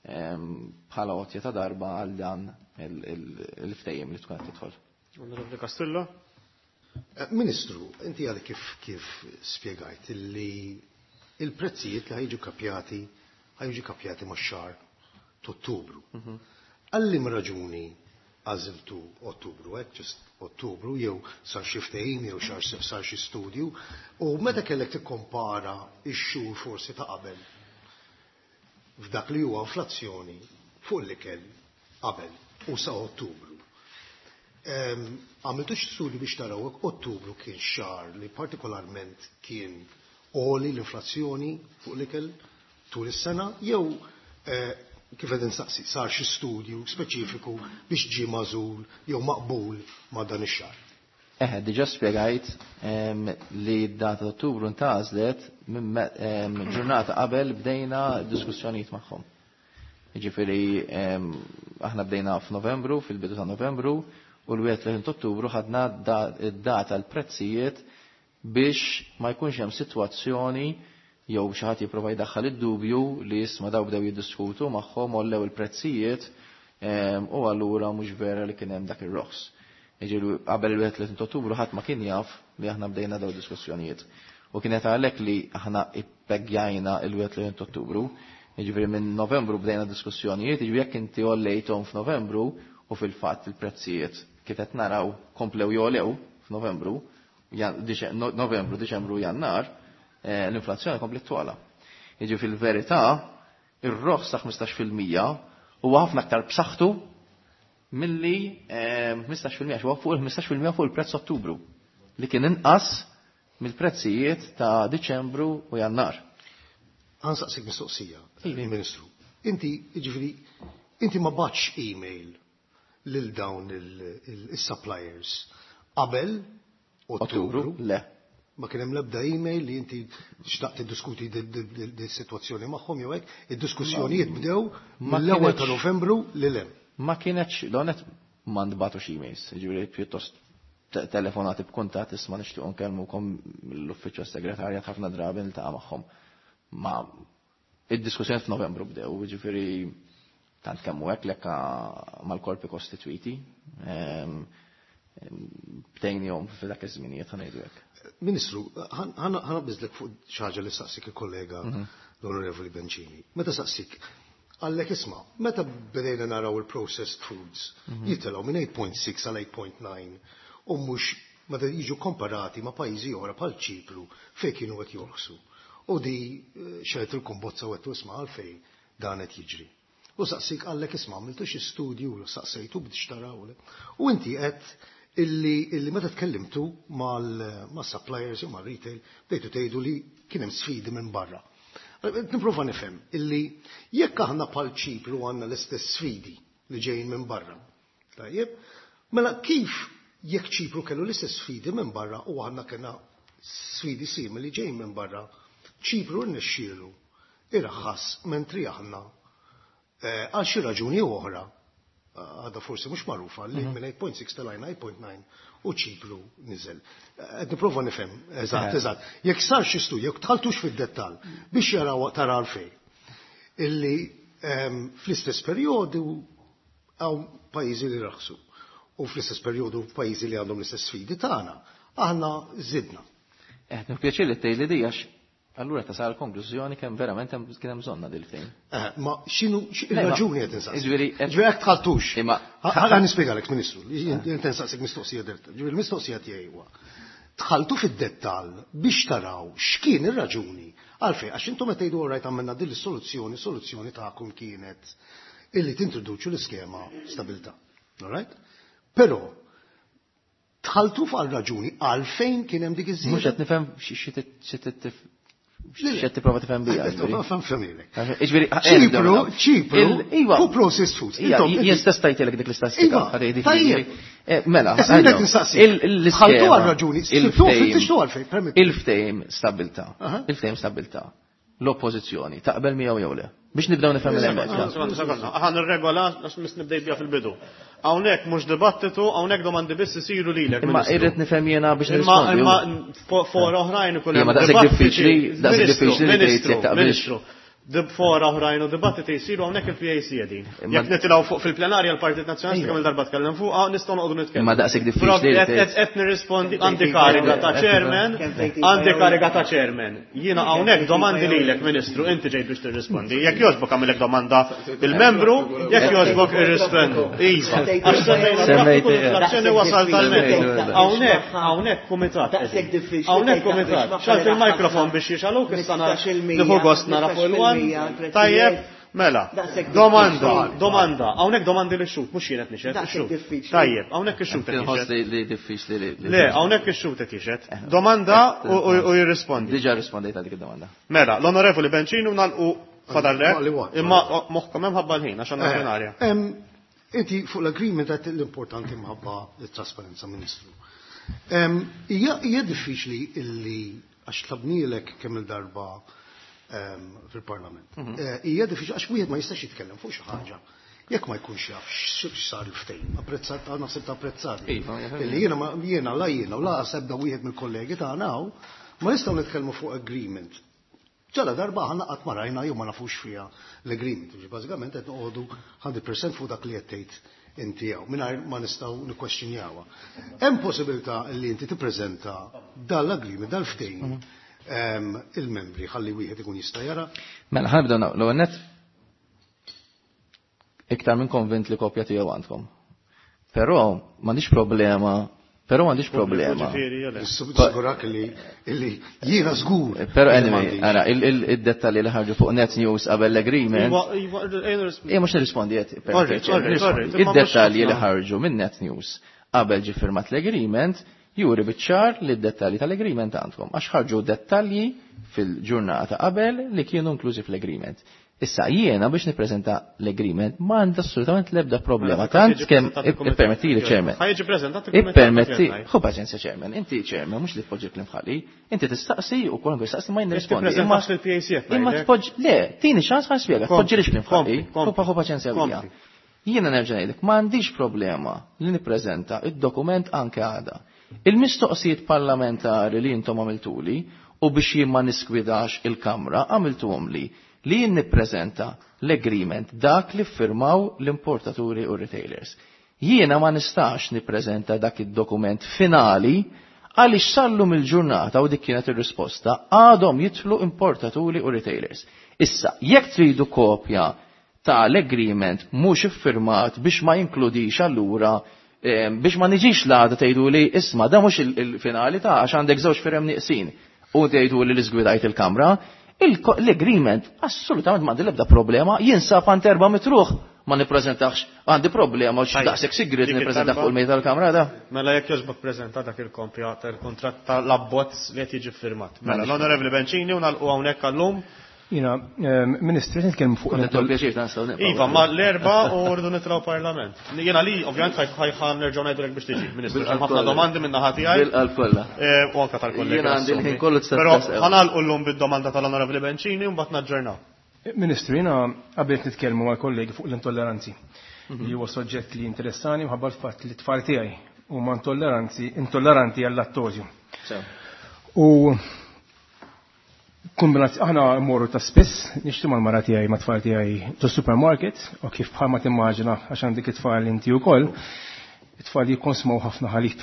Speaker 4: bħala għotja ta' darba għal dan il-ftehim li tkun qed tidħol.
Speaker 2: Onorevoli Castillo.
Speaker 5: Ministru, inti għal kif kif spjegajt li il-prezzijiet li ħa jiġu kapjati ħa jiġu kapjati max-xahar t'Ottubru. Għal liema raġuni għażiltu Ottubru, hekk just Ottubru, jew sar xi ftehim jew xar sar xi studju, u meta kellek tikkompara x-xhur forsi ta' qabel f'dak li huwa inflazzjoni fuq l-ikel qabel u sa Ottubru? Għamiltu studju biex taraw jekk Ottubru kien xahar li partikolarment kien għoli l-inflazzjoni fuq l-ikel tul is-sena, jew eh, kif qed insaqsi, sar xi studju speċifiku biex ġie magħżul jew maqbul ma' dan ix-xahar?
Speaker 4: Eħe, diġa spjegajt li d-data Ottubru ntgħażlet minn ġurnata qabel bdejna diskussjonijiet magħhom. Jiġifieri aħna bdejna f'Novembru, fil-bidu ta' Novembru, u l-wieħed Ottubru ħadna d-data l-prezzijiet biex ma jkunx hemm sitwazzjoni jew xi ħadd jipprova jdaħħal id-dubju li isma' daw bdew jiddiskutu magħhom, għollew il-prezzijiet u allura mhux vera li kien hemm dak ir-roħs. Jiġifieri qabel il-wieħed Ottubru ħadd ma kien jaf li aħna bdejna daw diskussjonijiet. U kienet għalhekk li aħna ippegjajna il-wieħed Ottubru. Jiġifieri minn Novembru bdejna diskussjonijiet, jiġifieri jekk inti għollejthom f'Novembru u fil-fatt il-prezzijiet kif qed naraw komplew jogħlew f'Novembru, Novembru, Diċembru, Jannar, l-inflazzjoni komplet togħla. Jiġifieri fil-verità, ir-roħs ta' ħmistax fil-mija huwa ħafna aktar b'saħħtu milli ħmistax fil-mija huwa fuq il-ħmistax fil-mija fuq il-prezz Ottubru li kien inqas mill-prezzijiet ta' Diċembru u Jannar.
Speaker 5: Ħa nsaqsik mistoqsija, Ministru. Inti, jiġifieri, inti ma bgħattx email lil dawn il-suppliers qabel Ottubru?
Speaker 4: Le.
Speaker 5: Ma kien hemm l-ebda email li inti xtaqt tiddiskuti di sitwazzjoni magħhom jew hekk? Id-diskussjonijiet bdew mill-ewwel ta' Novembru lil hemm.
Speaker 4: Ma kienx, donet ma nbagħtux emails, jiġifieri pjuttost telefonati b'kuntatt, isma' nixtiequ nkellmukom, l-uffiċċju segretarjat ħafna drabi niltaqa' magħhom. Ma id-diskussjoni f'Novembru bdew, jiġifieri tant kemm hu hekk lekka mal-korpi kostitwiti. Bdejnihom f'dak iż-żminijiet, ħa ngħidu hekk.
Speaker 5: Ministru, ħa naqbiżlek fuq xi ħaġa li saqsik il-kollega l-Onorevoli Bencini. Meta saqsik, għallek isma', meta bdejna naraw il-processed foods jitilgħu minn eight point six għal eight point nine u mhux meta jiġu komparati ma' pajjiżi oħra bħal Ċipru fejn kienu qed jorħsu. U di xegħlet il-kumbozza u għedtu isma' għalfejn dan qed jiġri. U saqsik għallek isma' għamiltu xi studju, saqsejtu biex taraw. U inti qed illi, illi meta tkellimtu mal-suppliers u mal-retail bdejtu tgħidu li kien hemm sfidi minn barra. Nipprova nifhem illi jekk aħna bħal Ċipru għandna l-istess sfidi li ġejjin minn barra. Tajjeb, mela kif jekk Ċipru kellu l-istess sfidi minn barra u aħna kellna sfidi simili ġejjin minn barra, Ċipru rnexxielu iraħħas mentri aħna għal xi raġuni oħra Għadha forsi mhux magħrufa li minn eight point six telajna eight point nine u Ċipru niżel. Qed nipprova nifhem, eżatt, eżatt. Jekk sar xi studju, jekk dħaltux fid-dettall biex jaraw tara għalfejn. Illi ehm, fl-istess perjodu hawn pajjiżi li raħsu u fl-istess perjodu pajjiżi li għandhom l-istess sfidi tagħna. Aħna żidna.
Speaker 4: Eh, pjaċir li tgħidli di għax allura tasal konklużjoni kemm verament hemm kien hemm bżonna dil-ftehim.
Speaker 5: Eh, ma x'inhu il-raġuni qed insaqsi.
Speaker 4: Jiġifieri
Speaker 5: Ġifieri jekk dħaltux.
Speaker 4: Imma
Speaker 5: Ħa nispjegalek, Ministru, jien insaqsik mistoqsija diretta. Ġifieri l-mistoqsija tiegħi huwa: dħaltu fid-dettall biex taraw x'kien ir-raġuni għalfejn, għax intom qed tgħidu, rajt, għamilna din is-soluzzjoni, soluzzjoni tagħkom kienet illi tintroduċu l-iskema stabilità. All right? Però dħaltu fuq raġuni għalfejn kien hemm dik iż-żieda.
Speaker 4: Mhux qed nifhem xi tipprova tifhem bija.
Speaker 5: Ġifieri Ċipru, Ċipru,
Speaker 4: Iva.
Speaker 5: fuq processed foods.
Speaker 4: Jien stess tajtilek dik l-istatistika.
Speaker 5: Tajjeb.
Speaker 4: Mela,
Speaker 5: Dħaltu għal raġuni, għalfejn,
Speaker 4: il-ftehim stabilità. Il-ftehim stabilità. L-oppożizzjoni taqbel miegħu jew le? Biex nibdew nifhem l-hemmhekk.
Speaker 2: Aħna nirregola għax mis nibdej bija fil-bidu. Hawnhekk mhux dibattitu, hawnhekk domandi biss isiru lilek.
Speaker 4: Imma irrid nifhem jiena biex nirrispondi.
Speaker 2: Imma fora oħrajn
Speaker 4: ikun hemm. Daqshekk diffiċli, daqshekk diffiċli li tgħid jekk taqbilx.
Speaker 2: Dib fora oħrajn u dibattiti jsiru hawnhekk, il-P A C qegħdin. Jekk nitilgħu fuq fil-plenarja, l-Partit Nazzjonalista kemm il-darba tkellem fuqha, nistgħu noqogħdu nitkellmu.
Speaker 4: Imma daqshekk diffiċli.
Speaker 2: Qed nirrispondi, għandi kariga ta' chairman, għandi kariga ta' chairman. Jiena hawnhekk domandi lilek, Ministru, inti ġejt biex tirrispondi. Jekk jogħġbok għamilek domanda il-membru, jekk jogħġbok irrispondu. Iva. Għax semmejna inflazzjoni, wasal tal-metodu. Hawnhekk, hawnhekk kumitat. Hawnhekk kumitat. Xgħelt il-mikrofon biex jixgħaluk, issa nieħu gost nara fuq il-one. Tajjeb, mela, domanda, domanda, hawnhekk domandi li xut, mhux jien qed nixhed, ix-xhud. Tajjeb, hawnhekk ix-xhud qed
Speaker 4: jixhed. Li diffiċli li.
Speaker 2: Le, hawnhekk ix-xhud qed jixhed. Domanda u jirrispondi.
Speaker 4: Diġà rispondejt għal dik id-domanda.
Speaker 2: Mela, l-Onorevoli Bencini nagħlqu, fadallek, imma moħħkom hemm ħabba l-ħin għax għandna plenarja.
Speaker 5: Inti fuq l-agreement għedt l-importanti mħabba l-trasparenza, Ministru. Hija diffiċli illi għax tlabnielek kemm il-darba fil-Parlament. Mhm. Eh, hija diffiċli għax wieħed ma jistax jitkellem fuq xi ħaġa jekk ma jkunx jaf x'sar il-ftehim. Apprezzat, naħseb ta' apprezzat.
Speaker 4: Iva,
Speaker 5: illi jiena jiena la jiena u la sebda wieħed mill-kollegi tagħna ma nistgħu nitkellmu fuq agreement ġala darba aħna qatt ma rajna jew ma nafux fiha l-agreement. Bażikament qed noqogħdu mija fil-mija fuq dak li qed tgħid inti jew mingħajr ma nistgħu nikkwestjonjawha. Hemm possibilità li inti tippreżenta dal-agreement, dal-ftehim, mhm. il-membri ħalli wieħed ikun jista' jara?
Speaker 4: Mela, ħa nibdew l-ewwel net, iktar minn konvint li kopja tiegħu għandkom. Però m'għandix problema, però m'għandix problema.
Speaker 5: Sigurak li jiena żgur.
Speaker 4: Però anyway, ara, il-dettalji li ħarġu fuq Net News qabel l-agreement. Ija, mhux nirrispondi qed. Id-dettalji li ħarġu minn Net News qabel ġi firmat l-agreement juri biċ-ċar li d-dettalji tal-agreement għandkom, għax ħarġu dettalji fil-ġurnata qabel li kienu inklużi fl-agreement. Issa jiena biex nippreżenta l-agreement ma għandi assolutament l-ebda problema. Tant kemm ippermetti li, chairman.
Speaker 2: Ħa jiġi preżentat.
Speaker 4: Ippermetti, ħu paċenzja, chairman, inti chairman mhux li tpoġġi kliem ħali, inti tistaqsi u kwalunkwe jistaqsi ma jien nirrispondi.
Speaker 2: Imma
Speaker 4: imma tpoġġi, le, tini ċans ħa nispjega, tpoġġi li kliem ħali, ħu paċenzja bija. Jiena nerġa' ngħidlek, ma għandix problema li nippreżenta id-dokument anke għada. Il-mistoqsijiet parlamentari li intom għamiltuli u biex jien ma niskwidax il-Kamra għamiltuhom li li jien nippreżenta l-agreement dak li firmaw l-importaturi u retailers. Jiena ma nistax nippreżenta dak id-dokument finali għaliex sallum il-ġurnata, u dik kienet ir-risposta, għadhom jidħlu importaturi u retailers. Issa, jekk tridu kopja ta' l-agreement mhux iffirmat biex ma jinkludix allura biex ma niġix l-għada tgħidu li isma' da mhux il-finali ta' għax għandek żewġ firem nieqsin u tgħidu li l-iżgwidajt il-Kamra, l-agreement assolutament m'għandi l-ebda problema, jinsab għand erba' mitt ruħ, ma nippreżentax, għandi problema u daqshekk sigriet nippreżentax fuq il-mejda tal-Kamra da.
Speaker 2: Mela jekk jogħġbok preżenta dak il-kopja tal-kontratt tal-abbozz li qed jiġi firmat. Mela l-Onorevoli Bencini u nagħlqu hawnhekk għallum.
Speaker 6: Jiena, Ministru, nitkellmu fuq.
Speaker 2: Iva, ma l-erba u rridu nitilgħu Parlament. Jiena li, ovvjament, ħajħan nerġgħu ngħidulek biex tiġi, Ministru. Ħafna domandi minn naħa tiegħi.
Speaker 4: Bil-qalb kollha.
Speaker 2: U anke tal-kollegi.
Speaker 4: Jiena għandi l-ħin kollu.
Speaker 2: Però ħa nagħlqu llum bid-domanda tal-Onorevoli Bencini u mbagħad naġġornaw.
Speaker 6: Ministru, jiena qabel nitkellmu mal kollegi fuq l-intolleranzi. li huwa soġġett li interessani minħabba l-fatt li t-tfal tiegħi huma intolleranti intolleranti għal-lattozju. U kombinazz aħna mmorru ta' spiss, nixtru mal-mara tiegħi ma' tfal tiegħi ġo supermarket, u kif bħalma timmaġina għax għandek it-tfal inti wkoll, it-tfal jikkonsmaw ħafna ħalib.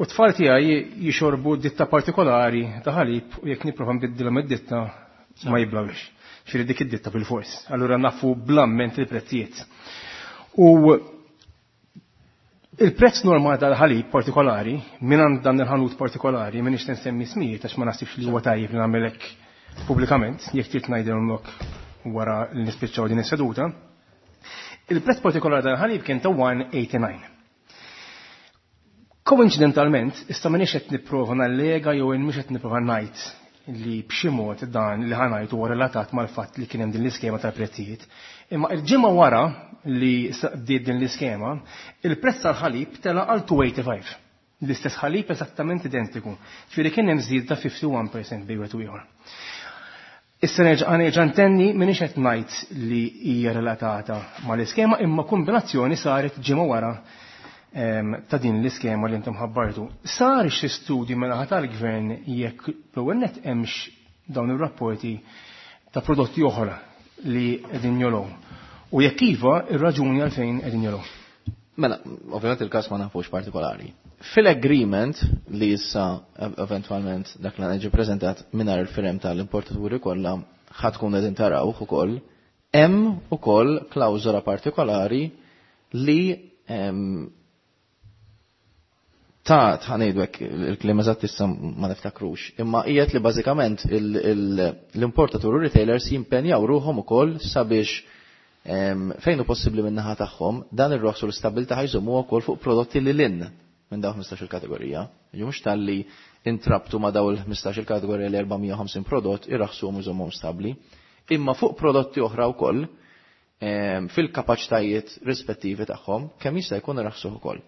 Speaker 6: U t-tfal tiegħi jixorbu ditta partikolari ta' ħalib u jekk nipprova nbiddilhom id-ditta ma jiblawx. Ġifieri dik id-ditta bil-fors. Allura nafu bl-amment il-prezzijiet. U il-prezz normali tal-ħalib partikolari, minn dan il-ħanut partikolari, minn ix nsemmi ismijiet għax ma naħsibx li huwa tajjeb li nagħmelek pubblikament, jekk trid ngħidilhom wara li nispiċċaw din is-seduta. Il-prezz partikolari tal-ħalib kien ta' one eighty-nine. Koincidentalment, issa m'iniex qed nipprova nallega jew mhux qed nipprova ngħid li b'xi mod dan li ħa ngħid huwa relatat mal-fatt li kien hemm din l-iskema tal-prezzijiet. Imma il-ġimgħa wara li bdiet din l-iskema, il-prezz tal-ħalib tela' għal two eighty-five. L-istess ħalib eżattament identiku. Ġifieri kien hemm żieda ta' fifty-one percent bejn wieħed u ieħor. Issa nerġa' nerġa' ntenni m'iniex qed ngħid li hija relatata mal-iskema, imma kombinazzjoni saret ġimgħa wara ta' din l-iskema li intom ħabbartu. Sar xi studju minn-naħa tal-gvern jekk l-ewwel nett hemmx dawn ir-rapporti ta' prodotti oħra li qegħdin jolgħu. U jekk iva, ir-raġuni għalfejn qegħdin jolgħu.
Speaker 4: Mela, ovvjament il-każ ma nafux partikolari. Fil-agreement li issa eventwalment dak li ġie preżentat mingħajr il-firem tal-importaturi kollha ħa tkun qegħdin tarawh ukoll, hemm ukoll klawżola partikolari li ta' tħanejdu hekk il-kliem eżatt issa ma niftakrux, imma qiegħed li bażikament l-importatur u retailers jimpenjaw ruħhom ukoll sabiex fejn hu possibbli min-naħa tagħhom dan ir-roħs u l-istabbiltà ħajżommu wkoll fuq prodotti li lin minn dawn ħmistax-il kategorija. Jiġu mhux talli intrabtu ma' dawn il-ħmistax-il kategorija li erba' mija u ħamsin prodott irraħsuhom u jżommuhom stabbli, imma fuq prodotti oħra wkoll fil-kapaċitajiet rispettivi tagħhom kemm jista' jkun irraħsuh ukoll.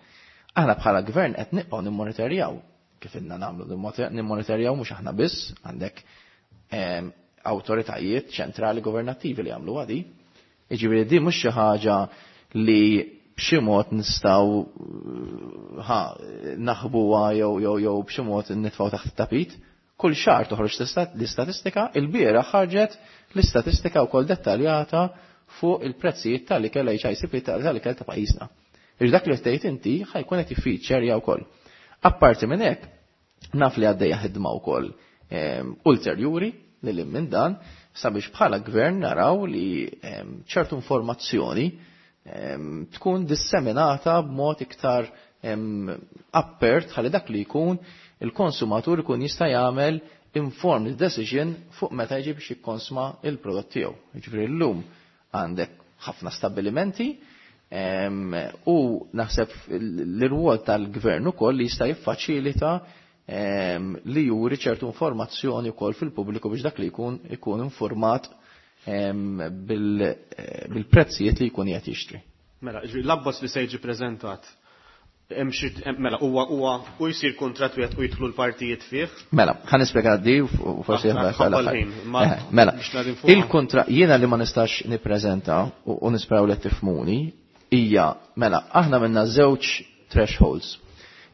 Speaker 4: Aħna bħala gvern qed nibqgħu nimmonitorjaw kif inna nagħmlu nimmonitorjaw mhux aħna biss, għandek awtoritajiet ċentrali governattivi li jagħmlu għadi. Jiġifieri di mhux xi ħaġa li b'xi mod nistgħu ħa naħbuha jew jew jew b'xi mod nitfgħu taħt it-tapit. Kull xahar toħroġ l-istatistika, il-bieraħ ħarġet l-istatistika wkoll dettaljata fuq il-prezzijiet tal-ikel H I C P tal-ikel ta' pajjiżna. Iġ dak li tgħid inti ħajkun qed jiffeature wkoll. Apparti minn hekk, naf li għaddejja ħidma wkoll ulterjuri lil minn dan sabiex bħala gvern naraw li ċertu informazzjoni tkun disseminata b'mod iktar appert ħalli dak li jkun il-konsumatur ikun jista' jagħmel informed decision fuq meta jiġi biex jikkonsma il-prodott tiegħu. Jiġifieri llum għandek ħafna stabbilimenti u naħseb l-irwol tal-gvern ukoll li jista' jiffaċilita li juri ċertu informazzjoni wkoll fil-pubbliku biex dak li jkun ikun informat bil-prezzijiet li jkun qed jixtri.
Speaker 2: Mela, ġifieri l-abbozz li se jiġi preżentat hemm xi mela huwa huwa u jsir kuntratt wieħed u jidħlu l-partijiet fih.
Speaker 4: Mela, ħa nispjega di u forsi
Speaker 2: Aħna
Speaker 4: ħa
Speaker 2: ħabba
Speaker 4: nagħlaq.
Speaker 2: l-ħin, ma
Speaker 4: Eh, mela,
Speaker 2: biex nagħti fuqha.
Speaker 4: il-kuntratt jiena li ma nistax nippreżenta u, u nisperaw li tifhmuni hija mela aħna minna żewġ thresholds.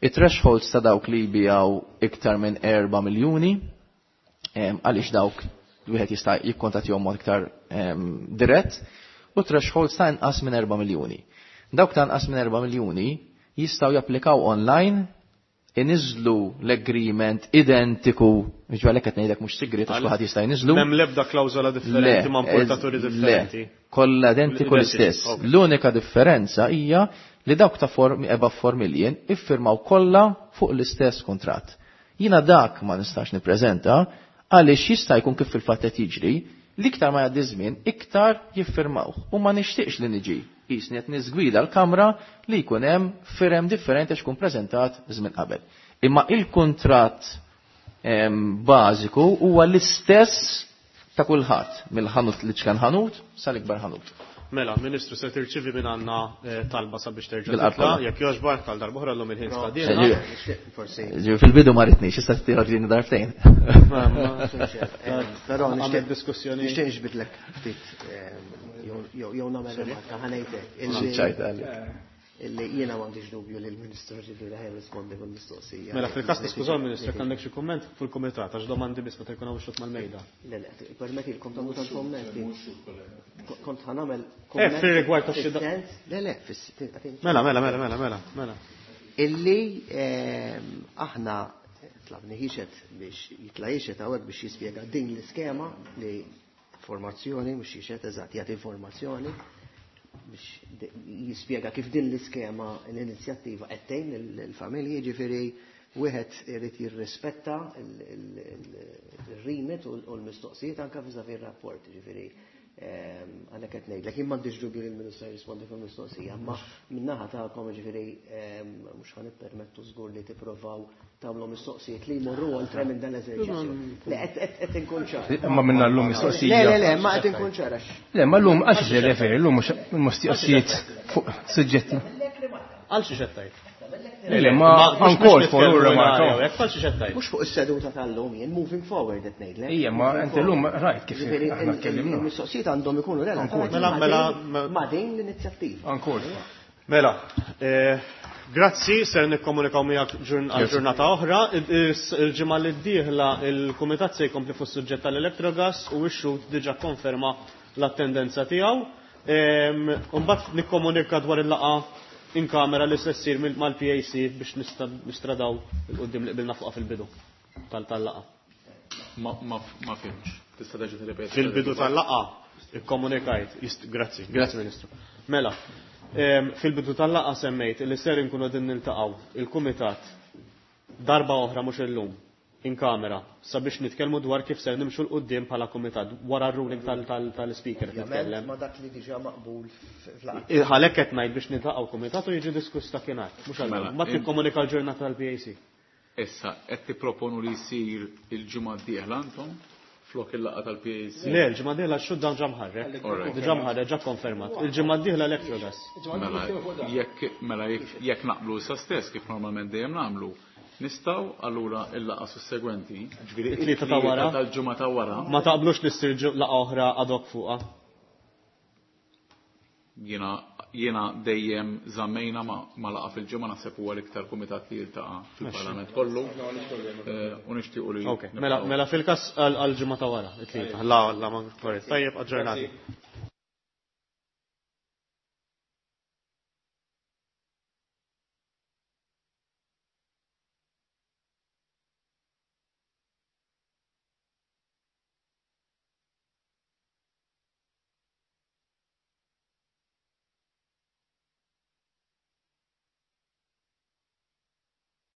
Speaker 4: Il-thresholds ta' dawk li jbijaw iktar minn erba' miljuni, em, għaliex dawk wieħed jista' jikkontattjahom mod iktar, em, dirett, u thresholds ta' inqas minn erba' miljuni. Dawk ta' inqas minn erba' miljuni jistgħu japplikaw online, iniżlu l-agreement identiku, jiġifieri għalhekk qed ngħidlek mhux sigriet għax kulħadd jista' jniżlu.
Speaker 2: M'hemm l-ebda klawżola differenti
Speaker 4: Le,
Speaker 2: ma' importaturi
Speaker 4: le,
Speaker 2: differenti.
Speaker 4: kollha identiku
Speaker 2: Identiċi,
Speaker 4: l-istess.
Speaker 2: ok.
Speaker 4: L-unika differenza hija li dawk ta' four, above four million iffirmaw kollha fuq l-istess kuntratt. Jiena dak ma nistax nippreżenta għaliex jista' jkun kif fil-fatt qed jiġri, l-iktar ma jgħaddi żmien iktar jiffirmawh u ma nixtieqx li niġi qisni qed niżgwida l-kamra li jkun hemm firem differenti għax ikun preżentat żmien qabel. Imma il-kuntratt, em, bażiku huwa l-istess ta' kulħadd, mill-ħanut li ċkan ħanut sal-ikbar ħanut.
Speaker 2: Mela, Ministru, se tirċivi minn għandna talba sabiex terġa' titla', jekk jogħġbok għal darb'oħra llum il-ħin skadielna.
Speaker 4: Fil-bidu ma ritnix, issa tira ġini darbtejn.
Speaker 7: Però nixtieq
Speaker 2: diskussjoni.
Speaker 7: Nixtieq nixbidlek ftit jew nagħmel rimarka ħa ngħidlek. Illi jiena m'għandix dubju li l-Ministru ġifieri ħa jirrispondi kull mistoqsija.
Speaker 2: Mela fil-każ niskużaw Ministru jekk għandek xi kumment fil-kumitat għax domandi biss meta jkun hawn xut mal-mejda.
Speaker 7: Le le, permettilkom tagħmlu tal-kommenti. Kont ħa nagħmel
Speaker 2: kumment. Eh, fir-rigward ta' xi
Speaker 7: Le le,
Speaker 2: Mela, mela, mela, mela, mela, mela.
Speaker 7: Illi aħna tlabni ħixet biex jitla' jixet hawnhekk biex jispjega din l-iskema li informazzjoni mhux jixet eżatt jagħti informazzjoni biex jispjega kif din l-iskema l-inizjattiva qed tgħin il-familji, ġifieri wieħed irid jirrispetta il-remit u l-mistoqsijiet anke vis-à-vis ir-rapport, ġifieri għalhekk qed ngħidlek jien m'għandix dubju li l-Ministru jirrispondi fuq il-mistoqsija, imma min-naħa tagħkom ġifieri mhux ħa nippermettu żgur li tippruvaw tagħmlu mistoqsijiet li jmorru oltre minn dan l-eżerċizzju. Le qed inkun ċar.
Speaker 6: Imma minna llum mistoqsija.
Speaker 7: Le le le, ma qed inkun ċar għax.
Speaker 6: Le, ma llum għal xiex referi, llum mhux mistoqsijiet fuq suġġetti.
Speaker 2: Għal xiex qed tgħid?
Speaker 6: Le, le, ma uncalled for u remarka.
Speaker 7: Mhux fuq is-seduta tal-lum jien moving forward qed ngħidlek.
Speaker 6: Ija, ma inti llum rajt kif aħna tkellimna.
Speaker 7: Il-mistoqsijiet għandhom ikunu relatati ma' din l-inizjattiva.
Speaker 6: Uncalled for.
Speaker 2: Mela, grazzi, ser nikkomunikaw miegħek għal ġurnata oħra. Il-ġimgħa li d-dieħla il-kumitat se jkompli fuq suġġett tal-Electrogas u x-xhud diġà konferma l-attendenza tiegħu. Imbagħad nikkomunika dwar il-laqgħa in kamera li se ssir mal-P A C biex nistradaw il-qudiem li qbilna fuqha fil-bidu tal-laqgħa.
Speaker 3: Ma fhimx. Tista' terġa' tirrepeti.
Speaker 2: Fil-bidu tal-laqgħa ikkomunikajt. Grazzi, grazzi Ministru. Mela, fil-bidu tal-laqgħa semmejt li ser inkunu qegħdin niltaqgħu il-kumitat darba oħra mhux illum in kamera sabiex nitkellmu dwar kif ser nimxu l-qudiem bħala kumitat wara r-ruling tal-speaker qed nitkellem.
Speaker 7: Ma dak li diġà maqbul fl-laqgħa.
Speaker 2: Għalhekk qed ngħid biex niltaqgħu kumitat u jiġi diskuss dakinhar, mhux għal ma tikkomunika l-ġurnata tal-P A C.
Speaker 3: Issa qed tipproponu li jsir il-ġimgħa d-dieħla intom flok il-laqgħa tal-P A C?
Speaker 2: Le, l-ġimgħa d-dieħla x-xhud dan ġa mħarrek. Diġà mħarrek, ġa konfermat. Il-ġimgħa d-dieħla Electrogas.
Speaker 3: Mela, jekk mela jekk naqblu issa stess kif normalment dejjem nagħmlu, nistgħu allura il-laqgħa sussegwenti, ġifieri
Speaker 2: it-tlieta ta' wara.
Speaker 3: Tal-ġimgħa ta' wara.
Speaker 2: Ma taqblux li ssir laqgħa oħra ad hoc fuqha?
Speaker 3: Jiena, jiena dejjem żammejna ma, ma laqgħa fil-ġimgħa, naħseb huwa l-iktar kumitat li jiltaqa' fil-Parlament kollu. U nixtiequ li
Speaker 2: Ok, mela, mela fil-każ għall-ġimgħa ta' wara, it-tlieta. La, la, ma korrett. Tajjeb, aġġornati.